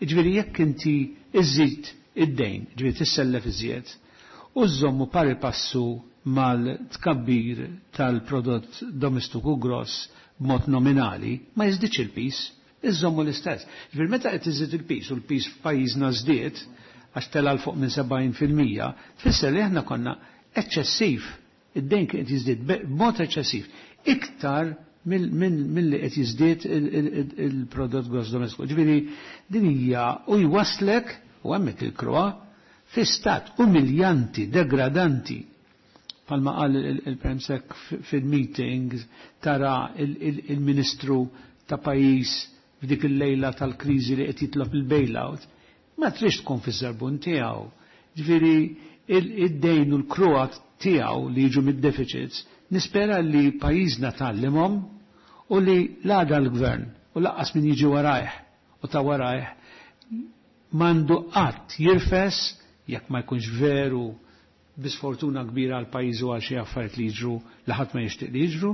S7: Ġifieri jekk inti iżid id-dejn, ġifieri tissellef iżjed, u żommu pari passu mal-tkabbir tal-prodott domestiku gross b'mod nominali, ma jiżdiedx il-pis, iżommu l-istess. Ġifieri meta qed iżid il-pis u l-pis f'pajjiżna żdied għax tela 'l fuq minn 70%, tfisser li aħna konna eċċessiv, id-dejn kien qed jiżdied b'mod eċċessiv, iktar mill-li qed jiżdied il-prodott gross domestiku. Ġifieri din hija u jwaslek u hemmhekk il-kruha fi stat umiljanti, degradanti palma qal il-Premsek fil-meeting tara il-ministru ta' pajjiż f'dik il-lejla tal-kriżi li qed jitlob il-bailout, ma trix tkun fiż-żarbun tiegħu. Ġifieri id-dejn u l-kruha tiegħu li jiġu mid-deficits, nispera li pajjiżna tgħallimhom u li l-għada l-gvern u lanqas min jiġi warajh u ta' warajh m'għandu qatt jirfes jekk ma jkunx veru bisfortuna kbira għal pajjiż u għal xi affarijiet li jiġru li ħadd ma jixtieq li jiġru,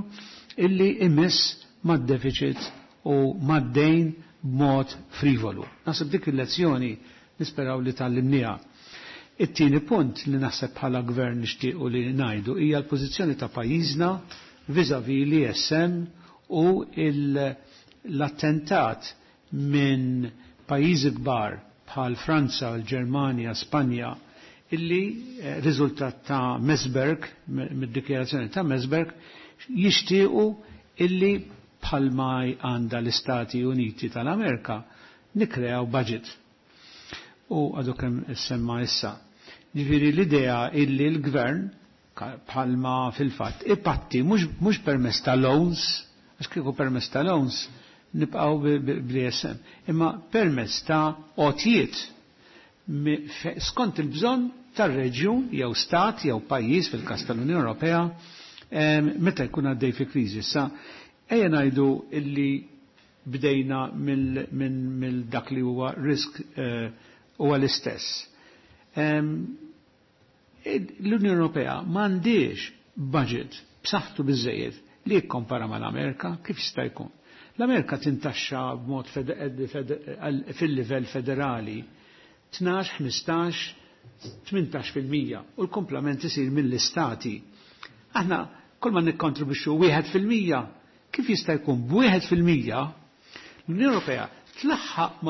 S7: illi imiss mad-deficit u mad-dejn b'mod frivolu. Naħseb dik il-lezzjoni nisperaw li tgħallimnieha. It-tieni punt li naħseb bħala gvern nixtiequ li ngħidu hija l-pożizzjoni ta' pajjiżna vis-à-vis l-ESM u l-attentat minn pajjiżi kbar. bħal Franza, l-Ġermanja, Spanja, illi riżultat ta' Meseberg, mid-dikjarazzjoni ta' Meseberg, jixtiequ illi bħalma għandha l-Istati Uniti tal-Amerika nikreaw budget. U għadu kemm semma issa. Ġifieri l-idea illi l-gvern bħalma fil-fatt ipatti mhux permezz ta' loans, għax kieku permezz ta' loans nibqgħu bl-ISM, imma permezz ta' għotjiet skont il-bżonn tar-reġjun jew stat jew pajjiż fil-każ tal-Unjoni Ewropea meta jkun għaddej fi kriżi. Issa ejja ngħidu illi bdejna mill dak li huwa risk huwa l-istess. L-Unjoni Ewropea m'għandix budget b'saħħtu biżejjed li jikkompara mal-Amerika, kif jista' jkun? L-Amerika tintaxxa b'mod fil-livell federali 12, 15, 18% u l-komplement isir mill-istati. Aħna kull ma nikkontribwixxu 1%, kif jista' jkun b'1% l-Unjoni Ewropea tlaħħaq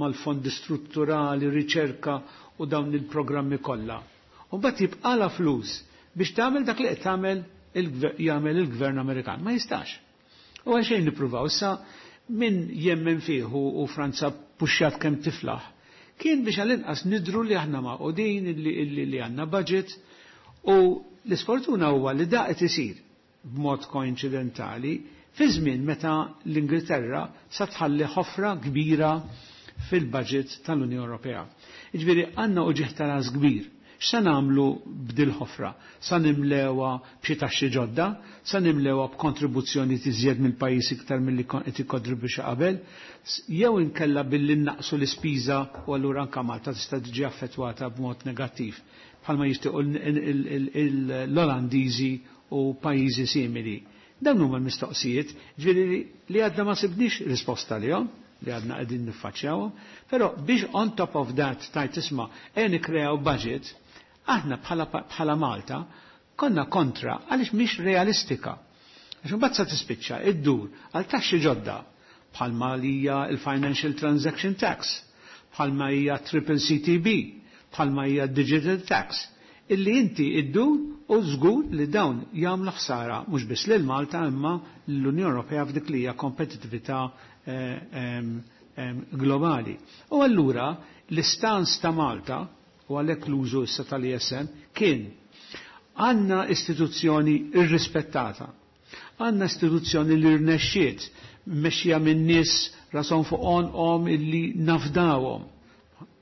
S7: mal-fondi strutturali, riċerka u dawn il-programmi kollha. U mbagħad jibqala flus biex tagħmel dak li qed tagħmel jagħmel il-Gvern Amerikan. Ma jistax. U għalxejn nippruvaw issa min jemmen fih u Franza puxxat kemm tiflaħ. Kien biex għall-inqas nidru li aħna magħqudin li għandna budget u l-isfortuna huwa li da qed isir b'mod koinċidentali fi żmien meta l-Ingilterra sa tħalli ħofra kbira fil-budget tal-Unjoni Ewropea. Jiġifieri għandna uġigħ ta' ras kbir. X'se nagħmlu b'dil ħofra? Sa nimlewha b'xi taxxi ġodda, sa nimlewha b'kontribuzzjoni tiżjed mill-pajjiż iktar milli qed ikkontribwixxi qabel, jew inkella billi naqsu l-ispiża u allura anke Malta tista' tiġi affettwata b'mod negattiv bħalma jixtiequ l-Olandiżi u pajjiżi simili. Dawn huma l-mistoqsijiet, ġifieri li għadna ma sibniex risposta lihom, li għadna qegħdin niffaċċjawhom, però biex on top of that tajt isma' ejja nikkreaw budget, aħna bħala Malta konna kontra għaliex mhix realistika. Għax imbagħad sa tispiċċa iddur għal taxxi ġodda bħalma li hija il-Financial Transaction Tax, bħalma hija Triple CTB, bħalma hija Digital Tax, illi inti iddur u żgur li dawn jagħmlu ħsara mhux biss lil Malta imma l-Unjoni Ewropea f'dik li hija kompetitività globali. U allura l-istance ta' Malta u għalhekk l-użu issa tal-ISM kien għandna istituzzjoni irrispettata, għandna istituzzjoni li rnexxiet mmexxija minn nies rashom fuq għonqhom illi nafdawhom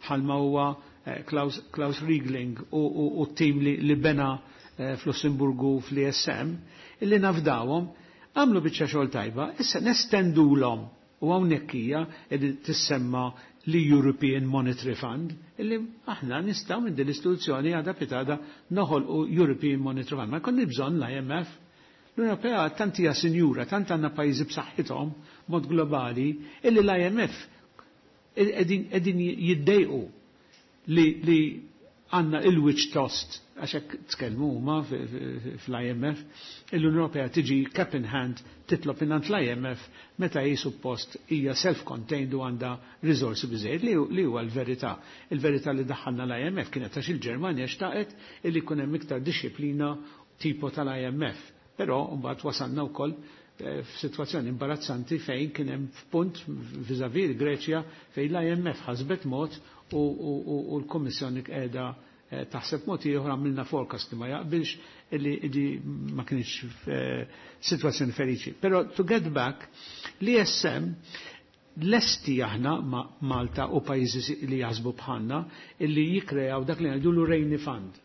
S7: bħalma huwa Klaus, Klaus Riegling u t-tim li bena fl-Lussemburgu fl-ISM, illi nafdawhom, għamlu biċċa xogħol tajba, issa nestendulhom u hawnhekk hija li tissemma li European Monetary Fund, illi aħna nistgħu minn din l-istituzzjoni għada pitgħada noħolqu European Monetary Fund. Ma jkollni bżonn l-IMF. L-Unjoni Ewropea tant hija sinjura, tant għandna pajjiżi b'saħħithom mod globali, illi l-IMF qegħdin jiddejqu li għandna il-wiċ tost, għax hekk tkellmu huma fl-IMF, l-Unjoni Ewropea tiġi cap in hand titlob mingħand l-IMF meta hi suppost hija self-contained u għandha riżorsi biżejjed li huwa l-verità. Il-verità li daħħalna l-IMF kienet għax il-Ġermanja xtaqet illi jkun hemm iktar disciplina tipo tal-IMF. Però mbagħad wasalna wkoll f'sitwazzjoni imbarazzanti fejn kien hemm f'punt vis-à-vis il-Greċja fejn l-IMF ħasbet mod u l-Kommissjoni qiegħda taħseb mod ieħor, għamilna forecast li ma jaqbilx, illi ma kienx sitwazzjoni feliċi. Però to get back, l-ISM lesti aħna ma' Malta u pajjiżi li jaħsbu bħalna illi jikreaw dak li ngħidulu Rainy Fund.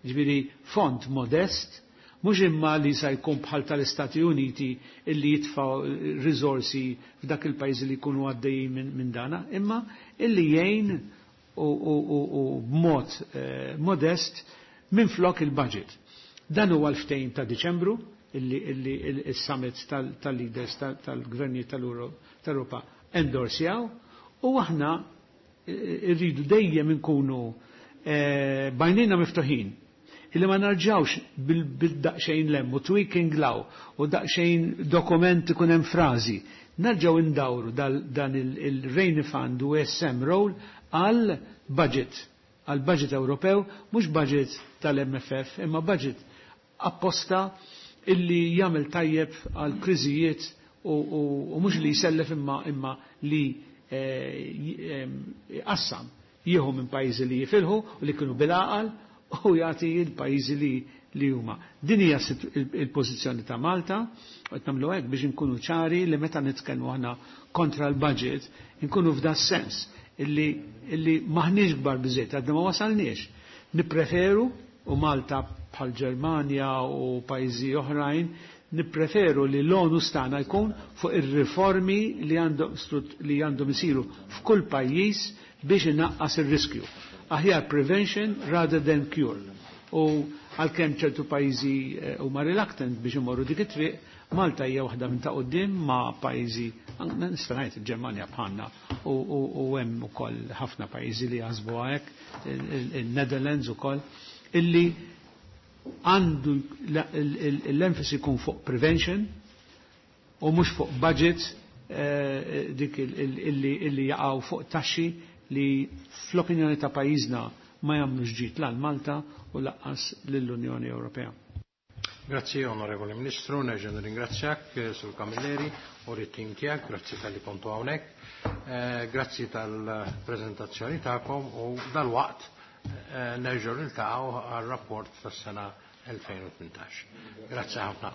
S7: Ġifieri fond modest, mhux imma li sa jkun bħal tal-Istati Uniti illi jitfaw risorsi f'dak il-pajjiżi li jkunu għaddejjin minn dana, imma illi jgħin u b'mod modest minn flok il-budget. Dan huwa l-ftehim ta' Diċembru illi il-summit tal-leaders tal-gvernijiet tal-Europa endorsjaw u aħna irridu dejjem inkunu b'għajnejna miftuħin illi ma narġawx bil-daqxejn lemmu, tweaking law u daqxejn dokument ikun hemm frażi. Narġaw indawru dan il-Rainy Fund u SM role. għal budget, għal budget Ewropew, mhux budget tal-MFF, imma budget apposta illi jagħmel tajjeb għal kriżijiet u mhux li jsellef imma imma li qassam jieħu minn pajjiżi li jifilħu u li kienu bil-għaqal u jagħti l-pajjiżi li huma. Din hija il-pożizzjoni ta' Malta, u qed nagħmlu hekk biex inkunu ċari li meta nitkellmu aħna kontra l-budget, inkunu f'da sens illi, illi maħniex kbar biżejt, għadna ma wasalniex. Nippreferu u Malta bħal Ġermanja u pajjiżi oħrajn, nippreferu li l-onus tagħna jkun fuq ir-riformi li għandhom isiru f'kull pajjiż biex inaqqas ir-riskju. Aħjar prevention rather than cure. U għalkemm ċertu pajjiżi huma reluctant biex imorru dik it-triq, Malta hija waħda minn ta' quddiem ma' pajjiżi, nista' ngħid il-Ġermanja bħalna u hemm ukoll ħafna pajjiżi li jaħsbu hekk, il-Netherlands ukoll, illi għandu l-enfasi jkun fuq prevention u mhux fuq budget dik illi jaqgħu fuq taxxi li fl-opinjoni ta' pajjiżna ma jagħmlux ġid lil Malta u lanqas lill-Unjoni Ewropea.
S1: Grazzi onorevoli Ministru, nerġa' nirringrazzjak Sur Camilleri u rit-tim tiegħek, grazzi talli kontu hawnhekk, grazzi tal-preżentazzjoni tagħkom u dal-waqt nerġgħu niltaqgħu għar-rapport tas-sena 2018. Grazzi ħafna.